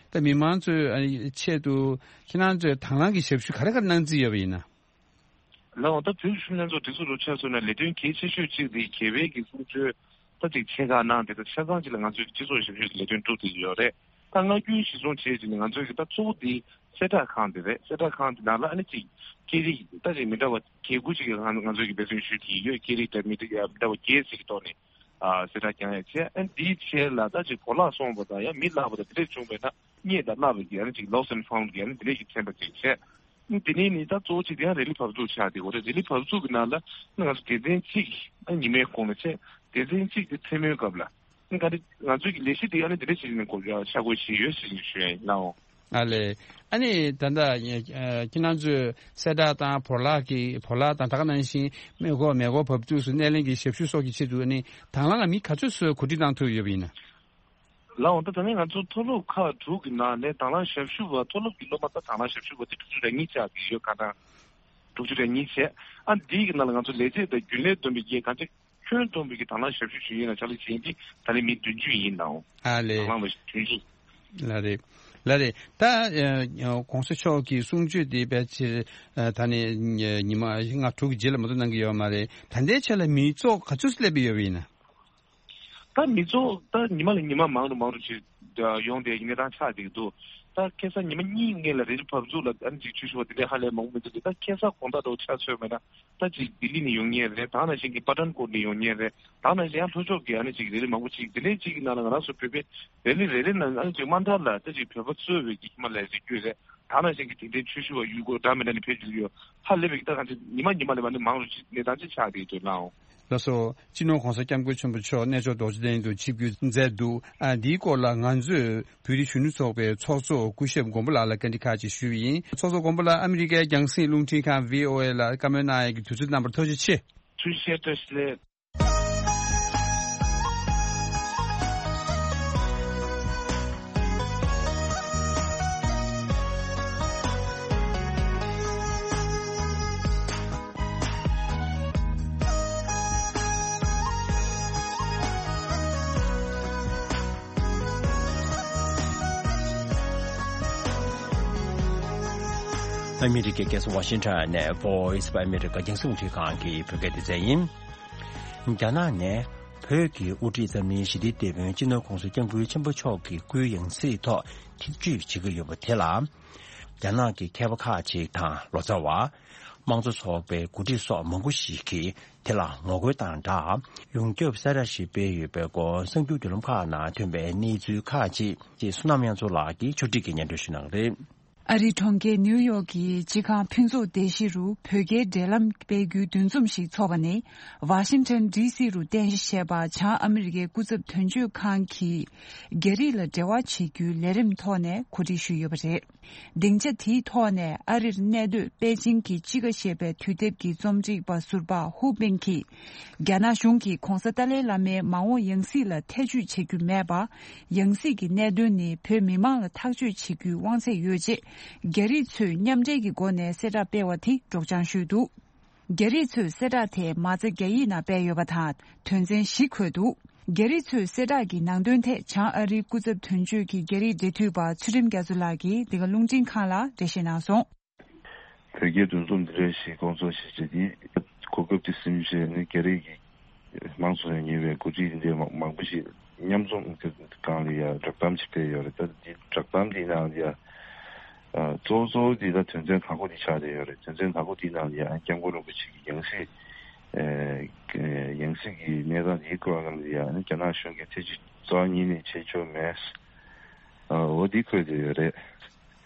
ད་མི་མང་ཚོའི་ཨ་ནི་ཆེད་དུ་ཁྱེད་རང་ཚོས་དང་བླངས་ཀྱི་ཞབས་ཞུ་ག་རེ་ག་རེ་གནང་རྩིས་ཡོད་པ་ཡིན་ན། ལགས་འོང་། ད་བོད་ཀྱི་གཞོན་ནུ་ལྷན་ཚོགས་སྒྲིག་འཛུགས་རུ་ཆགས་སོང་ན་ལས་དོན་གལ་ཆེ་ཤོས་གཅིག་དེ་རྒྱལ་བའི་གི་གསུང་ཆོས་ད་ཅིག་ཆེ་ཁག་གནང་དེ་ད་ཆ་ཚང་གཅིག་ལ་ང་ཚོའི་སྤྱི་ཚོགས་ཞབས་ཞུའི་ལས་དོན་སྒྲུབ་བསྡད་ཀྱི་ཡོད་རེད། ད་མངའ་སྐྱོན་གཞིར་བཟུང་བྱས་ཀྱི་ནི་ང་ཚོའི་གི་ད་གཙོ་བོ་དེ་གསལ་བསྒྲགས་ཁང་དེ་རེད། གསལ་བསྒྲགས་ཁང་དེ་ནང་ལ་ཨ་ནི་ཅིག་སྐད་རིགས་ད་ཅིག་མི་འདྲ་བ་བརྒྱད་དགུ་ཅིག་གི་ང་ང་ཚོའི་གི་འབད་བརྩོན་ཞུས་དེ་ཡོད། སྐད་རིགས་ད་མི་འདྲ་མི་འདྲ་བ་བརྒྱད་ཅིག་གི་ཐོག་ནས་ཨ་གསལ་བསྒྲགས་རྒྱག་ཡ་བྱས། ཨ་ནི་དེའི་ཆེད་ལ་ད་ཅིག་བོར་བརླག་སོང་བ་དང་ཡང་མི་བརླག་པ་དང་དེ་འདྲས་བྱུང་བས་ན་རྙེད་དང་བརླག་པའི་གི་ཨ་ནི་ཅིག་lost and found་གི་ཨ་ནི་དེ་འདྲས་ཀྱི་ཚན་པ་ཅིག་བྱས། དེ་ནས་ནི་ད་གཙོ་བོ་གཅིག་དེ་ཡང་རེ་ལི་བབས་ཚུགས་ཆགས་དེ་གོ་རེད། རེ་ལི་བབས་ཚུགས་ཀྱི་ནང་ལ་ང་ཚོ་སྡེ་ཚན་གཅིག་ཨ་ཉི་མའི་གོང་ལ་བྱས། སྡེ་ཚན་གཅིག་དེ་མཚན་མོའི་སྐབས་ལ་ཨ་ག་རེ་ང་ཚོའི་གི་ལས་གཞི་དེ་ཡང་ནི་དེ་འདྲ་བྱེད་ནས་གོ་ཆ་བགོས་བྱེད་ཡོད་ཟེར་ནས་ཞུ་ཡ་ཡིན་ལགས། ཨ་ལས། ཨ་ནི་ད་ལྟ་ཁྱེད་རང་ཚོས་གསལ་བསྒྲགས་དང་བོར་བརླག་གི་བོར་བརླག་དང་ད་ག་ནང་བཞིན་མེ་འཁོར་མེ་འཁོར་བབས་ཚུགས་སུ་སྣེ་ལེན་གྱི་ཞབས་ཞུ་སོགས་ཀྱི་ཆེད་དུ་ནི་དང་བླངས་ལ་མི་ག་ཚོད་ཚོས་གོ་སྒྲིག་བཏང་ཐུབ་ཡོད་པ་ཡིན་ན། ལགས་འོང་། ད་ད་ནི་ང་ཚོ་མཐོ་སློབ་ཁག་དྲུག་གི་ནང་ནས་དང་བླངས་ཞབས་ཞུ་བ་མཐོ་སློབ་ཀྱི་སློབ་མ་ད་དང་བླངས་ཞབས་ཞུ་བ་དེ་དྲུག་ཅུ་རེ་གཉིས་ཆགས་ཀྱི་ཡོད། གང་ལྟར་དྲུག་ཅུ་རེ་གཉིས་བྱས། ཨ་འདིའི་གི་ནང་ལ་ང་ཚོ་ལས་བྱེད་དང་རྒྱུན་ལས་བསྡོམས་པའི་གི་གང་ཅི་ཁྱོན་བསྡོམས་པའི་གི་དང་བླངས་ཞབས་ཞུ་ཞུ་ཡིན་ན་ཕྱག་ལས་བྱེད་མཁན་དེ་ད་ནི་མི་བདུན་ཅུ་ཡིན་ནའང་། ཨ་ལས། དང་བླངས་པ་བདུན་ཅུ། ལགས་རེད། ལགས་རེད། ད་ཨ་གོང་ས་མཆོག་གི་གསུང་ཆོས་དེ་ཕལ་ཆེར་ཨ་ད་ནི་ཉི་མ་ལྔ་དྲུག་གི་རྗེས་ལ་མ་གཏོགས་གནང་གི་ཡོད་མ་རེད། ད་ལྟའི་ཆ་ལ་མི་ཚོགས་ག་ཚོད་སླེབས་ཡོད་པ་ཡིན་ན། ད་མི་ཚོགས་ད་ཉི་མ་ལ་ཉི་མ་མང་རུ་མང་རུ་ཅིག་ཡོང་བསྡད་ཀྱི་གནས་སྟངས་ཆགས་བསྡད་ཀྱི་འདུག་ད་ཁ་སང་ཉི་མ་གཉིས་སྔོན་ལ་རེ་ལི་བབས་ཚུགས་ལ་ཨ་ནི་ཅིག་ཆོས་ཞུ་བ་དེ་འདྲའི་ཧ་ལས་མང་པོ་མི་འདུག་ད་ཁ་སང་དགོང་དག་འདྲ་བོ་ཆ་མཚོན་པ་ཡིན་ན་ད་ཅིག་ལྡི་ལི་ནས་ཡོང་མཁན་རེད། ད་ནང་བཞིན་གྱི་པ་ཐན་ཀོཊ་ནས་ཡོང་མཁན་རེད། ད་ནང་བཞིན་ཡང་ལྷོ་ཕྱོགས་ཀྱི་ཨ་ནི་ཅིག་རེ་ལི་མང་པོ་ཅིག་དེ་འདྲའི་ཅིག་གི་ནང་ལ་ང་རང་ཚོ་བོད་པའི་རེ་ལི་ནང་ཨ་ནི་ཅིག་དམའ་མཐའ་ལ་ད་ཅིག་བོད་པ་གཙོས་པའི་གི་ཧི་མ་ལ་ཡའི་རི་རྒྱུད་རེད། ད་ནང་བཞིན་གྱི་དེ་འདྲའི་ཆོས་ཞུ་བ་ཡུལ་སྐོར་འདྲ་མི་འདྲ་ནས་ཕེབས་ཀྱི་ཡོད། ཧ་ལས་པའི་གི་ད་གང་ཅི་ཉི་མ་ཉི་མ་ལས་མ་ནི་མང་རུ་ཅིག་གནས་སྟངས་ཅིག་ཆགས་བསྡད་ཀྱི་འདུག་ལགས་འོང་། ལགས་སོ། སྤྱི་ནོར་༸གོང་ས་༸སྐྱབས་མགོན་ཆེན་པོ་མཆོག་གནས་མཆོག་རྡོ་རྗེ་གདན་དུ་ཆིབས་བསྒྱུར་མཛད་འདུག་ཨ་འདིའི་སྐོར་ལ་ང་ཚོས་བོད་རིགས་གཞོན་ནུ་ཚོགས་པའི་ཚོགས་གཙོ་སྐུ་ཞབས་མགོན་པོ་ལགས་ལ་བཀའ་འདྲི་ཁག་ཅིག་ཞུས་པ་ཡིན། ཚོགས་གཙོ་མགོན་པོ་ལགས། ཨ་མི་རི་ཀའི་རྒྱང་སྲིང་རླུང་འཕྲིན་ཁང་བྷི་ཨོ་ཨེ་ལ་བཀའ་མོལ་གནང་ཡས་ཀྱི་དུས་ཚོད་གནང་བར་ཐུགས་རྗེ་ཆེ། ཐུགས་རྗེ་ཆེ། བཀྲ་ཤིས་བདེ་ལེགས། ཨ་མི་རི་ཀའི་རྒྱལ་ས་ཝ་ཤིང་ཊོན་ནས་Voice of America་རྒྱང་སྲིང་རླུང་འཕྲིན་ཁང་གི་བོད་སྐད་སྡེ་ཚན་ཡིན། རྒྱ་ནག་ནས་བོད་ཀྱི་དབུ་ཁྲིད་འཛམ་གླིང་ཞི་བདེའི་དེད་དཔོན་སྤྱི་ནོར་༸གོང་ས་༸སྐྱབས་མགོན་ཆེན་པོ་མཆོག་གི་སྐུའི་ཡང་སྲིད་ཐོག་ཐེ་བྱུས་བྱེད་ཀྱི་ཡོད་པ་དེ་ལ། རྒྱ་ནག་གི་མཁས་པ་ཁག་ཅིག་དང་ལོ་ཙཱ་བ། དམངས་གཙོ་ཚོགས་པའི་འགོ་ཁྲིད་སོགས་མང་པོ་ཞིག་གིས་དེ་ལ་ངོ་རྒོལ་དང་སྦྲགས། ཡོངས་ཁྱབ་གསལ་བསྒྲགས་ཤིག་སྤེལ་ཡོད་པའི་སྐོར་གསར་འགྱུར་བརྒྱུད་ལམ་ཁག་ནང་ཐོན་པའི་གནས་ཚུལ་ཁག་ཅིག་ཅེས་བསོད་ནམས་དབྱངས་མཚོ་ལགས་ཀྱིས་ཕྱོགས་སྒྲིག་གིས་སྙན་སྒྲོན་ཞུ་གནང་གི་རེད། ཨ་རིའི་གྲོང་ཁྱེར་ནིའུ་ཡོག་གི་སྤྱི་ཁང་ཕུན་ཚོགས་སྡེ་བཞི་རུ་བོད་རྒྱའི་འབྲེལ་ལམ་སྤེལ་རྒྱུའི་འདུ་འཛོམས་ཤིག་འཚོགས་པ་ནི། ཝ་ཤིང་ཊོན་ཌི་སི་རུ་རྟེན་གཞི་བྱས་པ་བྱང་ཨ་མི་རི་ཀའི་སྐུ་ཚབ་དོན་གཅོད་ཁང་གིས་རྒྱ་རིགས་ལ་འབྲེལ་བ་བྱེད་རྒྱུའི་ལས་རིམ་ཐོག་ནས་གོ་སྒྲིག་ཞུས་ཡོད་པ་རེད། སྡིངས་ཆ་དེའི་ཐོག་ནས་ཨ་རིར་གནས་སྡོད་པེ་ཅིང་གི་ཅི་ག་ཞེས་པའི་དུས་དེབ་ཀྱི་རྩོམ་སྒྲིག་པ་ཟུར་པ་ཧུ་པིན་གྱིས། རྒྱ་ནག་གཞུང་གིས་༸གོང་ས་ཏཱ་ལའི་བླ་མའི་མ་འོངས་ཡང་སྲིད་ལ་ཐེ་བྱུས་བྱེད་རྒྱུ་མེད་པ། ཡང་སྲིད་ཀྱི་གནད་དོན་ནི་བོད་མི་མང་ལ་ཐག་གཅོད་བྱེད་རྒྱུའི་དབང་ཚད་ཡོད་ཅེས། རྒྱ་རིགས་ཚོས་མཉམ་འབྲེལ་གྱི་སྒོ་ནས་གསལ་བསྒྲགས་སྤེལ་བ་དེ་སྒྲོག་སྦྱང་ཞུས་འདུག་རྒྱ་རིགས་ཚོས་གསལ་བསྒྲགས་དེ་མ་རྩ་རྒྱ་ཡིག་ནང་སྤེལ་ཡོད་པ་དང་དོན་ཚན་བཞི་འཁོད་འདུག་རྒྱ་རིགས་ཚོས་གསལ་བསྒྲགས་ཀྱི་ནང་དོན་ཐད་བྱང་ཨ་རིའི་སྐུ་ཚབ་དོན་གཅོད་ཀྱི་རྒྱ་རིགས་འབྲེལ་མཐུད་པ་ཚུལ་ཁྲིམས་རྒྱ་མཚོ་ལགས་ཀྱིས་འདི་ག་རླུང་འཕྲིན་ཁང་ལ་འགྲེལ་བཤད་གནང་སོང་། བོད་རྒྱའི་འདུ་འཛོམས་འདི་འདྲ་ཞིག་སྐོང་ཚོགས་བྱེད་ཆེད་དེ་གོ་སྐབས་དེ་ཟིན་བྱས་ནས་རྒྱ་རིགས་ཀྱི་མང་གཙོ་ཡང་ཉེ་བའི་འགོ་ཁྲིད་འདི་འདྲའི་མང་པོ་ཞིག་མཉམ་འཛོམས་ཀྱི་སྒང་ལ་ཡ་བསྒྲགས་གཏམ་ཞིག་སྤེལ་ཡོད་རེད། ད་འདི་བསྒྲགས་གཏམ་འདིའི་ནང་ལ་ཡ་གཙོ་བོ་གཙོ་བོ་འདི་ད་དོན་ཚན་དང་པོ་འདི་ཆགས་བསྡད་ཡོད་རེད། དོན་ཚན་དང་པོ་འདིའི་ནང་ལ་ཡ་སྐྱབས་མགོན་རིན་པོ་ཆེ་གི་ཡང་སྲིད་ཡང་སྲིད་ཀྱི་གནས་སྟངས་འདིའི་སྐོར་སྒང་ལ་ཡ་རྒྱ་ནག་གཞུང་གིས་ཐེ་བྱུས་རྩ་བ་ཉིད་ནས་བྱེད་ཆོག་མེད། འོ་འདི་འཁོད་བསྡད་ཡོད་རེད།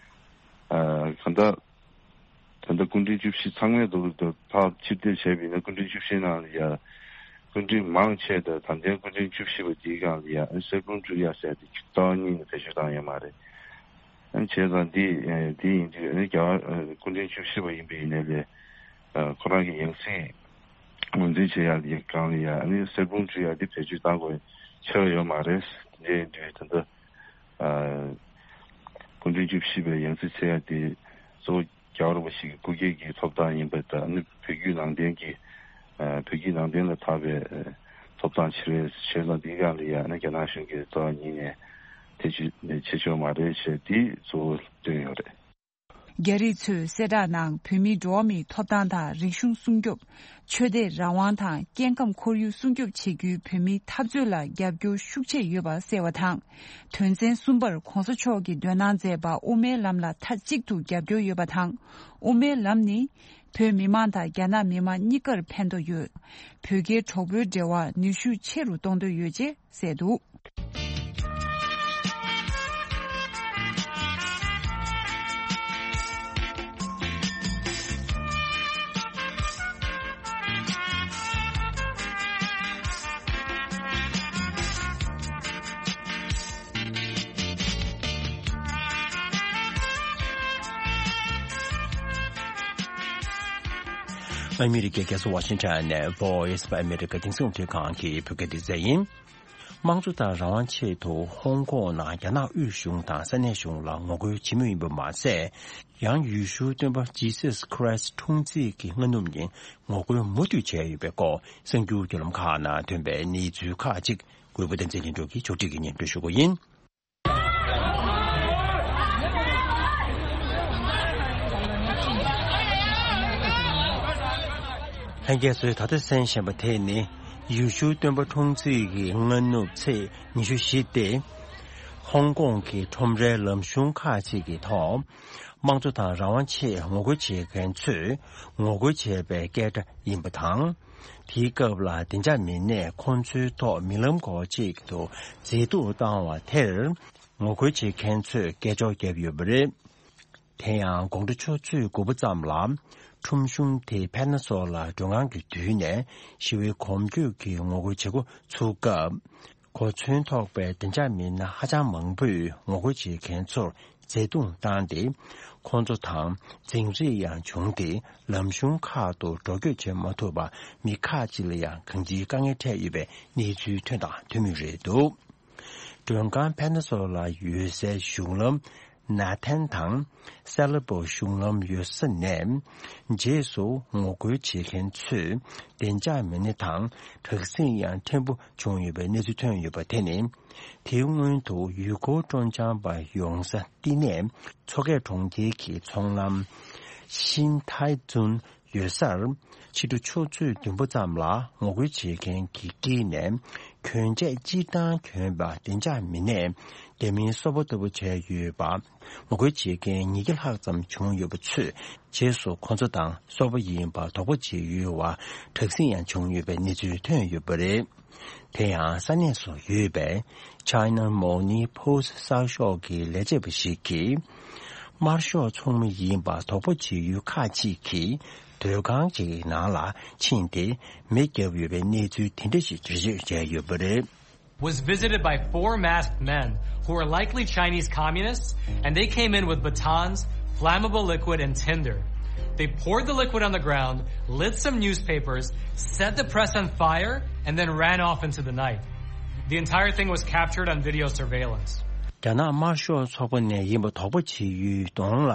གང་ལྟར། ད་ལྟ་སྐུ་ཕྲེང་བཅུ་བཞི་ཚང་མས་འདུག་འདུག་ཕར་ཕྱིར་བལྟས་བྱས་པ་ཡིན་ན་སྐུ་ཕྲེང་བཅུ་བཞིའི་ནང་ལ་ཡ། སྐུ་ཕྲེང་མང་ཆེ་དང་ད་ལྟའི་སྐུ་ཕྲེང་བཅུ་བཞི་པ་འདིའི་སྒང་ལ་ཡ་གསེར་སྤུངས་སྤྲུལ་ཡ་ཟེར་ཏེ་རྩ་བ་ཉིད་ནས་བེད་སྤྱོད་བཏང་ཡོད་མ་རེད། བྱས་ཙང་འདི་འདི་ཡིན་དུས་རྒྱ་སྐུ་ཕྲེང་བཅུ་བཞི་པ་ཡིན་པ་ཡིན་ནའི་ལས། ཁོ་རང་གི་ཡང་སྲིད་ངོས་འཛིན་བྱེད་ཡ་འདིའི་སྒང་ལ་ཡ་གསེར་སྤུངས་སྤྲུལ་ཡ་འདི་བེད་སྤྱོད་བཏང་དགོས་ཆེ་བ་ཡོད་མ་རེད། འདི་ཡིན་དུས་ད་ལྟ། སྐུ་ཕྲེང་བཅུ་བཞི་པའི་ཡང་སྲིད་འཚོལ་ཡ་དེ་གཙོ་བོ་རྒྱལ་བ་རིན་པོ་ཆེ་གི་སྐུ་སྒེར་གྱི་ཐོབ་ཐང་ཡིན་པ་དང་ནི་བོད་བརྒྱུད་ནང་བསྟན་གྱི་བོད་བརྒྱུད་ནང་བསྟན་ལ་དར་བའི་ཐོབ་ཐང་ཆེ་བའི་ཆེད་ལ་འདིའི་སྒང་ལ་ཡང་ནི་རྒྱ་ནག་གཞུང་གིས་རྩ་བ་ཉིད་ནས་ཐེ་བྱུས་བྱེད་ཆོག་མ་རེད་ཞེས་དེ་གཙོ་བོ་བཏོན་ཡོད་རེད། རྒྱ་རིགས་ཚོས་གསལ་བསྒྲགས་ནང་བོད་མིའི་འགྲོ་བ་མིའི་ཐོབ་ཐང་དང་རིག་གཞུང་སྲུང་སྐྱོབ། ཆོས་དད་རང་དབང་དང་སྐྱེ་ཁམས་ཁོར་ཡུག་སྲུང་སྐྱོབ་བྱེད་རྒྱུའི་བོད་མིའི་འཐབ་རྩོད་ལ་རྒྱབ་སྐྱོར་ཤུགས་ཆེ་ཡོད་པ་གསལ་བ་དང་། དོན་ཚན་གསུམ་པར་༸གོང་ས་མཆོག་གིས་འདོན་གནང་མཛད་པ་དབུ་མའི་ལམ་ལ་མཐའ་གཅིག་ཏུ་རྒྱབ་སྐྱོར་ཡོད་པ་དང་། དབུ་མའི་ལམ་ནི་བོད་མི་མང་དང་རྒྱ་ནག་མི་མང་གཉིས་ཀར་ཕན་ཐོགས་ཡོད། བོད་རྒྱའི་གྲོགས་པོའི་འབྲེལ་བ་ནུས་ཤུགས་ཆེ་རུ་གཏོང་འདོད་ཡོད་ཅེས་གསལ་འདུག། ཨ་མི་རི་ཀའི་རྒྱལ་ས་ཝ་ཤིང་ཊོན་ནས་Voice of America དེང་སང་འཕྲིན་ཁང་གི་བོད་སྐད་སྡེ་ཚན་ཡིན། དམངས་གཙོ་དང་རང་དབང་ཆེད་དུ་ཧོང་ཀོང་ནང་རྒྱ་ནག་དབུས་གཞུང་དང་ས་གནས་གཞུང་ལ་ངོ་རྒོལ་བྱེད་མུས་ཡིན་པ་མ་ཟད། ཡང་ཡུལ་ཤུལ་སྟོན་པ་Jesus Christ འཁྲུངས་རྩིས་ཀྱི་སྔ་ནུབ་ཉིན་ངོ་རྒོལ་མུ་མཐུད་བྱས་ཡོད་པའི་སྐོར་གསར་འགྱུར་བརྒྱུད་ལམ་ཁག་ནང་ཐོན་པའི་གནས་ཚུལ་ཁག་ཅིག་གུས་པ་བསྟན་འཛིན་ལྷུན་གྲུབ་ཀྱིས་ཕྱོགས་སྒྲིག་གིས་སྙན་སྒྲོན་ཞུ་གི་ཡིན། ལྷན་རྒྱས་ཚོས་ད་ལྟ་གསན་བཞིན་པ་དེ་ནི་ཡུལ་ཤུལ་སྟོན་པ་འཁྲུངས་རྩིས་ཀྱི་སྔ་ནུབ་ཚེས་ཉི་ཤུ་བཞི་སྟེ། ཧོང་ཀོང་གི་ཁྲོམ་རའི་ལམ་གཞུང་ཁག་ཅིག་གི་ཐོག་དམངས་གཙོ་དང་རང་དབང་ཆེད་ངོ་རྒོལ་བྱེད་མཁན་ཚོས་ངོ་རྒོལ་བྱས་པའི་སྐད་སྒྲ་ཡིན་པ་དང་། དེའི་སྐབས་ལ་བདེ་འཇགས་མི་སྣས་ཁོང་ཚོའི་ཐོག་མི་ལམ་སྐོར་ཅིག་ཏུ་མཛེས་སྡུག་བཏང་བ་དེར་ངོ་རྒོལ་བྱེད་མཁན་ཚོས་སྐད་ཅོར་བརྒྱབ་ཡོད་པ་རེད། དེ་ཡང་དགོང་དྲོ་ཆུ་ཚོད་དགུ་པ་ཙམ་ལ་ཁྲོམ་གཞུང་དེའི་ཕན་ན་སོ་ལ་མགྲོན་ཁང་གི་མདུན་ནས་ཞི་བའི་གོམ་བགྲོད་ཀྱི་ངོ་རྒོལ་བྱེད་འགོ་ཚུགས་སྐབས། གོ་མཚོན་ཐོགས་པའི་བདེ་འཇགས་མི་སྣ་ཧ་ཅང་མང་པོས་ངོ་རྒོལ་བྱེད་མཁན་ཚོར་བརྩེ་དུང་བཏང་སྟེ། ཁོང་ཚོ་དང་འཛིང་རེས་ཡང་བྱུང་སྟེ། ལམ་གཞུང་ཁག་ཏུ་འགྲོ་སྐྱོད་བྱེད་མ་ཐུབ་པར་མི་ཁག་ཅིག་ལ་ཡང་གང་ཅིའི་དཀའ་ངལ་འཕྲད་ཡོད་པའི་གནས་ཚུལ་ཐོན་དང་ཐོན་མུས་རེད་འདུག། མགྲོན་ཁང་ཕན་ན་སོ་ལ་ཡོད་སའི་གཞུང་ལམ་ན་ཐན་དང་སེ་ལ་པོ་གཞུང་ལམ་ཡོད་ས་ནས་རྗེས་སུ་ངོ་རྒོལ་བྱེད་མཁན་ཚོས་བདེ་འཇགས་མི་སྣ་དང་དྲག་ཟིང་ཡང་ཕྲན་བུ་བྱུང་ཡོད་པའི་གནས་ཚུལ་ཐོན་ཡོད་པ་དེ་ནི། དེའི་སྔོན་དུ་ཡུལ་སྐོར་སྤྲོ་འཆམ་པ་ཡོང་ས་བསྟི་གནས་མཚོ་སྐྱེས་གྲོང་ཁྱེར་གྱི་ཚོང་ལམ་ཤིན་ཐའི་ཙུན་ཡོད་སར། ཕྱི་དྲོ་ཆུ་ཚོད་བདུན་པ་ཙམ་ལ་ངོ་རྒོལ་བྱེད་མཁན་གྱི་དཀྱིལ་ནས་གྱོན་ཆས་སྤྱིར་བཏང་གྱོན་པ་བདེ་འཇགས་མི་སྣས་རྒྱ་མིའི་སོ་པ་ལྟ་བུ་བྱས་ཡོད་པ། ངོ་རྒོལ་བྱེད་མཁན་ཉིས་བརྒྱ་ལྷག་ཙམ་བྱུང་ཡོད་པ་ཚོས་རྗེས་སུ་ཁོ་ཚོ་དང་སོ་པ་ཡིན་པ་དོགས་པ་བྱེད་ཡུལ་བ་དྲག་ཟིང་ཡང་བྱུང་ཡོད་པའི་གནས་ཚུལ་ཐོན་ཡོད་པ་རེད། དེ་ཡང་ས་གནས་སུ་ཡོད་པའི་China Morning Post གསར་ཤོག་གི་ལས་བྱེད་པ་ཞིག་གིས། དམར་ཤོག་ཚོགས་མི་ཡིན་པ་དོགས་པ་བྱེད་ཡུལ་ཁག་ཅིག་གིས་སྡོད་ཁང་ཅིག་གི་ནང་ལ་ཕྱིན་ཏེ་མེ་བརྒྱབ་ཡོད་པའི་གནས་ཚུལ་དེ་འདྲ་ཞིག་འགྲེལ་བརྗོད་བྱས་ཡོད་པ་རེད། Was visited by four masked men who are likely Chinese communists, and they came in with batons, flammable liquid, and tinder. They poured the liquid on the ground, lit some newspapers, set the press on fire, and then ran off into the night. The entire thing was captured on video surveillance. རྒྱ་ནག་དམར་ཤོག་ཚོགས་པ་ནས་ཡིན་པ་དོགས་པ་བྱེད་ཡུལ་གདོང་ལ་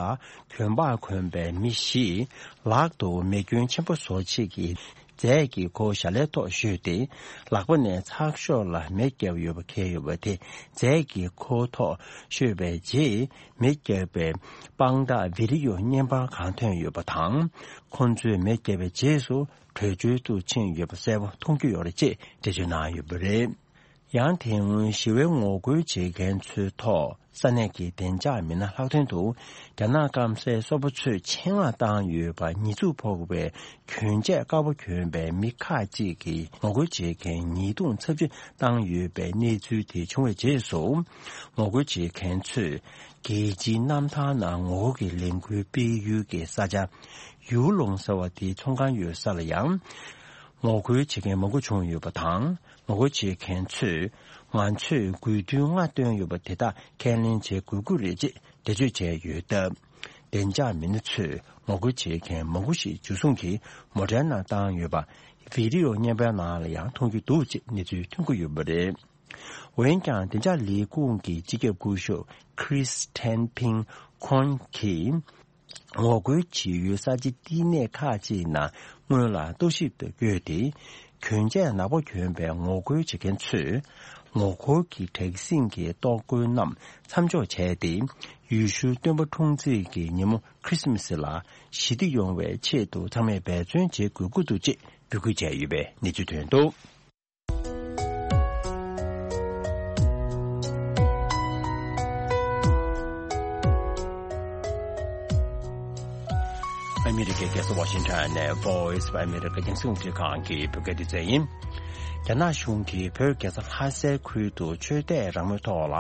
གྱོན་པ་གོན་པའི་མི་བཞིས་ལག་ཏུ་མེ་སྐྱོན་ཆེན་པོ་བཟོ་བྱེད་ཀྱི་རྫས་ཀྱི་ཁོ་ཞལ་ལའི་ཐོག་བཤུས་ཏེ། ལག་པ་ནས་ཚགས་ཤོག་ལ་མེ་བརྒྱབ་ཡོད་པ་འཁྱེར་ཡོད་པ་དེ་རྫས་ཀྱི་ཁོ་ཐོག་བཤུས་པའི་རྗེས། མེ་བརྒྱབ་པའི་དཔང་རྟགས་བི་ཌི་ཡོ་བརྙན་པར་གང་ཐོན་ཡོད་པ་དང་། ཁོང་ཚོས་མེ་བརྒྱབ་པའི་རྗེས་སུ་བྲོས་བྱོལ་དུ་ཕྱིན་ཡོད་པ་གསལ་པོ་མཐོང་རྒྱུ་ཡོད་རེད་ཅེས་འགྲེལ་བརྗོད་གནང་ཡོད་པ་རེད། ཡང་དེ་སྔོན་ཞི་བའི་ངོ་རྒོལ་བྱེད་མཁན་ཚོའི་ཐོག་ས་གནས་ཀྱི་བདེ་འཇགས་མི་སྣ་ལྷག་དོན་དུ་རྒྱ་ནག་སྐམ་སའི་སོ་པ་ཚོས་ཆེད་མངགས་བཏང་ཡོད་པ་ཉེས་འཛུགས་ཕོག་པའི་གྱོན་ཆས་དཀར་པོ་གྱོན་པའི་མི་ཁག་ཅིག་གིས་ངོ་རྒོལ་བྱེད་མཁན་ཉེས་རྡུང་ཚབས་ཆེ་བཏང་ཡོད་པའི་གནས་ཚུལ་དེ་བྱུང་བའི་རྗེས་སུ། ངོ་རྒོལ་བྱེད་མཁན་ཚོས་རྒྱལ་སྤྱིའི་གནམ་ཐང་ནང་ངོ་རྒོལ་གྱི་ལས་འགུལ་སྤེལ་ཡུལ་གྱི་ས་ཆ་ཡུའུ་ལུང་ཟེར་བ་དེའི་ཚོང་ཁང་ཡོད་ས་ལ་ཡང་ངོ་རྒོལ་བྱེད་མཁན་མང་པོ་བྱུང་ཡོད་པ་དང་། ངོ་རྒོལ་བྱེད་མཁན་ཚོས་ང་ཚོས་དགོས་འདུན་ལྔ་བཏོན་ཡོད་པ་དེ་དག་ཁས་ལེན་བྱེད་དགོས་ཀྱི་རེད་ཅེས་འགྲེལ་བརྗོད་བྱས་ཡོད་སྟབས། བདེ་འཇགས་མི་སྣ་ཚོས་ངོ་རྒོལ་བྱེད་མཁན་མང་པོ་ཞིག་འཇུ་བཟུང་གིས་མོ་ཊའི་ནང་བཏང་ཡོད་པ་བི་ཌི་ཡོ་བརྙན་པའི་ནང་ལ་ཡང་མཐོང་རྒྱུ་འདུག་ཅེས་གནས་ཚུལ་ཐོན་གྱི་ཡོད་པ་རེད། འོན་ཀྱང་བདེ་འཇགས་ལས་ཁུངས་ཀྱི་སྤྱི་ཁྱབ་སྐུ་ཞབས་Chris Ten Ping Kong གིས། ངོ་རྒོལ་བྱེད་ཡུལ་ས་ཆའི་བསྟི་གནས་ཁག་ཅིག་ནང་སྔོན་ལ་རྟོག་ཞིབ་ཏུ་བསྐྱོད་དེ། གྱོན་ཆས་ནག་པོ་གྱོན་པའི་ངོ་རྒོལ་བྱེད་མཁན་ཚོས་ ངོ་རྒོལ་གྱི་དྲག་ཟིང་གི་གཏོར་རྒོལ་རྣམས་མཚམས་འཇོག་བྱས་ཏེ། ཡེ་ཤུའི་སྟོན་པ་འཁྲུངས་ཚེས་ཀྱི་ཉིན་མོ་ཁྲི་སི་མ་སི་ལ་ཞི་བདེ་ཡོང་བའི་ཆེད་དུ་ཚང་མས་འབད་བརྩོན་བྱེད་དགོས་ཀྱི་འདུག་ཅེས་འབོད་སྐུལ་བྱས་ཡོད་པའི་གནས་ཚུལ་ཐོན་འདུག། ཨ་མི་རི་ཀའི་རྒྱལ་ས་ཝ་ཤིང་ཊོན་ནས་Voice of America རྒྱང་སྲིང་རླུང་འཕྲིན་ཁང་གི་བོད་སྐད་སྡེ་ཚན་ཡིན། རྒྱ་ནག་གཞུང་གིས་བོད་རྒྱལ་ས་ལྷ་སའི་ཁུལ་དུ་ཆོས་དད་རང་མོས་ཐོག་ལ་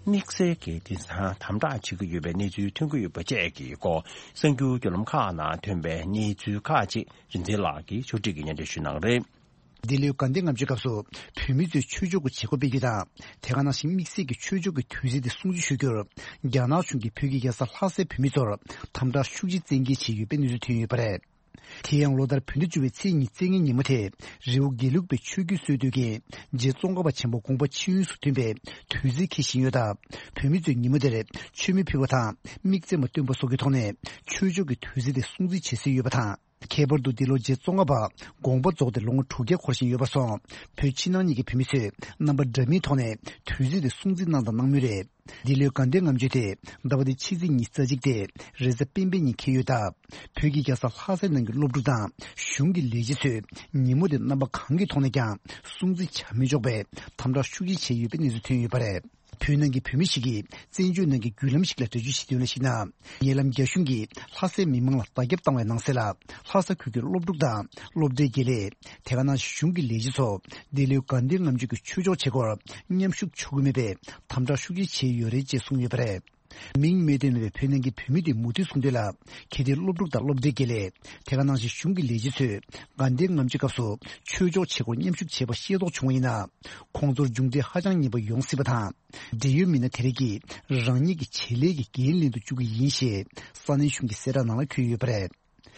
དམིགས་བསལ་གྱི་དེང་སང་དམ་དྲག་བྱེད་ཀྱི་ཡོད་པའི་གནས་ཚུལ་ཐོན་གྱི་ཡོད་པ་བཅས་ཀྱི་སྐོར་གསར་འགྱུར་བརྒྱུད་ལམ་ཁག་ནང་ཐོན་པའི་གནས་ཚུལ་ཁག་ཅིག་རིག་འཛིན་ལགས་ཀྱིས་ཕྱོགས་སྒྲིག་གིས་སྙན་སྒྲོན་ཞུ་གནང་རེད། འདི་ལོའི་དགའ་ལྡན་ལྔ་མཆོད་སྐབས་སུ་བོད་མི་ཚོས་ཆོས་ཕྱོགས་ཀྱི་བྱེད་སྒོ་སྤེལ་རྒྱུ་དང་། དེ་ག་ནང་བཞིན་དམིགས་བསལ་གྱི་ཆོས་ཕྱོགས་ཀྱི་དུས་ཚིགས་དེ་སྲུང་བརྩི་ཞུ་རྒྱུར། རྒྱ་ནག་གཞུང་གིས་བོད་ཀྱི་རྒྱལ་ས་ལྷ་སའི་བོད་མི་ཚོར་དམ་དྲག་ཤུགས་ཆེ་བཙན་འགེལ་བྱས་ཡོད་པའི་གནས་ཚུལ་ཐོན་ཡོད་པ་རེད། དེ་ཡང་ལོ་ལྟར་བོད་ཟླ་བཅུ་པའི་ཚེས་ཉི་ཤུ་རྩ་ལྔའི་ཉིན་མོ་དེ། རི་བོ་དགེ་ལུགས་པའི་ཆོས་བརྒྱུད་སྲོལ་གཏོད་མཁན་རྗེ་ཙོང་ཁ་པ་ཆེན་པོ་དགོངས་པ་ཆེན་ཡུན་སུ་ཐུན་པའི་དུས་ཚིགས་འཁེལ་བཞིན་ཡོད་སྟབས། བོད་མི་ཚོས་ཉིན་མོ་དེར་མཆོད་མེ་ཕུལ་བ་དང་། དམིགས་བརྩེ་མ་བཏོན་པ་སོགས་ཀྱི་ཐོག་ནས་ཆོས་ཕྱོགས་ཀྱི་དུས་ཚིགས་དེ་སྲུང་བརྩི་བྱེད་སྲོལ་ཡོད་པ་དང་། ཁྱད་པར་དུ་འདི་ལོ་རྗེ་ཙོང་ཁ་པ་དགོངས་པ་རྫོགས་ཏེ་ལོ་ངོ་དྲུག་བརྒྱ་འཁོར་བཞིན་ཡོད་པ་སོགས། བོད་ཕྱི་ནང་གཉིས་ཀྱི་བོད་མི་ཚོས་རྣམ་པ་འདྲ་མིན་ཐོག་ནས་དུས་ཚིགས་དེ་སྲུང་བརྩི་གནང་དང་གནང་མུས་རེད། འདི་ལོའི་དགའ་ལྡན་ལྔ་མཆོད་དེ་ཟླ་བ་འདིའི་ཕྱི་ཚེས་ཉི་ཤུ་རྩ་གཅིག་སྟེ་རེས་གཟའ་སྤེན་པའི་ཉིན་འཁེལ་ཡོད་སྟབས། བོད་ཀྱི་རྒྱལ་ས་ལྷ་སའི་ནང་གི་སློབ་ཕྲུག་དང་གཞུང་གི་ལས་བྱེད་ཚོས་ཉིན་མོ་དེ་རྣམ་པ་གང་གི་ཐོག་ནས་ཀྱང་སྲུང་བརྩི་བྱ་མི་ཆོག་པའི་དམ་དྲག་ཤུགས་ཆེ་བྱས་ཡོད་པའི་གནས་ཚུལ་ཐོན་ཡོད་པ་རེད། བོད་ནང་གི་བོད་མི་ཞིག་གིས་བཙན་བྱོལ་ནང་གི་བརྒྱུད་ལམ་ཞིག་ལ་འགྲེལ་བརྗོད་བྱེད་དོན་ལ་གཞིགས་ན། ཉེ་ལམ་རྒྱ་གཞུང་གིས་ལྷ་སའི་མི་མང་ལ་བརྡ་ཁྱབ་བཏང་བའི་ནང་གསལ་ལ། ལྷ་ས་ཁུལ་གྱི་སློབ་ཕྲུག་དང་སློབ་གྲྭའི་དགེ་ལས། དེ་ག་ནང་བཞིན་གཞུང་གི་ལས་བྱེད་ཚོ་འདི་ལོའི་དགའ་ལྡན་ལྔ་མཆོད་ཀྱི་ཆོས་ཕྱོགས་བྱེད་སྒོར་མཉམ་ཞུགས་ཆོག་གི་མེད་པའི་དམ་དྲག་ཤུགས་ཆེ་བྱས་ཡོད་རེད་ཅེས་གསུངས་ཡོད་པ་རེད། མིང་མེད་དུ་མེད་པའི་བོད་ནང་གི་བོད་མི་དེས་མུ་མཐུད་གསུངས་དོན་ལ། གལ་ཏེ་སློབ་ཕྲུག་དང་སློབ་གྲྭའི་དགེ་ལས། དེ་ག་ནང་བཞིན་གཞུང་གི་ལས་བྱེད་ཚོས་དགའ་ལྡན་ལྔ་མཆོད་སྐབས་སུ་ཆོས་ཕྱོགས་བྱེད་སྒོར་མཉམ་ཞུགས་བྱས་པ་ཤེས་རྟོགས་བྱུང་བ་ཡིན་ན། ཁོང་ཚོར་མཇུག་འབྲས་ཧ་ཅང་ངན་པ་ཡོང་སྲིད་པ་དང་། འབྲེལ་ཡོད་མི་སྣ་དེ་རིགས་ཀྱིས་རང་ཉིད་ཀྱི་བྱེད་ལས་ཀྱི་འགན་ལེན་དུ་བཅུག་གི་ཡིན་ཞེས་ས་གནས་གཞུང་གི་གསལ་བསྒྲགས་ནང་ལ་འཁོད་ཡོད་པ་རེད།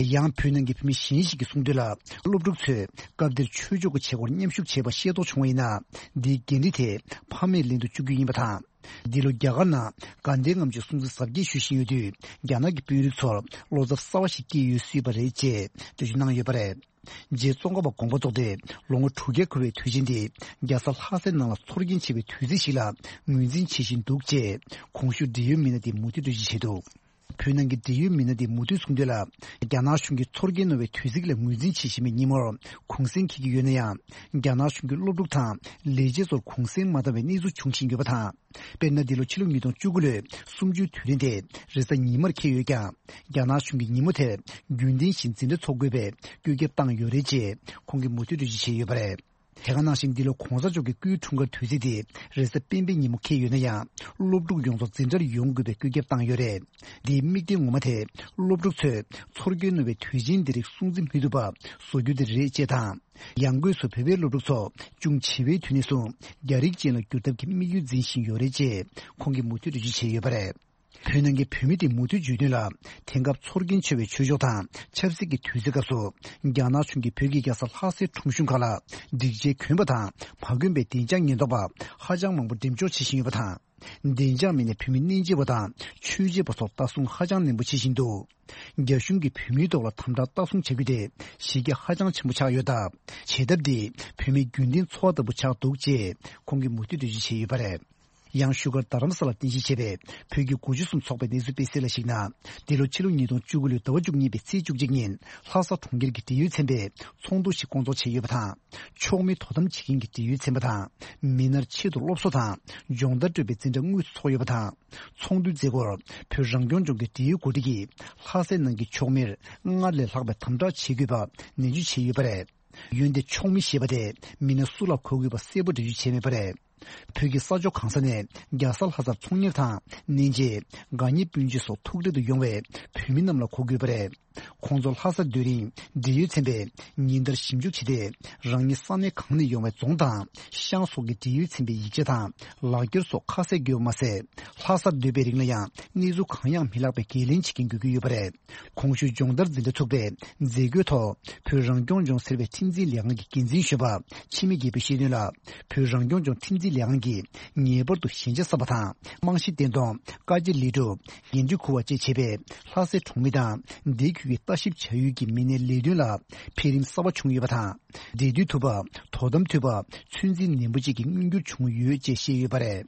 ཡང་བོད་ནང་གི་བོད་མི་གཞན་ཞིག་གིས་གསུངས་དོན་ལ། སློབ་ཕྲུག་ཚོས་སྐབས་དེར་ཆོས་ཕྱོགས་ཀྱི་བྱེད་སྒོར་མཉམ་ཞུགས་བྱས་པ་ཤེས་རྟོགས་བྱུང་བ་ཡིན་ན། འདིའི་འགན་འཁྲི་དེ་ཕ་མས་ལེན་དུ་བཅུག་རྒྱུ་ཡིན་པ་དང་། འདི་ལོ་རྒྱ་གར་ནང་དགའ་ལྡན་ལྔ་མཆོད་སྲུང་བརྩི་གཟབ་རྒྱས་ཞུ་བཞིན་ཡོད་དུས། རྒྱ་ནག་གི་དཔོན་རིགས་ཚོར་བློ་འཚབ་གསར་བ་ཞིག་སྐྱེས་ཡོད་སྲིད་པ་རེད་ཅེས་འགྲེལ་བརྗོད་གནང་ཡོད་པ་རེད། རྗེ་ཙོང་ཁ་པ་དགོངས་པ་རྫོགས་ཏེ་ལོ་ངོ་དྲུག་བརྒྱ་འཁོར་བའི་དུས་ཆེན་འདི་རྒྱལ་ས་ལྷ་སའི་ནང་ལ་ཚོར་སྐྱེན་ཆེ་བའི་དུས་ཚིགས་ཤིག་ལ་ངོས་འཛིན་བྱེད་བཞིན་འདུག་ཅེས་གོང་ཞུས་འབྲེལ་ཡོད་མི་སྣ་དེས་མུ་མཐུད་འགྲེལ་བརྗོད་བྱས་འདུག། བོད་ནང་གི་འབྲེལ་ཡོད་མི་སྣ་དེས་མུ་མཐུད་གསུངས་དོན་ལ། རྒྱ་ནག་གཞུང་གིས་ཚོར་སྐྱེན་རྣོ་བའི་དུས་ཚིགས་ལ་ངོས་འཛིན་བྱེད་བཞིན་པའི་ཉིན་མོར་གུང་སེང་འཁེལ་གྱི་ཡོད་ན་ཡང་། རྒྱ་ནག་གཞུང་གིས་སློབ་ཕྲུག་དང་ལས་བྱེད་ཚོར་གུང་སེང་མ་བཏང་བའི་གནས་ཚུལ་འབྱུང་བཞིན་ཡོད་པ་དང་། དཔེར་ན། འདི་ལོ་ཕྱི་ལོ་ཉིས་སྟོང་བཅུ་དགུ་ལོའི་གསུམ་བཅུའི་དུས་དྲན་དེ་རེས་གཟའ་ཉི་མར་འཁེལ་ཡོད་ཀྱང་། རྒྱ་ནག་གཞུང་གིས་ཉིན་མོ་དེར་རྒྱུན་ལྡན་བཞིན་འཛིན་གྲྭ་འཚོགས་དགོས་པའི་བཀོད་ཁྱབ་བཏང་ཡོད་རེད་ཅེས་ཁོང་གིས་མུ་མཐུད་འགྲེལ་བརྗོད་བྱས་ཡོད་པ་རེད། དེ་ག་ནང་བཞིན། འདི་ལོ་གོང་ས་མཆོག་གི་སྐུའི་འཁྲུངས་སྐར་དུས་ཚིགས་དེ་རེས་གཟའ་སྤེན་པའི་ཉིན་མོ་འཁེལ་ཡོད་ན་ཡང་། སློབ་ཕྲུག་ཡོངས་རྫོགས་འཛིན་གྲྭར་ཡོང་དགོས་པའི་བཀོད་ཁྱབ་བཏང་ཡོད་རེད། འདིའི་དམིགས་དོན་ངོ་མ་དེ། སློབ་ཕྲུག་ཚོས་ཚོར་སྐྱེན་རྣོ་བའི་དུས་ཆེན་འདི་རིགས་སྲུང་བརྩི་མི་ཐུབ་པ་བཟོ་རྒྱུ་དེ་རེད་ཅེས་དང་། ཡང་སྒོས་སུ་བོད་པའི་སློབ་ཕྲུག་ཚོ་ཅུང་ཆེ་བའི་དུས་ནས་བཟུང་རྒྱ་རིགས་ཅན་ལ་བསྒྱུར་ཐབས་ཀྱི་དམིགས་ཡུལ་འཛིན་བཞིན་ཡོད་རེད་ཅེས་ཁོང་གིས་མུ་མཐུད་འགྲེལ་བརྗོད་བྱས་ཡོད་པ་རེད། བོད་ནང་གི་བོད་མི་དེས་མུ་མཐུད་བརྗོད་དོན་ལ། དེང་སྐབས་ཚོར་སྐྱེན་ཆེ་བའི་ཆོས་ཕྱོགས་དང་ཆབ་སྲིད་ཀྱི་དུས་ཚོད་སྐབས་སུ། རྒྱ་ནག་གཞུང་གིས་བོད་ཀྱི་རྒྱལ་ས་ལྷ་སའི་ཁྲོམ་གཞུང་ཁག་ལ་སྒྲིག་ཆས་གོན་པ་དང་མ་གོན་པའི་བདེ་འཇགས་ཉེན་རྟོག་པ་ཧ་ཅང་མང་པོ་འགྲེམས་འཇོག་བྱེད་བཞིན་ཡོད་པ་དང་། བདེ་འཇགས་མི་སྣས་བོད་མི་གནས་མཇལ་བ་དང་ཆོས་མཇལ་བ་སོགས་ལྟ་སྲུང་ཧ་ཅང་ནན་པོ་བྱེད་བཞིན་འདུག། རྒྱ་གཞུང་གིས་བོད་མིའི་ཐོག་ལ་དམ་དྲག་ལྟ་སྲུང་བྱ་རྒྱུ་དེ་གཞི་རྒྱ་ཧ་ཅང་ཆེན་པོ་ཆགས་ཡོད་སྟབས། བྱེད་ཐབས་འདི་བོད་མིའི་རྒྱུན་ལྡན་འཚོ་བ་ལྟ་བུ་ཆགས་འདུག་ཅེས་ཁོང་གིས་མུ་མཐུད་འགྲེལ་བརྗོད་བྱས་ཡོད་པ་རེད། ཡང་བཞུགས་སྒར་རྡ་རམ་ས་ལར་རྟེན་གཞི་བྱས་པའི་བོད་ཀྱི་དགུ་བཅུ་གསུམ་ཚོགས་པའི་གནས་ཚུལ་སྤེལ་གསལ་ལ་གཞིགས་ན། འདི་ལོ་ཕྱི་ལོ་ཉིས་སྟོང་བཅུ་དགུ་ལོའི་ཟླ་བ་བཅུ་གཉིས་པའི་ཚེས་བཅུ་གཅིག་ཉིན་ལྷ་ས་གྲོང་ཁྱེར་གྱི་འབྲེལ་ཡོད་ཚན་པས་ཚོགས་འདུ་ཞིག་བསྐོང་ཚོགས་བྱས་ཡོད་པ་དང་། ཕྱོགས་མིའི་དོ་དམ་བྱེད་མཁན་གྱི་འབྲེལ་ཡོད་ཚན་པ་དང་། མི་སྣར་ཆེད་དུ་སློབ་གསོ་དང་སྦྱོང་བརྡར་སྤྲོད་པའི་འཛིན་གྲྭ་དངོས་སུ་འཚོགས་ཡོད་པ་དང་། ཚོགས་འདུའི་མཛད་སྒོར་བོད་རང་སྐྱོང་ལྗོངས་ཀྱི་འབྲེལ་ཡོད་འགོ་ཁྲིད་ཀྱིས་ལྷ་སའི་ནང་གི་ཕྱོགས་མིར་སྔར་ལས་ལྷག་པའི་དམ་དྲག་བྱེད་དགོས་པ་ནན་བརྗོད་བྱས་ཡོད་པ་རེད། འོན་ཏེ་ཕྱོགས་མི་ཞེས་པ་དེ་མི་སྣ་སུ་ལ་གོ་དགོས་པ་གསལ་པོ་འགྲེལ་བརྗོད་བྱས་མེད་པ་རེད། བོད་ཀྱི་ས་ཕྱོགས་གང་ས་ནས་རྒྱལ་ས་ལྷ་སར་ཚོང་གཉེར་དང་གནས་མཇལ། དགའ་ཉེ་སྤུན་མཆེད་སོགས་ཐུག་འཕྲད་དུ་ཡོང་བའི་བོད་མི་རྣམས་ལ་གོ་དགོས་པ་རེད། ཁོང་ཚོ་ལྷ་སར་སྡོད་རིང་འབྲེལ་ཡོད་ཚན་པས་ཉིན་ལྟར་ཞིབ་འཇུག་བྱས་ཏེ། རང་ཉིད་ས་གནས་གང་ནས་ཡོང་བའི་རྫོང་དང་ཤང་སོགས་ཀྱི་འབྲེལ་ཡོད་ཚན་པའི་ཡིག་ཆ་དང་ལག་འཁྱེར་སོགས་ཁ་གསལ་དགོས་པ་མ་ཟད། ལྷ་སར་སྡོད་པའི་རིང་ལ་ཡང་གནས་ཚུལ་གང་ཡང་མི་ལྷག་པའི་འགན་ལེན་བྱེད་མཁན་དགོས་ཀྱི་ཡོད་པ་རེད། གོང་ཞུས་སྦྱོང་བརྡར་འཛིན་གྲྭ་ཚུགས་པའི་མཛད་སྒོའི་ཐོག་བོད་རང་སྐྱོང་ལྗོངས་ཟེར་བའི་ཁྲིམས་འཛིན་ལས་ཁང་གི་འགན་འཛིན་གཞོན་པ་འཆི་མེད་རྒྱལ་པོས་བཤད་དོན་ལ། བོད་རང་སྐྱོང་ལྗོངས་ཁྲིམས་འཛིན་ལས་ཁང་གིས་ངེས་པར་དུ་ཞན་ཆ་གསབ་པ་དང་། རྨང་གཞི་བརྟན་གཏོང་། བཀའ་རྒྱ་ལེགས་གྲུབ། འགན་འཁྲི་འཁུར་བ་བཅས་བྱས་པས། ལྷ་སའི་གྲོང་མི་དང་སྡེ་ཁུལ་གྱི་ལྟ་ཞིབ་བྱ་ཡུལ་གྱི་མི་སྣའི་ལས་དོན་ལ་འཕེལ་རིམ་གསར་པ་བྱུང་ཡོད་པ་དང་ འབྲེལ་མཐུད་ཐུབ་པ། དོ་དམ་ཐུབ་པ། ཚོད་འཛིན་ནན་པོ་བཅས་ཀྱི་མངོན་འགྱུར་བྱུང་ཡོད་ཅེས་བཤད་ཡོད་པ་རེད།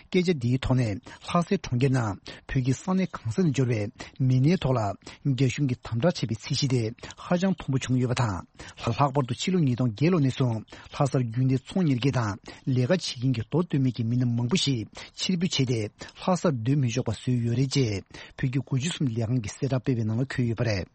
སྐད་ཆ་འདིའི་ཐོག་ནས་ལྷ་སའི་གྲོང་ཁྱེར་ནང་བོད་ཀྱི་ས་གནས་གང་ས་ནས་འབྱོར་བའི་མི་སྣའི་ཐོག་ལ་རྒྱ་གཞུང་གིས་དམ་དྲག་བྱས་པའི་ཚད་གཞི་དེ་ཧ་ཅང་མཐོན་པོ་བྱུང་ཡོད་པ་དང་། ལྷག་པར་དུ་ཕྱི་ལོ་ཉིས་སྟོང་བརྒྱད་ལོ་ནས་བཟུང་ལྷ་སར་རྒྱུན་ལྡན་ཚོང་གཉེར་མཁན་དང་ལས་ཀ་བྱེད་མཁན་གྱི་མདོ་སྟོད་སྨད་ཀྱི་མི་སྣ་མང་པོ་ཞིག་ཕྱིར་འབུད་བྱས་ཏེ་ལྷ་སར་སྡོད་མི་ཆོག་པ་བཟོས་ཡོད་རེད་ཅེས་བོད་ཀྱི་དགུ་བཅུ་གསུམ་ལས་ཁང་གི་གསལ་བསྒྲགས་སྤེལ་བའི་ནང་ལ་འཁོད་ཡོད་པ་རེད།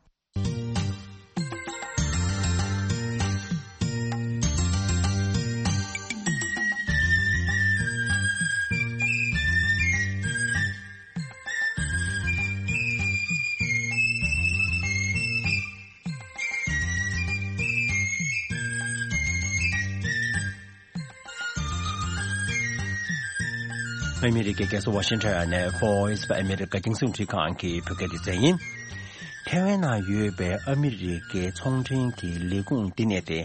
ཨ་མི་རི་ཀའི་རྒྱལ་ས་ཝ་ཤིང་ཊོན་ནས་Voice of America རྒྱང་སྲིང་རླུང་འཕྲིན་ཁང་གི་བོད་སྐད་སྡེ་ཚན་ཡིན། ཐའེ་ཝན་ནང་ཡོད་པའི་ཨ་མི་རི་ཀའི་ཚོང་འབྲེལ་གྱི་ལས་ཁུངས་བསྟི་གནས་དེ་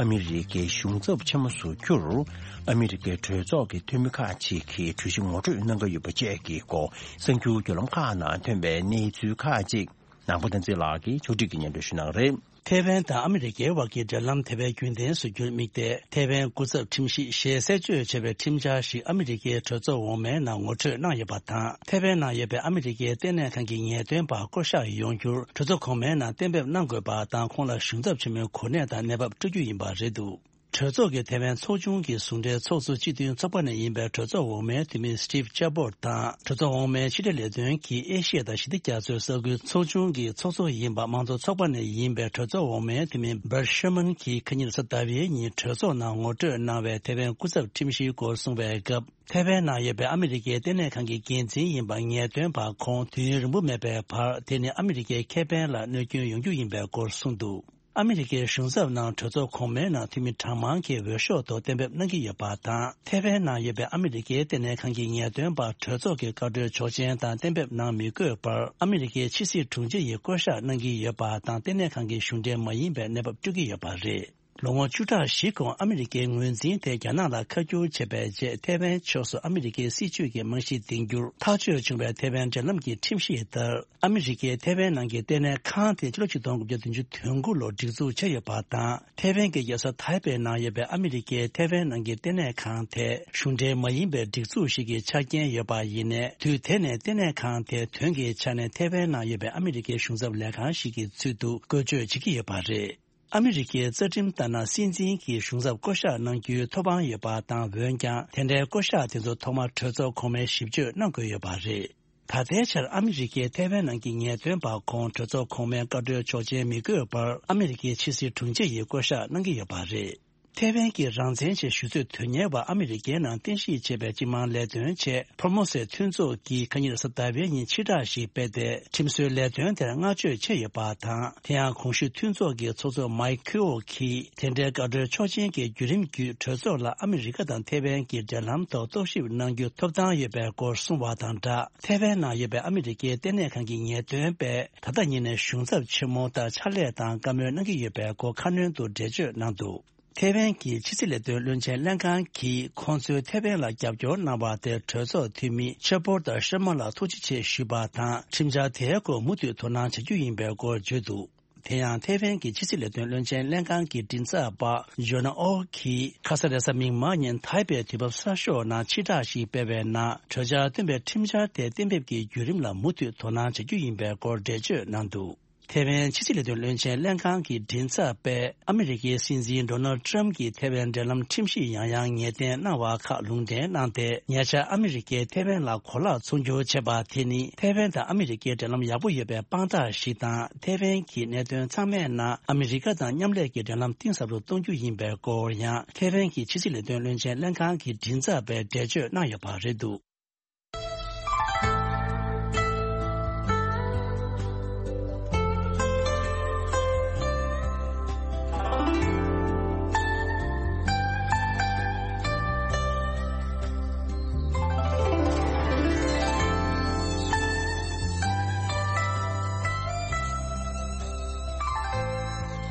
ཨ་མི་རི་ཀའི་གཞུང་ཚབ་ཆེན་མོ་སུ་གྱུར། ཨ་མི་རི་ཀའི་གྲོས་ཚོགས་ཀྱི་འཐུས་མི་ཁག་ཅིག་གིས་གྲོས་གཞི་ངོ་སྤྲོད་གནང་གི་ཡོད་པ་བཅས་ཀྱི་སྐོར་གསར་འགྱུར་བརྒྱུད་ལམ་ཁག་ནང་ཐོན་པའི་གནས་ཚུལ་ཁག་ཅིག་ནང་པ་བསྟན་འཛིན་ལགས་ཀྱིས་ཕྱོགས་སྒྲིག་གིས་སྙན་སྒྲོན་ཞུ་གནང་གི་རེད། ཐའེ་ཝན་དང་ཨ་མི་རི་ཀའི་དབར་གྱི་འབྲེལ་ལམ་དེ་བས་རྒྱུན་ལྡན་བཟོ་རྒྱུར་དམིགས་ཏེ། ཐའེ་ཝན་སྐུ་ཚབ་ཁྲིམས་ཞིབ་ཞེས་གསལ་བརྗོད་བྱས་པའི་ཁྲིམས་འཆར་ཞིག་ཨ་མི་རི་ཀའི་གྲོས་ཚོགས་འོག་མའི་ནང་ངོ་སྤྲོད་གནང་ཡོད་པ་དང་། ཐའེ་ཝན་ནང་ཡོད་པའི་ཨ་མི་རི་ཀའི་ལྟེ་གནས་ཁང་གི་ངེས་སྟོན་པ་བསྐོ་གཞག་ཡོང་རྒྱུར་གྲོས་ཚོགས་གོང་མའི་ནང་གཏན་འབེབས་གནང་དགོས་པ་དང་། ཁོང་ལ་གཞུང་ཚབ་ཆེན་མོའི་གོ་གནས་དང་གནས་བབ་སྤྲོད་རྒྱུ་ཡིན་པ་རེད་འདུག། གྲོས་ཚོགས་ཀྱི་ཐའེ་ཝན་ཚོགས་ཆུང་གི་ཟུང་འབྲེལ་ཚོགས་གཙོ་སྤྱི་མཐུན་ཚོགས་པ་ནས་ཡིན་པའི་གྲོས་ཚོགས་འོག་མའི་འཐུས་མི་Steve Chabot དང་། གྲོས་ཚོགས་འོག་མའི་ཕྱི་འབྲེལ་ལས་དོན་གྱི་ཨེ་ཤི་ཡ་དང་ཞི་བདེ་རྒྱ་མཚོའི་ས་ཁུལ་ཚོགས་ཆུང་གི་ཚོགས་གཙོ་ཡིན་པ་དམངས་གཙོ་ཚོགས་པ་ནས་ཡིན་པའི་གྲོས་ཚོགས་འོག་མའི་འཐུས་མི་Brad Sherman གྱིས་ཁ་ཉིན་གཟའ་ཟླ་བའི་ཉིན་གྲོས་ཚོགས་ནང་ངོ་སྤྲོད་གནང་བའི་ཐའེ་ཝན་སྐུ་ཚབ་ཁྲིམས་ཞིབ་སྐོར་གསུངས་པའི་སྐབས། ཐའེ་ཝན་ནང་ཡོད་པའི་ཨ་མི་རི་ཀའི་ལྟེ་གནས་ཁང་གི་འགན་འཛིན་ཡིན་པ་ངེས་སྟོན་པ་ཁོང་དུས་ཡུན་རིང་པོ་མེད་པའི་བར། དེ་ནི་ཨ་མི་རི་ཀའི་ཁེ་ཕན་ལ་གནོད་སྐྱོན་ཡོང་རྒྱུ་ཡིན་པའི་སྐོར་གསུངས་འདུག། ཨ་མི་རི་ཀའི་གཞུང་ཚབ་ནང་གྲོས་ཚོགས་གོང་མའི་ནང་འཐུས་མི་གྲངས་མང་གིས་འོས་ཤོག་ཐོག་གཏན་འབེབས་གནང་གི་ཡོད་པ་དང་། ཐའེ་ཝན་ནང་ཡོད་པའི་ཨ་མི་རི་ཀའི་ལྟེ་གནས་ཁང་གི་ངེས་སྟོན་པ་གྲོས་ཚོགས་ཀྱི་བཀའ་འཁྲོལ་ཆོག་མཆན་དང་གཏན་འབེབས་གནང་མི་དགོས་པར། ཨ་མི་རི་ཀའི་ཕྱི་སྲིད་དྲུང་ཆེ་ཡིས་བསྐོ་གཞག་གནང་གི་ཡོད་པ་དང་། ལྟེ་གནས་ཁང་གི་གཞུང་འབྲེལ་མ་ཡིན་པའི་གནས་བབ་སྤྲོད་ཀྱི་ཡོད་པ་རེད། ལོ་ངོ་བཅུ་ཕྲག་བཞི་གོང་ཨ་མི་རི་ཀའི་ངོས་འཛིན་དེ་རྒྱ་ནག་ལ་ཁ་བསྒྱུར་བྱས་པའི་རྗེས། ཐའེ་ཝན་ཕྱོགས་སུ་ཨ་མི་རི་ཀའི་སྲིད་བྱུས་ཀྱི་རྨང་གཞི་འདིང་རྒྱུར་ཐག་གཅོད་བྱུང་བའི་ཐའེ་ཝན་འབྲེལ་ལམ་གྱི་ཁྲིམས་གཞི་ལྟར། ཨ་མི་རི་ཀས་ཐའེ་ཝན་ནང་གི་ལྟེ་གནས་ཁང་དེ་ཕྱི་ལོ་ཆིག་སྟོང་དགུ་བརྒྱ་བདུན་ཅུ་དོན་དགུ་ལོར་སྒྲིག་འཛུགས་བྱས་ཡོད་པ་དང་། ཐའེ་ཝན་གྱི་རྒྱལ་ས་ཐའེ་པེ་ནང་ཡོད་པའི་ཨ་མི་རི་ཀའི་ཐའེ་ཝན་ནང་གི་ལྟེ་གནས་ཁང་དེ་གཞུང་འབྲེལ་མ་ཡིན་པའི་སྒྲིག་འཛུགས་ཤིག་གི་ཆ་རྐྱེན་ཡོད་པ་ཡིན་ནའི། དུས་དེ་ནས་ལྟེ་གནས་ཁང་དེ་དོན་གྱི་ཆ་ནས་ཐའེ་ཝན་ནང་ཡོད་པའི་ཨ་མི་རི་ཀའི་གཞུང་ཚབ་ལས་ཁང་ཞིག་གི་ཚུལ་དུ་བཀོལ་སྤྱོད་བྱེད་ཀྱི་ཡོད་པ་རེད། ཨ་མི་རི་ཀའི་རྩ་ཁྲིམས་ལྟར་ན། སྲིད་འཛིན་གྱིས་གཞུང་ཚབ་བསྐོ་གཞག་གནང་རྒྱུའི་ཐོབ་དབང་ཡོད་པ་དང་། འོན་ཀྱང་དེ་འདྲའི་བསྐོ་གཞག་དེ་ཚོ་ཐོག་མར་གྲོས་ཚོགས་གོང་མས་ཞིབ་དཔྱོད་གནང་དགོས་ཡོད་པ་རེད། ད་ལྟའི་ཆར་ཨ་མི་རི་ཀའི་ཐའེ་ཝན་ནང་གི་ངེས་སྟོན་པ་ཁོང་གྲོས་ཚོགས་གོང་མའི་བཀའ་འཁྲོལ་ཆོག་མཆན་མི་དགོས་པར། ཨ་མི་རི་ཀའི་ཕྱི་སྲིད་དྲུང་ཆེ་ཡིས་བསྐོ་གཞག་གནང་གི་ཡོད་པ་རེད། ཐའེ་ཝན་གྱི་རང་བཙན་ཆེད་ཞུ་གསོས་དོན་གཉེར་བ་ཨ་མི་རི་ཀའི་ནང་རྟེན་གཞི་བྱས་པའི་སྤྱི་དམངས་ལས་དོན་ཆེད་ཕོར་མོ་སའི་མཐུན་ཚོགས་ཀྱིས་ཁ་ཉིན་གཟའ་ཟླ་བའི་ཉིན་ཕྱིར་བསྒྲགས་ཤིག་སྤེལ་ཏེ། ཁྲིམས་བཟོའི་ལས་དོན་དེར་བསྔགས་བརྗོད་བྱས་ཡོད་པ་དང་། དེ་ཡང་གོང་ཞུས་མཐུན་ཚོགས་ཀྱི་ཚོགས་གཙོ་མའེ་ཁེའོ་གིས། དེ་འདྲའི་བཀའ་འཁྲོལ་ཆོག་མཆན་གྱི་བརྒྱུད་རིམ་བརྒྱུད། གྲོས་ཚོགས་ལ་ཨ་མི་རི་ཀ་དང་ཐའེ་ཝན་གྱི་འབྲེལ་ལམ་ཐོག་རྟོག་ཞིབ་གནང་རྒྱུ་ཐོབ་ཐང་ཡོད་པའི་སྐོར་གསུངས་པ་དང་སྦྲགས། ཐའེ་ཝན་ནང་ཡོད་པའི་ཨ་མི་རི་ཀའི་ལྟེ་གནས་ཁང་གི་ངེས་སྟོན་པས། ད་ལྟ་ཉིད་ནས་གཞུང་ཚབ་ཆེན་མོ་ལྟར་ཕྱག་ལས་དང་བཀའ་མོལ་གནང་གི་ཡོད་པའི་སྐོར་ཁ་སྣོན་དུ་འགྲེལ་བརྗོད་གནང་འདུག། ཐའེ་ཝན་གྱི་ཕྱི་སྲིད་ལས་དོན་བློན་ཆེན་ལྷན་ཁང་གིས་ཁོང་ཚོས་ཐའེ་ཝན་ལ་རྒྱབ་སྐྱོར་གནང་བ་དེར་གྲོས་ཚོགས་འཐུས་མི་ཆེ་པོར་དང་ཤར་མ་ལ་ཐུགས་རྗེ་ཆེ་ཞུས་པ་དང་། ཁྲིམས་འཆར་དེའི་སྐོར་མུ་མཐུད་དོ་སྣང་བྱ་རྒྱུ་ཡིན་པའི་སྐོར་བརྗོད་འདུག། དེ་ཡང་ཐའེ་ཝན་གྱི་ཕྱི་སྲིད་ལས་དོན་བློན་ཆེན་ལྷན་ཁང་གི་མགྲིན་ཚབ་པ་ཇོ་ན་ཨོ་གིས་ཁ་ས་རེས་གཟའ་མིག་དམར་ཉིན་ཐའེ་པེ་དུས་བབ་གསར་ཤོག་ནང་ཕྱིར་བསྒྲགས་ཤིག་སྤེལ་བའི་ནང་། གྲོས་འཆར་བཏོན་པའི་ཁྲིམས་འཆར་དེ་གཏན་འབེབས་ཀྱི་བརྒྱུད་རིམ་ལ་མུ་མཐུད་དོ་སྣང་བྱ་རྒྱུ་ཡིན་པའི་སྐོར་འགྲེལ་བརྗོད་གནང་འདུག། ཐའེ་ཝན་ཕྱི་སྲིད་ལས་དོན་བློན་ཆེན་ལྷན་ཁང་གི་མགྲིན་ཚབ་པས། ཨ་མི་རི་ཀའི་སྲིད་འཛིན་ཌོ་ནལ་ཌི་ཊརམ་གྱིས་ཐའེ་ཝན་འབྲེལ་ལམ་ཁྲིམས་གཞི་ཡང་ཡང་ངེས་གཏན་གནང་བ་ཁག་ལུང་འདྲེན་གནང་སྟེ། ཉེ་ཆར་ཨ་མི་རི་ཀས་ཐའེ་ཝན་ལ་གོ་ལག་ཚོང་སྒྱུར་བྱས་པ་དེ་ནི། ཐའེ་ཝན་དང་ཨ་མི་རི་ཀའི་འབྲེལ་ལམ་ཡག་པོ་ཡོད་པའི་དཔང་རྟགས་ཤིག་དང་། ཐའེ་ཝན་གྱི་གནད་དོན་ཚང་མའི་ནང་ཨ་མི་རི་ཀ་དང་མཉམ་ལས་ཀྱི་འབྲེལ་ལམ་གཏིང་ཟབ་ཏུ་གཏོང་རྒྱུ་ཡིན་པའི་སྐོར་ཡང་། ཐའེ་ཝན་གྱི་ཕྱི་སྲིད་ལས་དོན་བློན་ཆེན་ལྷན་ཁང་གི་མགྲིན་ཚབ་པས་འགྲེལ་བརྗོད་གནང་ཡོད་པ་རེད་འདུག།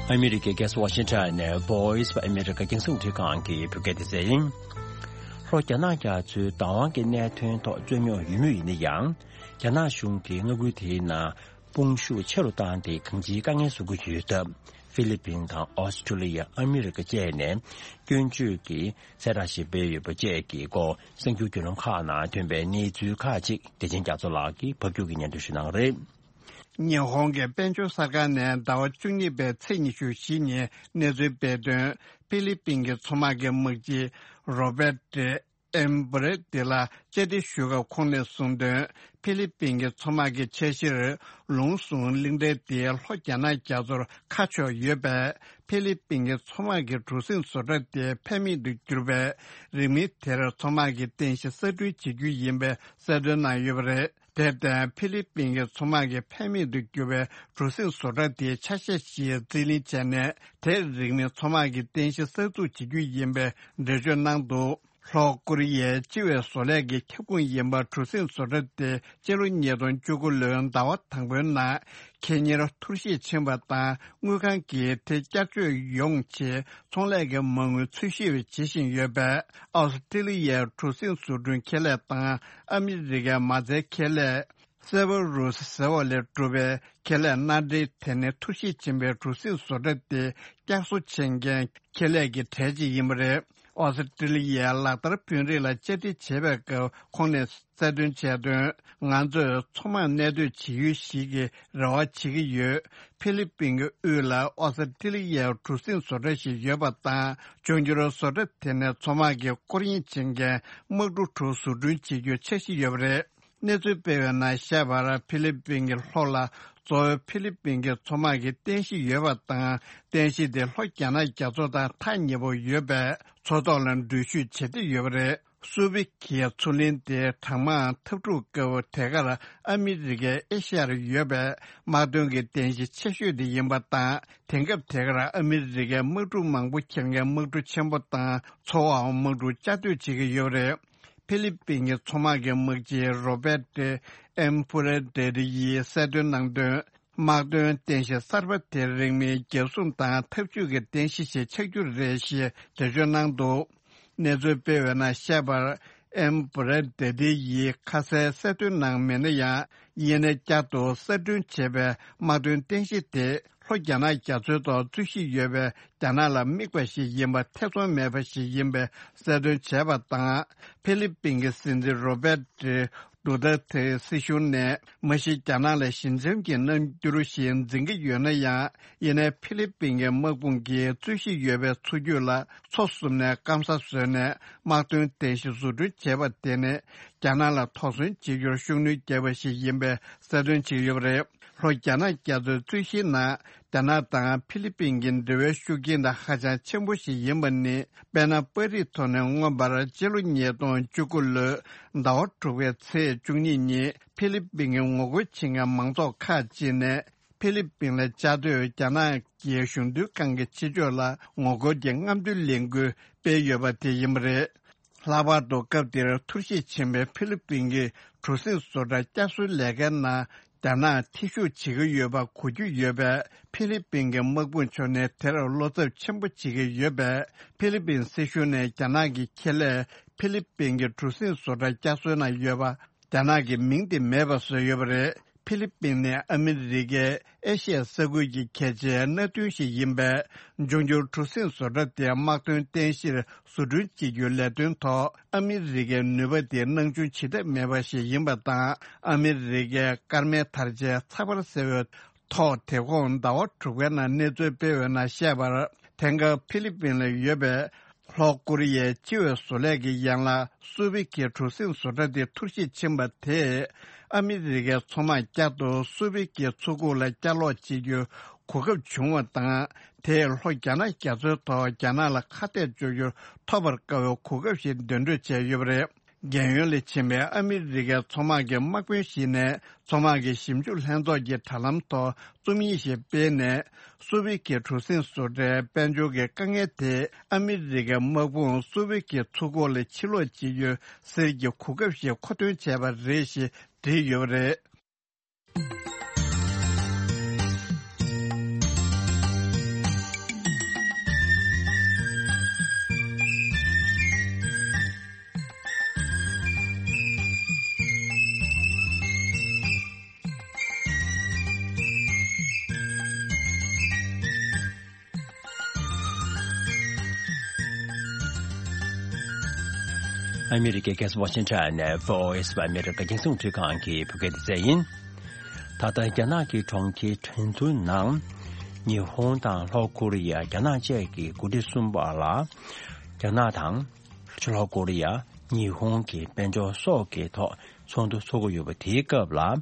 ཨ་མི་རི་ཀའི་རྒྱལ་ས་ཝ་ཤིང་ཊོན་ནས་Voice of America རྒྱང་སྲིང་རླུང་འཕྲིན་ཁང་གི་བོད་སྐད་སྡེ་ཚན་ཡིན། ལྷོ་རྒྱ་ནག་རྒྱ་མཚོའི་བདག་དབང་གི་གནད་དོན་ཐོག་རྩོད་རྙོག་ཡོད་མུས་ཡིན་ན་ཡང་། རྒྱ་ནག་གཞུང་གིས་མངའ་ཁུལ་དེའི་ནང་དཔུང་ཤུགས་ཆེ་རུ་བཏང་སྟེ་གང་ཅིའི་དཀའ་ངལ་བཟོ་གི་ཡོད་སྟབས། ཧྥི་ལི་པིན་དང་ཨོ་སི་ཁྲུ་ལི་ཡ། ཨ་མི་རི་ཀ་བཅས་ནས་སྐྱོན་བརྗོད་ཀྱི་གསལ་བསྒྲགས་ཤིག་སྤེལ་ཡོད་པ་བཅས་ཀྱི་སྐོར་གསར་འགྱུར་བརྒྱུད་ལམ་ཁག་ནང་ཐོན་པའི་གནས་ཚུལ་ཁག་ཅིག་བདེ་ཆེན་རྒྱ་མཚོ་ལགས་ཀྱིས་ཕབ་སྒྱུར་གྱིས་སྙན་སྒྲོན་ཞུ་གནང་གི་རེད། ཉི་ཧོང་གི་དཔལ་འབྱོར་གསར་ཁང་ནས་ཟླ་བ་བཅུ་གཉིས་པའི་ཚེས་ཉི་ཤུ་བཞི་ཉིན་གནས་ཚུལ་སྤེལ་དོན། ཧྥི་ལི་པིན་གྱི་མཚོ་དམག་གི་དམག་སྤྱི་རོ་བེ་ཏྲེ་ཨེམ་བྷུ་རེ་ཏི་ལ་བཅར་འདྲི་ཞུས་སྐབས་ཁོང་ནས་གསུངས་དོན། ཧྥི་ལི་པིན་གྱི་མཚོ་དམག་གི་འཆར་གཞིར་ལུང་ཟུང་གླིང་ཕྲན་དེ་ལྷོ་རྒྱ་ནག་རྒྱ་མཚོར་ཁ་ཕྱོགས་ཡོད་པས། ཧྥི་ལི་པིན་གྱི་མཚོ་དམག་གི་གྲུ་གཟིངས་བཟོ་གྲྭ་དེ་ཕན་མེད་དུ་གྱུར་པས། རིང་མིན་དེར་མཚོ་དམག་གི་རྟེན་གཞི་གསར་སྐྲུན་བྱེད་རྒྱུ་ཡིན་པའི་གསལ་སྟོན་གནང་ཡོད་པ་རེད། དེར་བརྟེན་ཧྥི་ལི་པིན་གྱི་མཚོ་དམག་གི་ཕན་མེད་དུ་གྱུར་པའི་གྲུ་གཟིངས་བཟོ་གྲྭ་དེའི་ཆ་ཤས་ཤིག་རྩིས་ལེན་བྱས་ནས། དེར་རིང་མིན་མཚོ་དམག་གི་རྟེན་གཞི་གསར་འཛུགས་བྱེད་རྒྱུ་ཡིན་པའི་འགྲེལ་བརྗོད་གནང་འདུག་ལྷོ་ཀོ་རི་ཡའི་སྤྱི་བའི་བཟོ་ལས་ཀྱི་ཁྱབ་ཁོངས་ཡིན་པ་གྲུ་གཟིངས་བཟོ་གྲྭ་དེ་སྤྱི་ལོ་ཉིས་སྟོང་བཅུ་དགུ་ལོའི་ཟླ་བ་དང་པོའི་ནང་ཁེ་ཉེར་འཐོར་ཞིག་ཕྱིན་པ་དང་། དངུལ་ཁང་གིས་དེ་བསྐྱར་བཅོས་ཡོང་ཆེད་ཚོང་ལས་ཀྱི་མ་དངུལ་འཚོལ་ཞིབ་བྱེད་བཞིན་ཡོད་པས། ཨོ་སི་ཀྲི་ལི་ཡའི་གྲུ་གཟིངས་བཟོ་སྐྲུན་ཁེ་ལས་དང་ཨ་མི་རི་ཀའི་མ་རྩའི་ཁེ་ལས། སེ་བ་རུ་སི་ཟེར་བ་ལས་གྲུབ་པའི་ཁེ་ལས་མནའ་འབྲེལ། དེ་ནི་འཐོར་ཞིག་ཕྱིན་པའི་གྲུ་གཟིངས་བཟོ་གྲྭ་དེ་བསྐྱར་གསོ་བྱེད་མཁན་ཁེ་ལས་ཀྱི་གྲས་ཅིག་ཡིན་པ་རེད། ཨོ་སི་ཀྲི་ལི་ཡའི་ལག་བསྟར་དཔོན་རིགས་ལ་བཅར་འདྲི་བྱས་པའི་སྐབས་ཁོང་ནས་གསལ་སྟོན་བྱས་དོན། ང་ཚོས་མཚོ་དམག་གནས་སྡོད་བྱེད་ཡུལ་ཞིག་གི་རེ་བ་བྱེད་ཀྱི་ཡོད། ཧྥི་ལི་པིན་གྱི་དབུས་ལ་ཨོ་སི་ཀྲི་ལི་ཡའི་གྲུ་གཟིངས་བཟོ་གྲྭ་ཞིག་ཡོད་པ་དང་། འབྱུང་འགྱུར་བཟོ་གྲྭ་དེ་ནས་མཚོ་དམག་གི་སྐོར་གཡེང་བྱེད་མཁན་དམག་གྲུ་དྲུག་བཟོ་སྐྲུན་བྱེད་རྒྱུའི་འཆར་གཞི་ཡོད་པ་རེད། གནས་ཚུལ་སྤེལ་བའི་ནང་བཤད་པར། ཧྥི་ལི་པིན་གྱི་ལྷོ་ལ་གཙོ་བོ་ཧྥི་ལི་པིན་གྱི་མཚོ་དམག་གི་རྟེན་གཞི་ཡོད་པ་དང་། རྟེན་གཞི་དེ་ལྷོ་རྒྱ་ནག་རྒྱ་མཚོ་དང་ཐག་ཉེ་པོ་ཡོད་པས། མཚོ་ཐོག་ལ་འགྲུལ་བཞུད་བྱེད་བདེ་ཡོད་པ་རེད། སུ་བི་ཀའི་མཚོ་གླིང་དེ་གྲང་དམག་འཐབ་འཁྲུག་སྐབས་དེ་གར་ཨ་མི་རི་ཀའི་ཨེ་ཤ་ཡར་ཡོད་པའི་དམག་དོན་གྱི་རྟེན་གཞི་ཆེ་ཤོས་དེ་ཡིན་པ་དང་། དེང་སྐབས་དེ་གར་ཨ་མི་རི་ཀའི་དམག་འཁྲུག་མང་པོ་འཁྱེར་མཁན་དམག་གྲུ་ཆེན་པོ་དང་། ཚོ་བའམ་དམག་གྲུ་བཅའ་སྡོད་བྱེད་ཀྱི་ཡོད་པ་རེད། ཧྥི་ལི་པིན་གྱི་མཚོ་དམག་གི་དམག་སྤྱི་རོ་བེ་ཏྲེ་ཨེམ་བྷུ་རེ་ཏྲེ་ཡིས་གསལ་སྟོན་གནང་དོན། དམག་དོན་རྟེན་གཞི་གསར་པ་དེ་རིང་མིན་རྒྱལ་སྲུང་དང་འཐབ་ཇུས་ཀྱི་རྟེན་གཞི་ཞིག་ཆགས་རྒྱུ་རེད་ཞེས་འགྲེལ་བརྗོད་གནང་འདུག་གནས་ཚུལ་སྤེལ་བའི་ནང་བཤད་པར། ཨེམ་བྷུ་རེ་ཏྲེ་ཡིས་ཁ་གསལ་གསལ་སྟོན་གནང་མེད་ན་ཡང་། ཡིན་ནའི་བསྐྱར་དུ་གསར་སྐྲུན་བྱས་པའི་དམག་དོན་རྟེན་གཞི་དེ་ལྷོ་རྒྱ་ནག་རྒྱ་མཚོའི་ཐོག་རྩོད་གཞི་ཡོད་པའི་རྒྱ་ནག་ལ་དམིགས་པ་ཞིག་ཡིན་པ་ཐེ་ཚོམ་མེད་པ་ཞིག་ཡིན་པའི་གསལ་སྟོན་བྱས་པ་དང་། ཧྥི་ལི་པིན་གྱི་སྲིད་འཛིན་རོ་བེ་ཏྲེ་ཌུ་ཏེར་ཏེ་སྲིད་གཞུང་ནས་མ་གཞི་རྒྱ་ནག་ལ་ཞི་འཇམ་གྱི་རྣམ་འགྱུར་ཞིག་འཛིན་གྱི་ཡོད་ན་ཡང་། ཡིན་ནའི་ཧྥི་ལི་པིན་གྱི་དམག་དཔུང་གིས་རྩོད་གཞི་ཡོད་པའི་མཚོ་རྒྱུད་ལ་མཚོ་བཟུང་ནས་སྐམ་ས་བཟོས་ནས་དམག་དོན་རྟེན་གཞི་བཟོ་སྐྲུན་བྱས་པ་དེ་ནི་རྒྱ་ནག་ལ་དོགས་ཟོན་བྱེད་རྒྱུར་ཤུགས་སྣོན་བརྒྱབ་པ་ཞིག་ཡིན་པའི་གསལ་སྟོན་བྱས་ཡོད་པ་རེད། ལྷོ་རྒྱ་ནག་རྒྱ་མཚོའི་རྩོད་གཞིའི་ནང་རྒྱ་ནག་དང་ཧྥི་ལི་པིན་གྱི་འབྲེལ་བའི་ཤུགས་རྐྱེན་དང་ཧ་ཅང་ཆེན་པོ་ཞིག་ཡིན་པ་ནི། དཔེར་ན། པར་རིས་ཐོག་ནས་མངོན་པར་སྤྱི་ལོ་ཉིས་སྟོང་བཅུ་དགུ་ལོའི་ཟླ་བ་དྲུག་པའི་ཚེས་བཅུ་གཉིས་ཉིན་ཧྥི་ལི་པིན་གྱི་ངོ་རྒོལ་བྱེད་མཁན་མང་ཚོགས་ཁག་ཅིག་ནས། ཧྥི་ལི་པིན་ལ་བཅའ་སྡོད་རྒྱ་ནག་གི་གཞུང་དོན་ཁང་གི་ཕྱི་ཕྱོགས་ལ་ངོ་རྒོལ་གྱི་རྔམ་སྟོན་ལས་འགུལ་སྤེལ་ཡོད་པ་དེ་ཡིན་པ་རེད། ལྷག་པར་དུ་སྐབས་དེར་འཐོར་ཞིག་ཕྱིན་པའི་ཧྥི་ལི་པིན་གྱི་གྲུ་གཟིངས་བཟོ་གྲྭ་བསྐྱར་གསོའི་ལས་ཀའི་ནང་རྒྱ་ནག་ཐེ་ཞུགས་བྱེད་ཀྱི་ཡོད་པ་གོ་རྒྱུ་ཡོད་པས། ཧྥི་ལི་པིན་གྱི་དམག་དཔུང་ཕྱོགས་ནས་དེར་བློ་འཚབ་ཆེན་པོ་བྱེད་ཀྱི་ཡོད་པས། ཧྥི་ལི་པིན་སྲིད་གཞུང་ནས་རྒྱ་ནག་གི་ཁེ་ལས་ཧྥི་ལི་པིན་གྱི་གྲུ་གཟིངས་བཟོ་གྲྭ་བསྐྱར་གསོའི་ནང་ཡོད་པ། རྒྱ་ནག་གི་མིང་དེ་མེད་པ་བཟོས་ཡོད་པ་རེད། ཧྥི་ལི་པིན་ནི་ཨ་མི་རི་ཀའི་ཨེ་ཤི་ཡ་ས་ཁུལ་གྱི་གལ་ཆེའི་མནའ་མཐུན་ཞིག་ཡིན་པས། འབྱུང་འགྱུར་གྲུ་གཟིངས་བཟོ་གྲྭ་དེ་དམག་དོན་རྟེན་གཞིར་བཟོ་སྐྲུན་བྱེད་རྒྱུའི་ལས་དོན་ཐོག་ཨ་མི་རི་ཀའི་ནུས་པ་དེ་སྣང་ཆུང་བྱེད་ཐབས་མེད་པ་ཞིག་ཡིན་པ་དང་། ཨ་མི་རི་ཀའི་སྐར་མའི་དར་ཆའི་ཚགས་པར་ཟེར་བའི་ཐོག་དེ་གོང་ཟླ་བ་དྲུག་པའི་ནང་གནས་ཚུལ་སྤེལ་བའི་ནང་བཤད་པར། དེང་སྐབས་ཧྥི་ལི་པིན་ལ་ཡོད་པའི་ལྷོ་ཀོ་རི་ཡའི་སྤྱི་བའི་བཟོ་ལས་ཀྱི་ཡན་ལག་སུ་བི་ཀའི་གྲུ་གཟིངས་བཟོ་གྲྭ་དེ་འཐོར་ཞིག་ཕྱིན་པ་དེས། ཨ་མི་རི་ཀའི་མཚོ་དམག་བསྐྱར་དུ་སུ་བི་ཀའི་མཚོ་ཁུག་ལ་བསྐྱར་ལོག་བྱེད་རྒྱུའི་གོ་སྐབས་བྱུང་བ་དང་། དེས་ལྷོ་རྒྱ་ནག་རྒྱ་མཚོའི་ཐོག་རྒྱ་ནག་ལ་ཁ་གཏད་གཅོག་རྒྱུར་ཐོབ་པར་དཀའ་བའི་གོ་སྐབས་ཤིག་འདོན་སྤྲོད་བྱས་ཡོད་པ་རེད། རྒན་ཡོལ་ལ་ཕྱིན་པའི་ཨ་མི་རི་ཀའི་མཚོ་དམག་གི་དམག་དཔོན་ཞིག་ནས། མཚོ་དམག་གི་ཞིབ་འཇུག་ལྷན་ཚོགས་ཀྱི་དྲ་ལམ་ཐོག་རྩོམ་ཡིག་ཞིག་སྤེལ་ནས། སུ་བི་ཀའི་གྲུ་གཟིངས་བཟོ་གྲྭའི་དཔལ་འབྱོར་གྱི་དཀའ་ངལ་དེ། ཨ་མི་རི་ཀའི་དམག་དཔུང་སུ་བི་ཀའི་མཚོ་ཁུག་ལ་ཕྱིར་ལོག་བྱེད་རྒྱུའི་གསེར་གྱི་གོ་སྐབས་ཤིག་མཁོ་འདོན་བྱས་པ་རེད་ཞེས་བྲིས་ཡོད་པ་རེད། ཨ་མི་རི་ཀའི་རྒྱལ་ས་ཝ་ཤིང་ཊོན་ནས་བྷི་ཨོ་ཨེ་ཨ་མི་རི་ཀ་རྒྱང་སྲིང་རླུང་འཕྲིན་ཁང་གི་བོད་སྐད་སྡེ་ཚན་ཡིན། ད་ལྟ་རྒྱ་ནག་གི་གྲོང་ཁྱེར་ཁྲེང་ཏུའུ་ནང་ཉི་ཧོང་དང་ལྷོ་ཀོ་རི་ཡ། རྒྱ་ནག་བཅས་ཀྱི་འགོ་ཁྲིད་གསུམ་བར་ལ་རྒྱ་ནག་དང་ལྷོ་ཀོ་རི་ཡ། ཉི་ཧོང་གི་དཔལ་འབྱོར་སོགས་ཀྱི་ཐོག་ཚོགས་འདུ་འཚོགས་ཀྱི་ཡོད་པ་དེའི་སྐབས་ལ།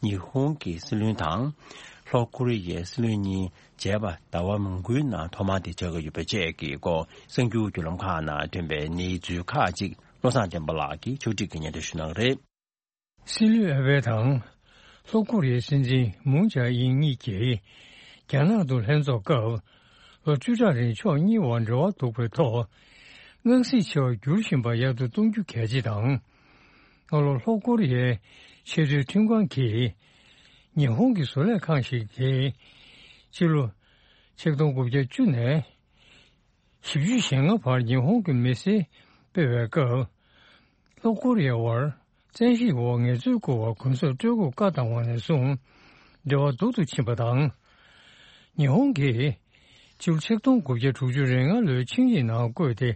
ཉི་ཧོང་གི་སྲིད་བློན་དང་ལྷོ་ཀོ་རི་ཡའི་སྲིད་བློན་གཉིས་མཇལ་བ་ཟླ་བ་མང་པོའི་ནང་ཐོག་མ་དེ་བྱ་དགོས་ཡོད་པ་བཅས་ཀྱི་སྐོར་གསར་འགྱུར་བརྒྱུད་ལམ་ཁག་ནང་ཐོན་པའི་གནས་ཚུལ་ཁག་ཅིག་བློ་བཟང་བསྟན་པ་ལགས་ཀྱིས་ཕྱོགས་སྒྲིག་གིས་སྙན་སྒྲོན་ཞུ་གནང་གི་རེད། སྲིད་བློན་ཨ་བྷེ་དང་ལྷོ་ཀོ་རི་ཡའི་སྲིད་འཛིན་མུན་ཇཱ་ཨིན་གཉིས་ཀྱིས་རྒྱ་ནག་ཏུ་ལྷན་ཚོགས་སྐབས་ལོ་བཅུ་ཕྲག་རིང་ཕྱོགས་གཉིས་བར་འབྲེལ་བ་གཏུག་པའི་ཐོག་དངངས་སྲིད་ཆེ་བ་འགྱུར་བཞིན་པ་ཡག་ཏུ་གཏོང་རྒྱུ་གལ་ཆེ་དང་། སྔ་ལོ་ལྷོ་ཀོ་རི་ཡའི་ཆེས་མཐོའི་ཁྲིམས་ཁང་གིས་ཉི་ཧོང་གི་བཟོ་ལས་ཁང་ཞིག་གིས་ཕྱི་ལོ་ཆིག་སྟོང་དགུ་བརྒྱ་བཅུ་ནས་བཞི་བཅུ་ཞེ་ལྔ་བར་ཉི་ཧོང་གི་མི་སེར་སྤེལ་བའི་སྐབས། ལྷོ་ཀོ་རི་ཡའི་བར་བཙན་ཤེད་འོག་ངལ་རྩོལ་བསྐུར་བར་གུན་གསབ་སྤྲོད་དགོས་བཀའ་བཏང་བ་ནས་བཟུང་འབྲེལ་བ་སྡུག་ཏུ་ཕྱིན་པ་དང་། ཉི་ཧོང་གིས་ཕྱི་ལོ་ཆིག་སྟོང་དགུ་བརྒྱ་དྲུག་ཅུ་རེ་ལྔ་ལོའི་ཆིངས་ཡིག་ནང་བཀོད་དེ་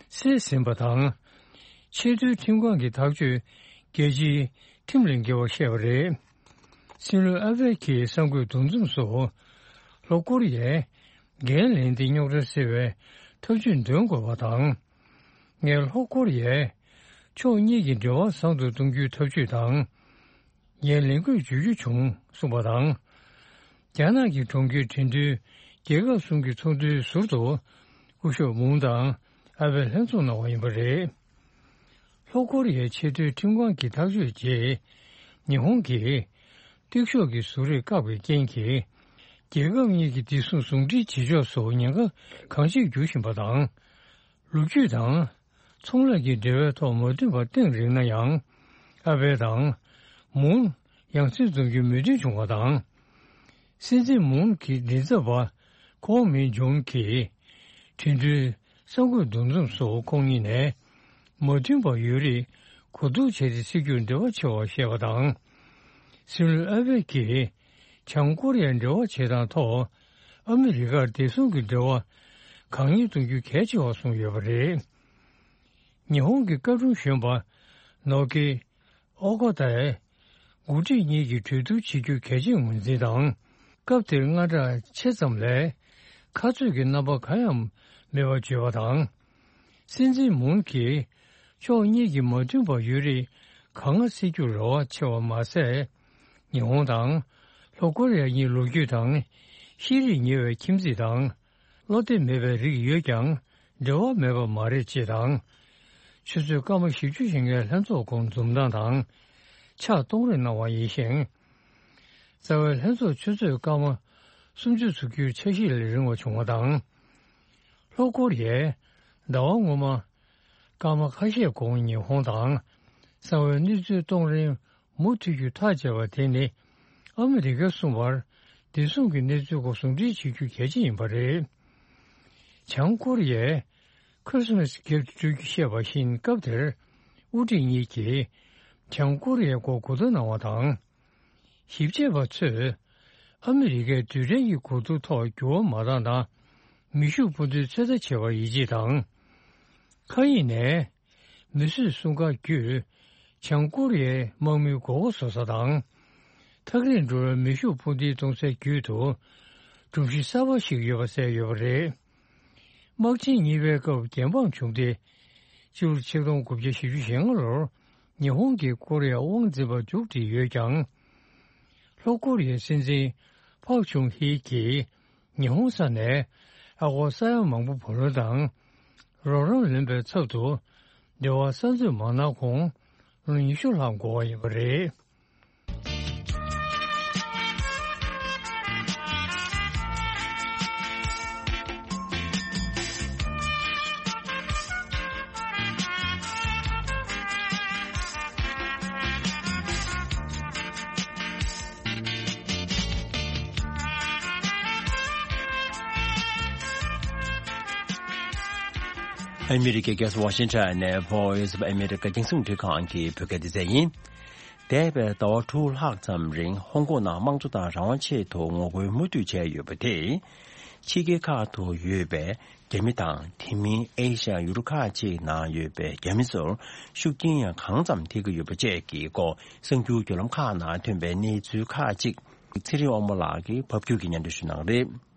སེལ་ཟིན་པ་དང་། ཆེས་མཐོའི་ཁྲིམས་ཁང་གི་ཐག་གཅོད་རྒྱལ་སྤྱིའི་ཁྲིམས་ལས་འགལ་བར་བཤད་པ་རེད། སྲིད་བློན་ཨ་བྷེ་ཀྱིས་གསར་འགོད་འདུ་འཛོམས་སུ་ལྷོ་ཀོ་རི་ཡས་འགན་ལེན་ཏེ་རྙོག་དྲ་སེལ་བའི་ཐབས་ཇུས་འདོན་དགོས་པ་དང་། ངས་ལྷོ་ཀོ་རི་ཡས་ཕྱོགས་གཉིས་ཀྱི་འབྲེལ་བ་བཟང་དུ་གཏོང་རྒྱུའི་ཐབས་ཇུས་དང་། ངས་ལས་འགུལ་བརྗོད་རྒྱུ་བྱུང་གསུངས་པ་དང་། རྒྱ་ནག་གི་གྲོང་ཁྱེར་ཁྲིན་ཏུའུ་རྒྱལ་ཁབ་གསུམ་གྱི་ཚོགས་འདུའི་ཟུར་དུ་སྐུ་ཞབས་མུང་དང་ཨ་བྷེ་ལྷན་ཚོགས་གནང་བ་ཡིན་པ་རེད། ལྷོ་ཀོ་རི་ཡའི་ཆེས་མཐོའི་ཁྲིམས་ཁང་གི་ཐག་གཅོད་རྗེས། ཉི་ཧོང་གིས་གཏུག་ཤོག་གི་བཟོ་རིག་བཀག་པའི་རྐྱེན་གྱིས། རྒྱལ་ཁབ་གཉིས་ཀྱི་བདེ་སྲུང་ཟུང་འབྲེལ་བྱེད་ཕྱོགས་སུ་ཉེན་ཁ་གང་ཆེར་འགྱུར་བཞིན་པ་དང་། ལོ་རྒྱུས་དང་ཚོང་ལས་ཀྱི་འབྲེལ་བའི་ཐོག་མ་མཐུན་པ་གཏན་རིགས་ན་ཡང་། ཨ་བྷེ་དང་མུང་ཡང་སེ་འཛོམས་རྒྱུའི་མོས་མཐུན་བྱུང་བ་དང་། སྲིད་འཛིན་མུང་གི་མགྲིན་ཚབ་པ་ཁོང་མིན་ཇོན་གྱིས་ཁྲིན་ཏུའུ་གསར་འགོད་འདུ་འཛོམས་སུ་ཁོང་གཉིས་ནས་མ་མཐུན་པ་ཡོད་རིགས་གོ་བསྡུར་བྱས་ཏེ་སེལ་རྒྱུར་འབྲེལ་བ་ཆེ་བར་བཤད་པ་དང་། སྲིད་བློན་ཨ་བྷེ་ཀྱིས་བྱང་ཀོ་རི་ཡར་འབྲེལ་བ་བྱེད་སྟངས་ཐོག་ཨ་མི་རི་ཀར་བདེ་སྲུང་གི་འབྲེལ་བ་གང་མྱུར་གཏོང་རྒྱུ་གལ་ཆེ་བར་གསུངས་ཡོད་པ་རེད། ཉི་ཧོང་གི་བཀའ་དྲུང་གཞོན་པ་ནོ་ཀི་ཨོ་ཀོ་ཏའི་འགོ་ཁྲིད་གཉིས་ཀྱིས་གྲོས་བསྡུར་བྱེད་རྒྱུ་གལ་ཆེར་ངོས་འཛིན་དང་། སྐབས་དེར་དངངས་སྐྲག་ཆེ་ཙམ་ལས་ཁ་རྩོད་ཀྱི་རྣམ་པ་གང་ཡང་མེད་པར་བརྗོད་པ་དང་། སྲིད་འཛིན་མུན་གྱིས་ཕྱོགས་གཉིས་ཀྱི་མ་མཐུན་པ་ཡོད་རིགས་གང་སྔ་སེལ་རྒྱུར་རེ་བ་ཆེ་བ་མ་ཟད། ཉི་ཧོང་དང་ལྷོ་ཀོ་རི་ཡ་གཉིས་ལོ་རྒྱུས་དང་ཤེས་རིག་ཉེ་བའི་ཁྱིམ་མཚེས་དང་། བློ་གཏད་མེད་པའི་རིགས་ཡོད་ཀྱང་འབྲེལ་བ་མེད་པ་མ་རེད་ཅེས་དང་། ཆུ་ཚོད་སྐར་མ་བཞི་བཅུ་ཞིག་སྔའི་ལྷན་ཚོགས་ཁོངས་འཛོམས་སྟངས་དང་ཕྱག་གཏོང་རེས་གནང་བ་ཡིན་ཞིང་། རྩ་བའི་ལྷན་ཚོགས་ཆུ་ཚོད་སྐར་མ་སུམ་ཅུ་ཚུགས་རྒྱུའི་འཆར་གཞི་ལས་རིང་བ་བྱུང་བ་དང་། ལྷོ་ཀོ་རི་ཡས་ཟླ་བ་སྔོན་མ་སྐར་མ་ཁ་ཤས་གོང་ཉི་ཧོང་དང་གསང་བའི་གནས་ཚུལ་གཏོང་རིང་མུ་མཐུད་རྒྱུ་ཐག་བཅད་པ་དེ་ནི་ཨ་མི་རི་ཀ་གསུམ་བར་བདེ་སྲུང་གི་གནས་ཚུལ་སྐོར་ཟུང་འབྲེལ་བྱེད་རྒྱུ་གལ་ཆེ་ཡིན་པ་རེད། བྱང་ཀོ་རི་ཡས་ཁི་རི་སི་མ་སི་རྒྱབ་ཏུ་སྤྲོད་རྒྱུ་བཤད་པ་བཞིན་སྐབས་དེར་དབུ་ཁྲིད་གཉིས་ཀྱིས་བྱང་ཀོ་རི་ཡའི་སྐོར་གོ་བསྡུར་གནང་བ་དང་། ཞིབ་དཔྱད་པ་ཚོས་ཨ་མི་རི་ཀའི་རྡུལ་ཕྲན་གྱི་གོ་བསྡུར་ཐོག་འགྱུར་བ་མ་བཏང་ན། མེ་ཤུགས་འཕུར་མདེལ་ཚོད་ལྟ་བྱེད་པར་ཡིད་ཆེས་དང་། མཁའ་དབྱིངས་ནས་མི་གསོད་སྲུང་སྐར་བརྒྱུད་བྱང་ཀོ་རི་ཡའི་དམག་མིའི་མགོ་སྐོར་བཟོ་ས་དང་། ཐག་རིང་འགྲོ་བའི་མེ་ཤུགས་འཕུར་མདེལ་གཏོང་སའི་རྒྱུད་དུ་སྒྲོམ་གཞི་གསར་པ་ཞིག་ཡོད་པ་གསལ་ཡོད་པ་རེད། དམག་ཆེན་གཉིས་པའི་སྐབས་རྒྱལ་འབངས་བྱུང་སྟེ། སྤྱི་ལོ་ཆིག་སྟོང་དགུ་བརྒྱ་བཞི་བཅུ་ཞེ་ལྔ་ལོར་ཉི་ཧོང་གིས་ཀོ་རི་ཡར་དབང་འཛིན་པ་མཇུག་སྒྲིལ་ཡོད་ཀྱང་། ལྷོ་ཀོ་རི་ཡའི་སྲིད་འཛིན་ཕག་ཆུང་ཧི་གིས་ཉི་ཧོང་ས་ནས་ཨ་སྒོར་ས་ཡ་མང་པོ་བུ་ལོན་དང་རོགས་རམ་ལེན་པའི་ཚབ་ཏུ་འབྲེལ་བ་གསར་འཛུགས་མ་གནང་གོང་ལོ་ཉི་ཤུ་ལྷག་འགོར་བ་ཡིན་པ་རེད། ཨ་མི་རི་ཀའི་རྒྱལ་ས་ཝ་ཤིང་ཊོན་ནས་Voice of America རྒྱང་སྲིང་རླུང་འཕྲིན་ཁང་གི་བོད་སྐད་སྡེ་ཚན་ཡིན། འདས་པའི་ཟླ་བ་དྲུག་ལྷག་ཙམ་རིང་ཧོང་ཀོང་ནང་དམངས་གཙོ་དང་རང་དབང་ཆེད་དུ་ངོ་རྒོལ་མུ་མཐུད་བྱས་ཡོད་པ་དེས། ཕྱི་རྒྱལ་ཁག་ཏུ་ཡོད་པའི་རྒྱ་མི་དང་། དེ་མིན་ཨེ་ཤ་ཡ་ཡུལ་ཁག་ཅིག་ནང་ཡོད་པའི་རྒྱ་མི་ཚོར་ཤུགས་རྐྱེན་ཡང་གང་ཙམ་ཐེབས་ཀྱི་ཡོད་པ་བཅས་ཀྱི་སྐོར་གསར་འགྱུར་བརྒྱུད་ལམ་ཁག་ནང་ཐོན་པའི་གནས་ཚུལ་ཁག་ཅིག་ཚེ་རིང་དབང་མོ་ལགས་ཀྱིས་ཕབ་སྒྱུར་གྱིས་སྙན་སྒྲོན་ཞུ་གནང་རེད།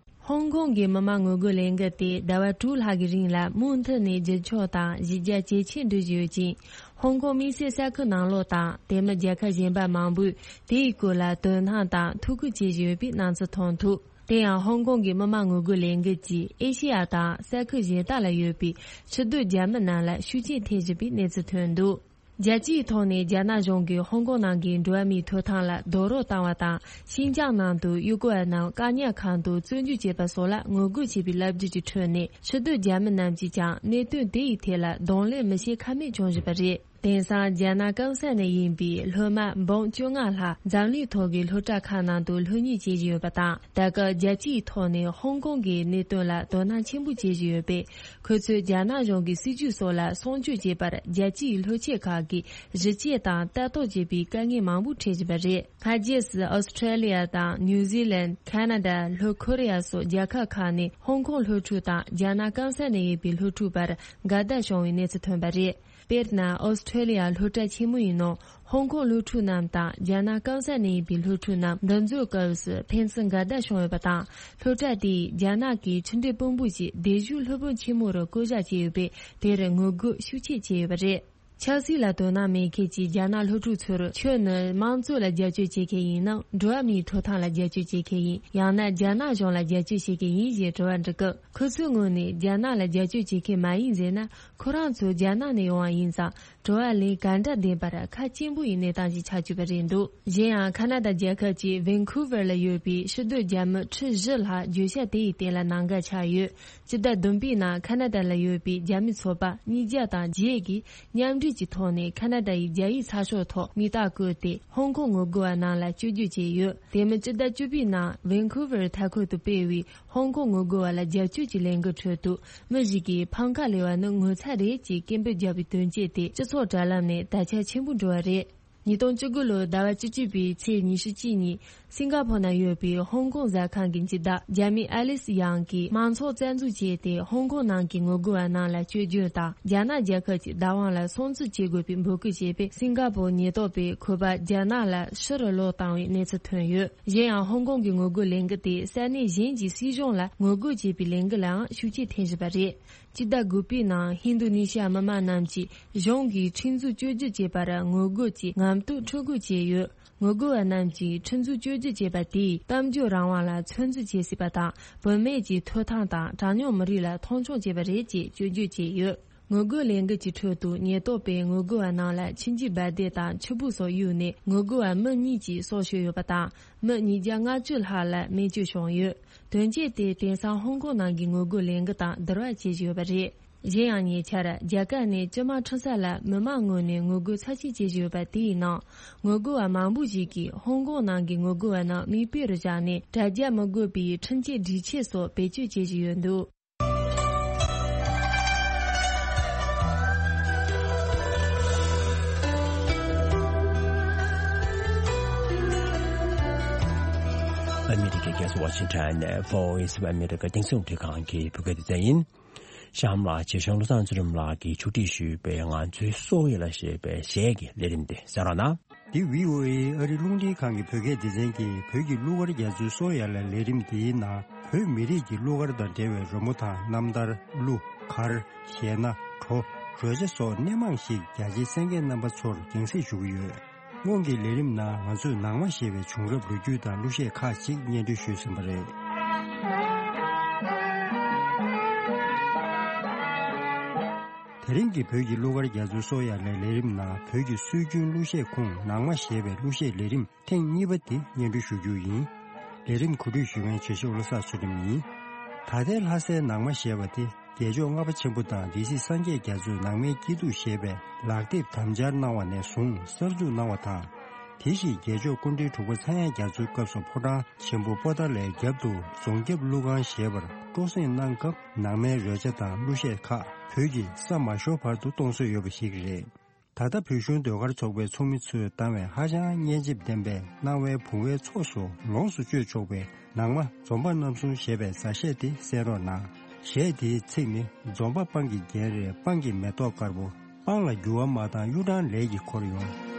ཧོང་ཀོང་གི་མི་མང་ངོ་རྒོལ་ལས་འགུལ་དེ་ཟླ་བ་དྲུག་ལྷག་གི་རིང་ལ་མུ་མཐུད་ནས་རྒྱུན་འཁྱོངས་དང་གཞི་རྒྱ་ཇེ་ཆེར་འགྲོ་བཞིན་ཡོད་ཅིང་། ཧོང་ཀོང་དམིགས་བསལ་ས་ཁུལ་ནང་ལོགས་དང་དེ་མིན་རྒྱལ་ཁབ་གཞན་པ་མང་པོས་དེའི་སྐོར་ལ་དོ་སྣང་དང་ཐུགས་ཁུར་བྱེད་བཞིན་ཡོད་པའི་སྣང་ཚུལ་མཐོང་ཐུབ། དེ་ཡང་ཧོང་ཀོང་གི་མི་མང་ངོ་རྒོལ་ལས་འགུལ་གྱིས་ཨེ་ཤེ་ཡ་དང་ས་ཁུལ་གཞན་དག་ལ་ཡོད་པའི་ཕྱི་སྡོད་རྒྱ་མི་རྣམས་ལ་ཤུགས་རྐྱེན་ཐེབས་བཞིན་པའི་གནས་ཚུལ་ཐོན་འདུག། རྒྱལ་སྤྱིའི་ཐོག་ནས་རྒྱ་ནག་གཞུང་གིས་ཧོང་ཀོང་ནང་གི་འགྲོ་བ་མིའི་ཐོབ་ཐང་ལ་རྡོག་རོལ་བཏང་བ་དང་། ཤིན་ཅང་ནང་དུ་ཡུལ་སྐོར་བ་རྣམས་བཀག་ཉར་ཁང་དུ་བཙོན་འཇུག་བྱས་པ་སོགས་ལ་ངོ་རྒོལ་བྱས་པའི་ལབ་རྒྱུ་གྱི་ཁྲོད་ནས། ཕྱི་སྡོད་རྒྱ་མི་རྣམས་ཀྱིས་ཀྱང་གནད་དོན་དེ་ཡི་ཐད་ལ་གདོང་ལེན་མི་བྱེད་ཁ་མེད་བྱུང་བཞིན་པ་རེད། དེང་སང་རྒྱ་ནག་སྐམ་ས་ནས་ཡིན་པའི་སློབ་མ་འབུམ་བཅོ་ལྔ་ལྷག་འཛམ་གླིང་ཐོག་གི་སློབ་གྲྭ་ཁག་ནང་དུ་སློབ་གཉེར་བྱེད་བཞིན་ཡོད་པ་དང་། ད་སྐབས་རྒྱལ་སྤྱིའི་ཐོག་ནས་ཧོང་ཀོང་གི་གནད་དོན་ལ་དོ་སྣང་ཆེན་པོ་བྱེད་བཞིན་ཡོད་པས། ཁོ་ཚོས་རྒྱ་ནག་གཞུང་གི་སྲིད་བྱུས་སོགས་ལ་སྲུང་སྐྱོབ་བྱེད་པར་རྒྱལ་སྤྱིའི་སློབ་ཆེན་ཁག་གིས་གཞི་བཅད་དང་ལྟ་རྟོག་བྱེད་པའི་དཀའ་ངལ་མང་པོ་འཕྲད་བཞིན་པ་རེད། སྔ་རྗེས་སུ་ཨོ་སི་ཁྲེ་ལི་ཡ་དང་ནིའུ་ཛི་ལན། ཁ་ན་ཌ། ལྷོ་ཁོ་རེ་ཡ་སོགས་རྒྱལ་ཁབ་ཁག་ནས་ཧོང་ཀོང་སློབ་ཕྲུག་དང་རྒྱ་ནག་སྐམ་ས་ནས་ཡོད་པའི་སློབ་ཕྲུག་བར་འགལ་ཟླ་བྱུང་བའི་གནས་ཚུལ་ཐོན་པ་རེད། དཔེར་ན། ཨོ་སི་ཁྲེ་ལི་ཡ་སློབ་གྲྭ་ཆེན་མོ་ཡི་ནང་ཧོང་ཀོང་སློབ་ཕྲུག་རྣམས་དང་རྒྱ་ནག་སྐམ་ས་ནས་ཡིན་པའི་སློབ་ཕྲུག་རྣམས་འདུ་འཛོམས་སྐབས་སུ་ཕན་ཚུན་འགལ་ཟླ་བྱུང་ཡོད་པ་དང་། སློབ་གྲྭ་དེས་རྒྱ་ནག་གི་ཕྱི་འབྲེལ་དཔོན་པོ་ཞིག་སྡེབ་ཞུགས་སློབ་དཔོན་ཆེན་མོ་རུ་བསྐོ་གཞག་བྱས་ཡོད་པས། དེར་ངོ་རྒོལ་ཤུགས་ཆེ་བྱས་ཡོད་པ་རེད། ཆབ་སྲིད་ལ་དོ་སྣང་མེད་མཁན་གྱི་རྒྱ་ནག་སློབ་ཕྲུག་ཚོར་ཁྱོད་ནི་དམངས་གཙོ་ལ་རྒྱབ་སྐྱོར་བྱེད་མཁན་ཡིན་ནམ། འགྲོ་བ་མིའི་ཐོབ་ཐང་ལ་རྒྱབ་སྐྱོར་བྱེད་མཁན་ཡིན། ཡང་ན་རྒྱ་ནག་གཞུང་ལ་རྒྱབ་སྐྱོར་བྱེད་མཁན་ཡིན་ཞེས་དྲི་བ་འདྲི་སྐབས། ཁོ་ཚོའི་ངོས་ནས་རྒྱ་ནག་ལ་རྒྱབ་སྐྱོར་བྱེད་མཁན་མ་ཡིན་ཟེར་ན། ཁོ་རང་ཚོ་རྒྱ་ནག་ནས་ཡོང་བ་ཡིན་ཙང་། དྲི་བ་ལན་ག་འདྲ་འདེབས་པར་ཁག་ཆེན་པོ་ཡི་གནས་སྟངས་ཤིག་ཆགས་བཅུག་པ་རེད་འདུག། གཞན་ཡང་། ཁ་ན་ཌ་རྒྱལ་ཁབ་ཀྱི་ཝེན་ཁུ་ཝར་ལ་ཡོད་པའི་ཕྱི་སྡོད་རྒྱ་མི་ཁྲི་བཞི་ལྷག་བརྗོད་བྱ་དེ་ཡི་སྟེང་ལ་ནང་འགལ་ཆགས་ཡོད། སྤྱི་ཟླ་བདུན་པའི་ནང་ཁ་ན་ཌ་ལ་ཡོད་པའི་རྒྱ་མི་ཚོགས་པ་ཉིས་བརྒྱ་དང་བརྒྱད་ཀྱིས་མཉམ་འབྲེལ་གྱི་ཐོག་ནས་ཁ་ན་ཌ་ཡི་རྒྱ་ཡིག་ཚགས་ཤོག་ཐོག་མིང་རྟགས་བཀོད་དེ། ཧོང་ཀོང་ངོ་རྒོལ་བ་རྣམས་ལ་སྐྱོན་བརྗོད་བྱས་ཡོད། དེ་མིན། སྤྱི་ཟླ་བཅུ་པའི་ནང་ཝེན་ཁུ་ཝར་མཐའ་འཁོར་དུ་སྤེལ་བའི་ཧོང་ཀོང་ངོ་རྒོལ་བ་ལ་རྒྱབ་སྐྱོར་གྱི་ལས་འགུལ་ཁྲོད་དུ། མི་ཞིག་གིས་འཕང་ཁ་ལས་པ་ནི་ངོ་ཚ་རེད་ཅེས་སྐད་འབོད་བརྒྱབ་པའི་དོན་རྐྱེན་དེ་སྤྱི་ཚོགས་དྲ་ལམ་ནས་དར་ཁྱབ་ཆེན་པོ་འགྲོ་བ་རེད། ཉིས་སྟོང་བཅུ་དགུ་ལོའི་ཟླ་བ་བཅུ་གཅིག་པའི་ཚེས་ཉི་ཤུ་གཅིག་ཉིན། སིང་ག་ཕོར་ན་ཡོད་པའི་ཧོང་ཀོང་ཟ་ཁང་གི་སྤྱི་བདག་རྒྱ་མི་ཨ་ལིས་ཡང་གིས་མང་ཚོགས་རྩ་འཛུགས་བྱས་ཏེ། ཧོང་ཀོང་ནང་གི་ངོ་རྒོལ་བ་རྣམས་ལ་སྐྱོན་བརྗོད་དང་། རྒྱ་ནག་རྒྱལ་ཁབ་ཀྱི་བདག་དབང་ལ་སྲུང་བརྩི་བྱེད་དགོས་པའི་འབོད་སྐུལ་བྱས་པས། སིང་ག་ཕོར་ཉེན་རྟོག་པས་ཁོ་པ་རྒྱ་ནག་ལ་ཕྱིར་ལོག་བཏང་བའི་གནས་ཚུལ་ཐོན་ཡོད། གཞན་ཡང་། ཧོང་ཀོང་གི་ངོ་རྒོལ་ལས་འགུལ་དེས་ས་གནས་གཞན་གྱི་སྲིད་གཞུང་ལ་ངོ་རྒོལ་བྱེད་པའི་ལས་འགུལ་ལའང་ཤུགས་རྐྱེན་ཐེབས་བཞིན་པ་རེད། སྤྱི་ཟླ་དགུ་པའི་ནང་ཧིན་རྡུ་ནི་ཤི་ཡ་མི་མང་རྣམས་ཀྱིས་གཞུང་གིས་ཁྲིམས་འཛུགས་བཅོས་སྒྱུར་བྱས་པར་ངོ་རྒོལ་གྱིས་ངམ་ཐོག་འཁྲུག་རྒོལ་བྱས་ཡོད། ངོ་རྒོལ་བ་རྣམས་ཀྱིས་ཁྲིམས་འཛུགས་བཅོས་སྒྱུར་བྱས་པ་དེས་གཏམ་བརྗོད་རང་དབང་ལ་ཚོད་འཛིན་བྱེད་སྲིད་པ་དང་། བུད་མེད་ཀྱི་ཐོབ་ཐང་དང་གྲངས་ཉུང་མི་རིགས་ལ་མཐོང་ཆུང་བྱས་པ་རེད་ཅེས་སྐྱོན་བརྗོད་བྱས་ཡོད། ངོ་རྒོལ་ལས་འགུལ་གྱི་ཁྲོད་དུ་ཉེན་རྟོག་པས་ངོ་རྒོལ་བ་རྣམས་ལ་མཆིན་རྒྱུ་འབར་མདེལ་དང་ཆུ་སྦུག་སོགས་གཡུགས་ནས། ངོ་རྒོལ་བ་མི་གཉིས་ཀྱི་སྲོག་ཤོར་ཡོད་པ་དང་། མི་ཉིས་བརྒྱ་ལྔ་བཅུ་ལྷག་ལ་རྨས་སྐྱོན་བྱུང་ཡོད། དོན་རྐྱེན་དེས་དེང་སང་ཧོང་ཀོང་ནང་གི་ངོ་རྒོལ་ལས་འགུལ་དང་བསྡུར་བ་བྱེད་བཞིན་ཡོད་པ་རེད། གཞན་ཡང་། ཉེ་ཆར་རྒྱ་གར་ནས་ཅི་མ་ཁྲིན་ས་ལ་མི་མང་ངོས་ནས་ངོ་རྒོལ་ཚབས་ཆེན་བྱེད་བཞིན་ཡོད་པ་དེའི་ནང་། ངོ་རྒོལ་བ་མང་པོ་ཞིག་གིས་ཧོང་ཀོང་ནང་གི་ངོ་རྒོལ་བ་རྣམས་མིག་དཔེ་རུ་བཞག་ནས། དྲ་རྒྱ་མི་དགོས་པའི་ཁྲིམས་ཆད་སྒྲིག་ཆས་སོགས་བེད་སྤྱོད་བྱེད་བཞིན་ཡོད་འདུག། ཨ་མི་རི་ཀའི་རྒྱལ་ས་ཝ་ཤིང་ཊོན་ནས་Voice of America རྒྱང་སྲིང་རླུང་འཕྲིན་ཁང་གི་བོད་སྐད་སྡེ་ཚན་ཡིན། གཤམ་ལ་ཆེད་བཞུགས་བློ་བཟང་ཚེ་རིང་ལགས་ཀྱིས་ཕྱོགས་སྒྲིག་ཞུས་པའི་ང་ཚོའི་སོ་ཡ་ལ་ཞེས་པའི་གཞས་ཀྱི་ལས་རིམ་དེ་གསན་རོགས་གནང་། འདི་བྷི་ཨོ་ཨེ་ཨ་རི་རླུང་འཕྲིན་ཁང་གི་བོད་སྐད་སྡེ་ཚན་གྱི་བོད་ཀྱི་གླུ་གར་རྒྱ་མཚོའི་སོ་ཡ་ལ་ལས་རིམ་འདིའི་ནང་བོད་མི་རིགས་ཀྱི་གླུ་གར་དང་འབྲེལ་བའི་རོལ་མོ་དང་རྣམ་ཐར། གླུ། གར། གཞས་སྣ། བྲོ། རོལ་ཆ་སོགས་སྣེ་མང་ཞིག་རྒྱ་ཆེའི་གསན་མཁན་རྣམ་པ་ཚོར་རྒྱང་སྲིང་ཞུ་གི་ཡོད། སྔོན་གྱི་ལས་རིམ་ནང་ང་ཚོས་ནང་མ་ཞེས་པའི་བྱུང་རབས་ལོ་རྒྱུས་དང་གླུ་གཞས་ཁག་ཅིག་སྙན་སྒྲོན་ཞུས་ཟིན་པ་རེད། དེ་རིང་གི་བོད་ཀྱི་གླུ་གར་རྒྱ་མཚོའི་སོ་ཡ་ལའི་ལས་རིམ་ནང་བོད་ཀྱི་སྲོལ་རྒྱུན་གླུ་གཞས་ཁུངས་ནང་མ་ཞེས་པའི་གླུ་གཞས་ལས་རིམ་ཐེངས་གཉིས་པ་འདི་སྙན་སྒྲོན་ཞུ་རྒྱུ་ཡིན། ལས་རིམ་གོ་སྒྲིག་ཞུ་མཁན་བྱེད་ཞབས་བློ་བཟང་ཚུལ་ཁྲིམས་ཡིན། ད་ལྟའི་ལྷ་སའི་ནང་མ་ཞེས་པ་དེ་རྒྱལ་མཆོག་ལྔ་པ་ཆེན་པོ་དང་སྡེ་སྲིད་སངས་རྒྱས་རྒྱ་མཚོས་ནང་མའི་སྐྱིད་སྡུག་ཞེས་པའི་ལག་དེབ་དམ་སྦྱར་གནང་བ་ནས་བཟུང་གསར་འཛུགས་གནང་བ་དང་། དེ་བཞིན་རྒྱལ་མཆོག་སྐུ་ཕྲེང་དྲུག་པ་ཚངས་དབྱངས་རྒྱ་མཚོའི་སྐབས་སུ་ཕོ་བྲང་ཆེན་པོ་པོ་ཏཱ་ལའི་རྒྱབ་ཏུ་རྫོང་རྒྱབ་གླུ་ཁང་ཞེས་པར་སྤྲོ་གསེང་གནང་སྐབས་ནང་མའི་རོལ་ཆ་དང་གླུ་གཞས་ཁག་བོད་ཀྱི་ས་མ་ཤོར་བར་དུ་གཏོང་སྲོལ་ཡོད་པ་ཞིག་རེད། ད་ ད་ལྟ་བོད་གཞུང་ཟློས་གར་ཚོགས་པའི་ཚོགས་མི་ཚོས་བཏང་བའི་ཧ་ཅང་སྙན་འཇེབས་ལྡན་པའི་སྣང་བའི་བུང་བའི་ཚོགས་སུ་ལོངས་སུ་སྤྱོད་ཆོག་པའི་ནང་མ་འཛོམས་པ་རྣམ་གསུམ་ཞེས་པའི་མཛའ་གཞས་དེ་གསན་རོགས་གནང་། གཞས་དེའི་ཚིག་ནི། འཛོམས་པ་སྤང་གི་རྒྱན་རེད། སྤང་གི་མེ་ཏོག་དཀར་པོ། སྤང་ལ་འགྱུར་བ་མ་བཏང་གཡུ་སྦྲང་ལས་ཀྱིས་འཁོར་ཡོང་།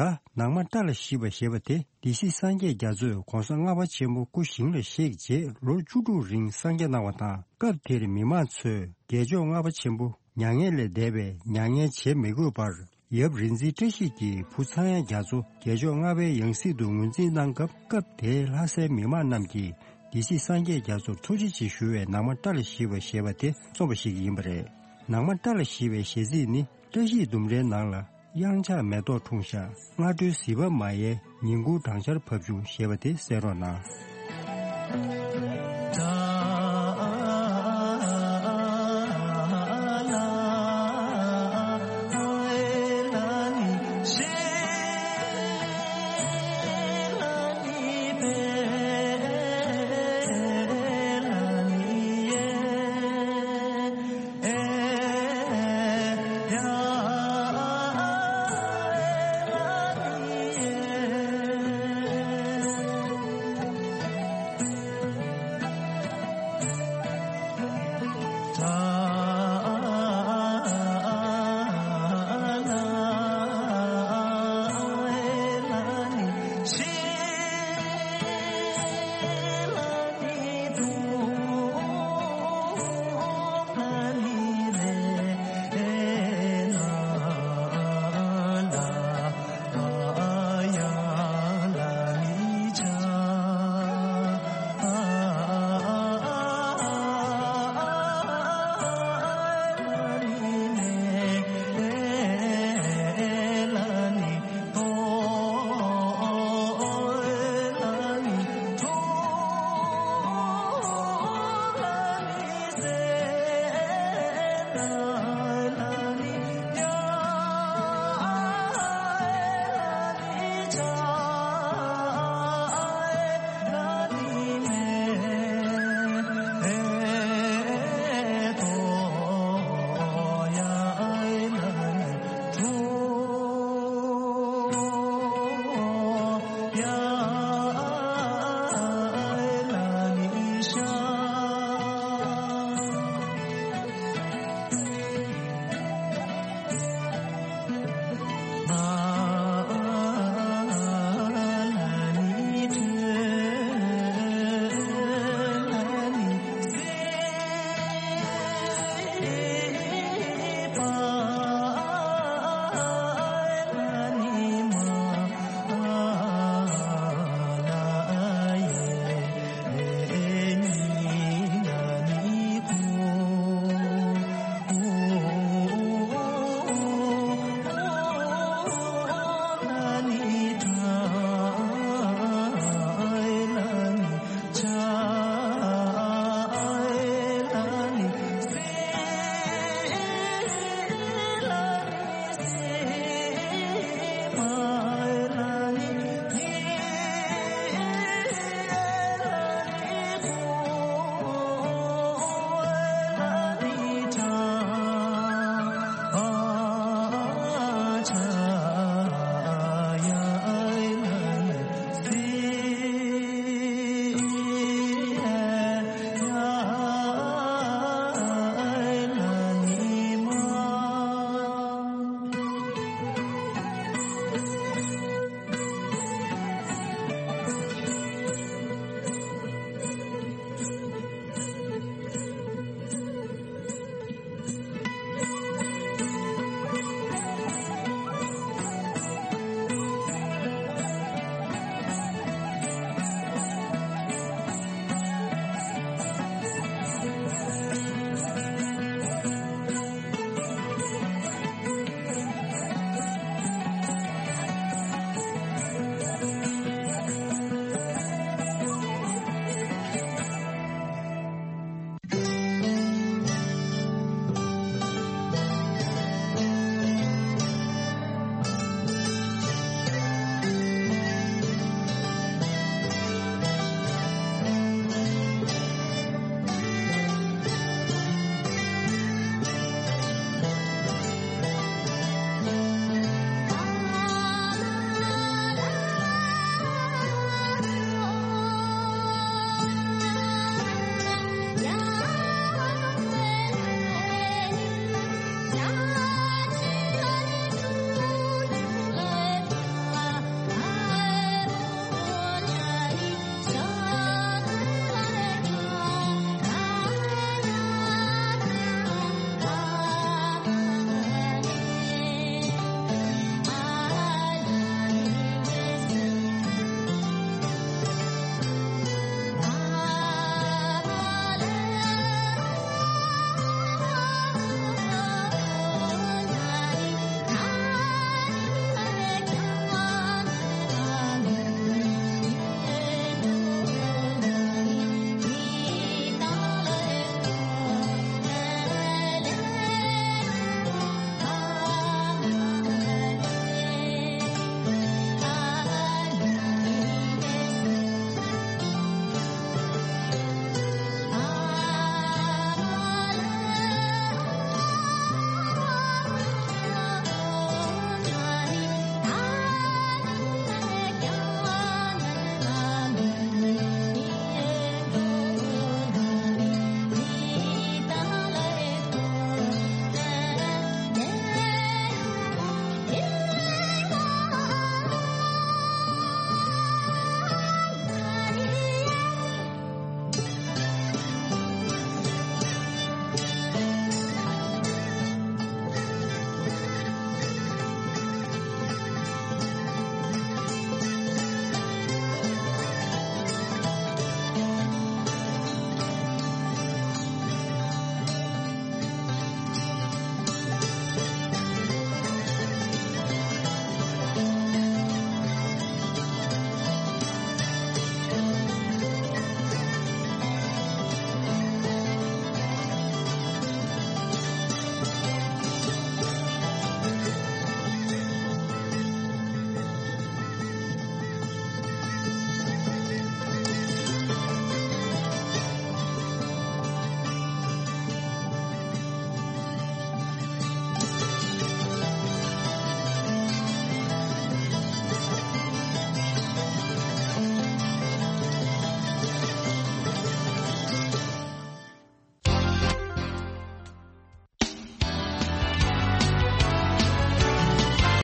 ད་ནང་མ་སྐྲ་ལ་ཞིབ་པ་ཞེས་པ་དེ་སྡེ་སྲིད་སངས་རྒྱས་རྒྱ་མཚོས་གོང་ས་ལྔ་པ་ཆེན་པོ་སྐུ་ཞིང་ལ་གཤེགས་རྗེས་ལོ་བཅུ་དྲུག་རིང་གསང་རྒྱ་གནང་བ་དང་། སྐབས་དེར་མི་མང་ཚོས་རྒྱལ་མཆོག་ལྔ་པ་ཆེན་པོ་མྱ་ངན་ལས་འདས་པས་མྱ་ངན་བྱེད་མི་དགོས་པར། ཡབ་རིག་འཛིན་བཀྲ་ཤིས་ཀྱི་བུ་ཚངས་དབྱངས་རྒྱ་མཚོ་རྒྱལ་མཆོག་ལྔ་པའི་ཡང་སྲིད་དུ་ངོས་འཛིན་གནང་སྐབས། སྐབས་དེའི་ལྷ་སའི་མི་མང་རྣམས་ཀྱིས་སྡེ་སྲིད་སངས་རྒྱས་རྒྱ་མཚོར་ཐུགས་རྗེ་ཆེ་ཞུ་བའི་ནང་མ་སྐྲ་ལ་ཞིབ་པ་ཞེས་པ་དེ་རྩོམ་པ་ཞིག་ཡིན་པ་རེད། ནང་མ་སྐྲ་ལ་ཞིབ་པའི་གཞས་ཚིག་ནི། བཀྲ་ཤིས་ལྡུམ་རའི་ནང་ལ་གཡང་ཆགས་མེ་ཏོག་འཁྲུངས་ཤག་སྔ་དྲོའི་ཟིལ་པ་མ་ཡལ། ཉིན་གུང་སྦྲང་ཆར་བབས་བྱུང་ཞེས་པ་དེ་གསན་རོགས་གནང་།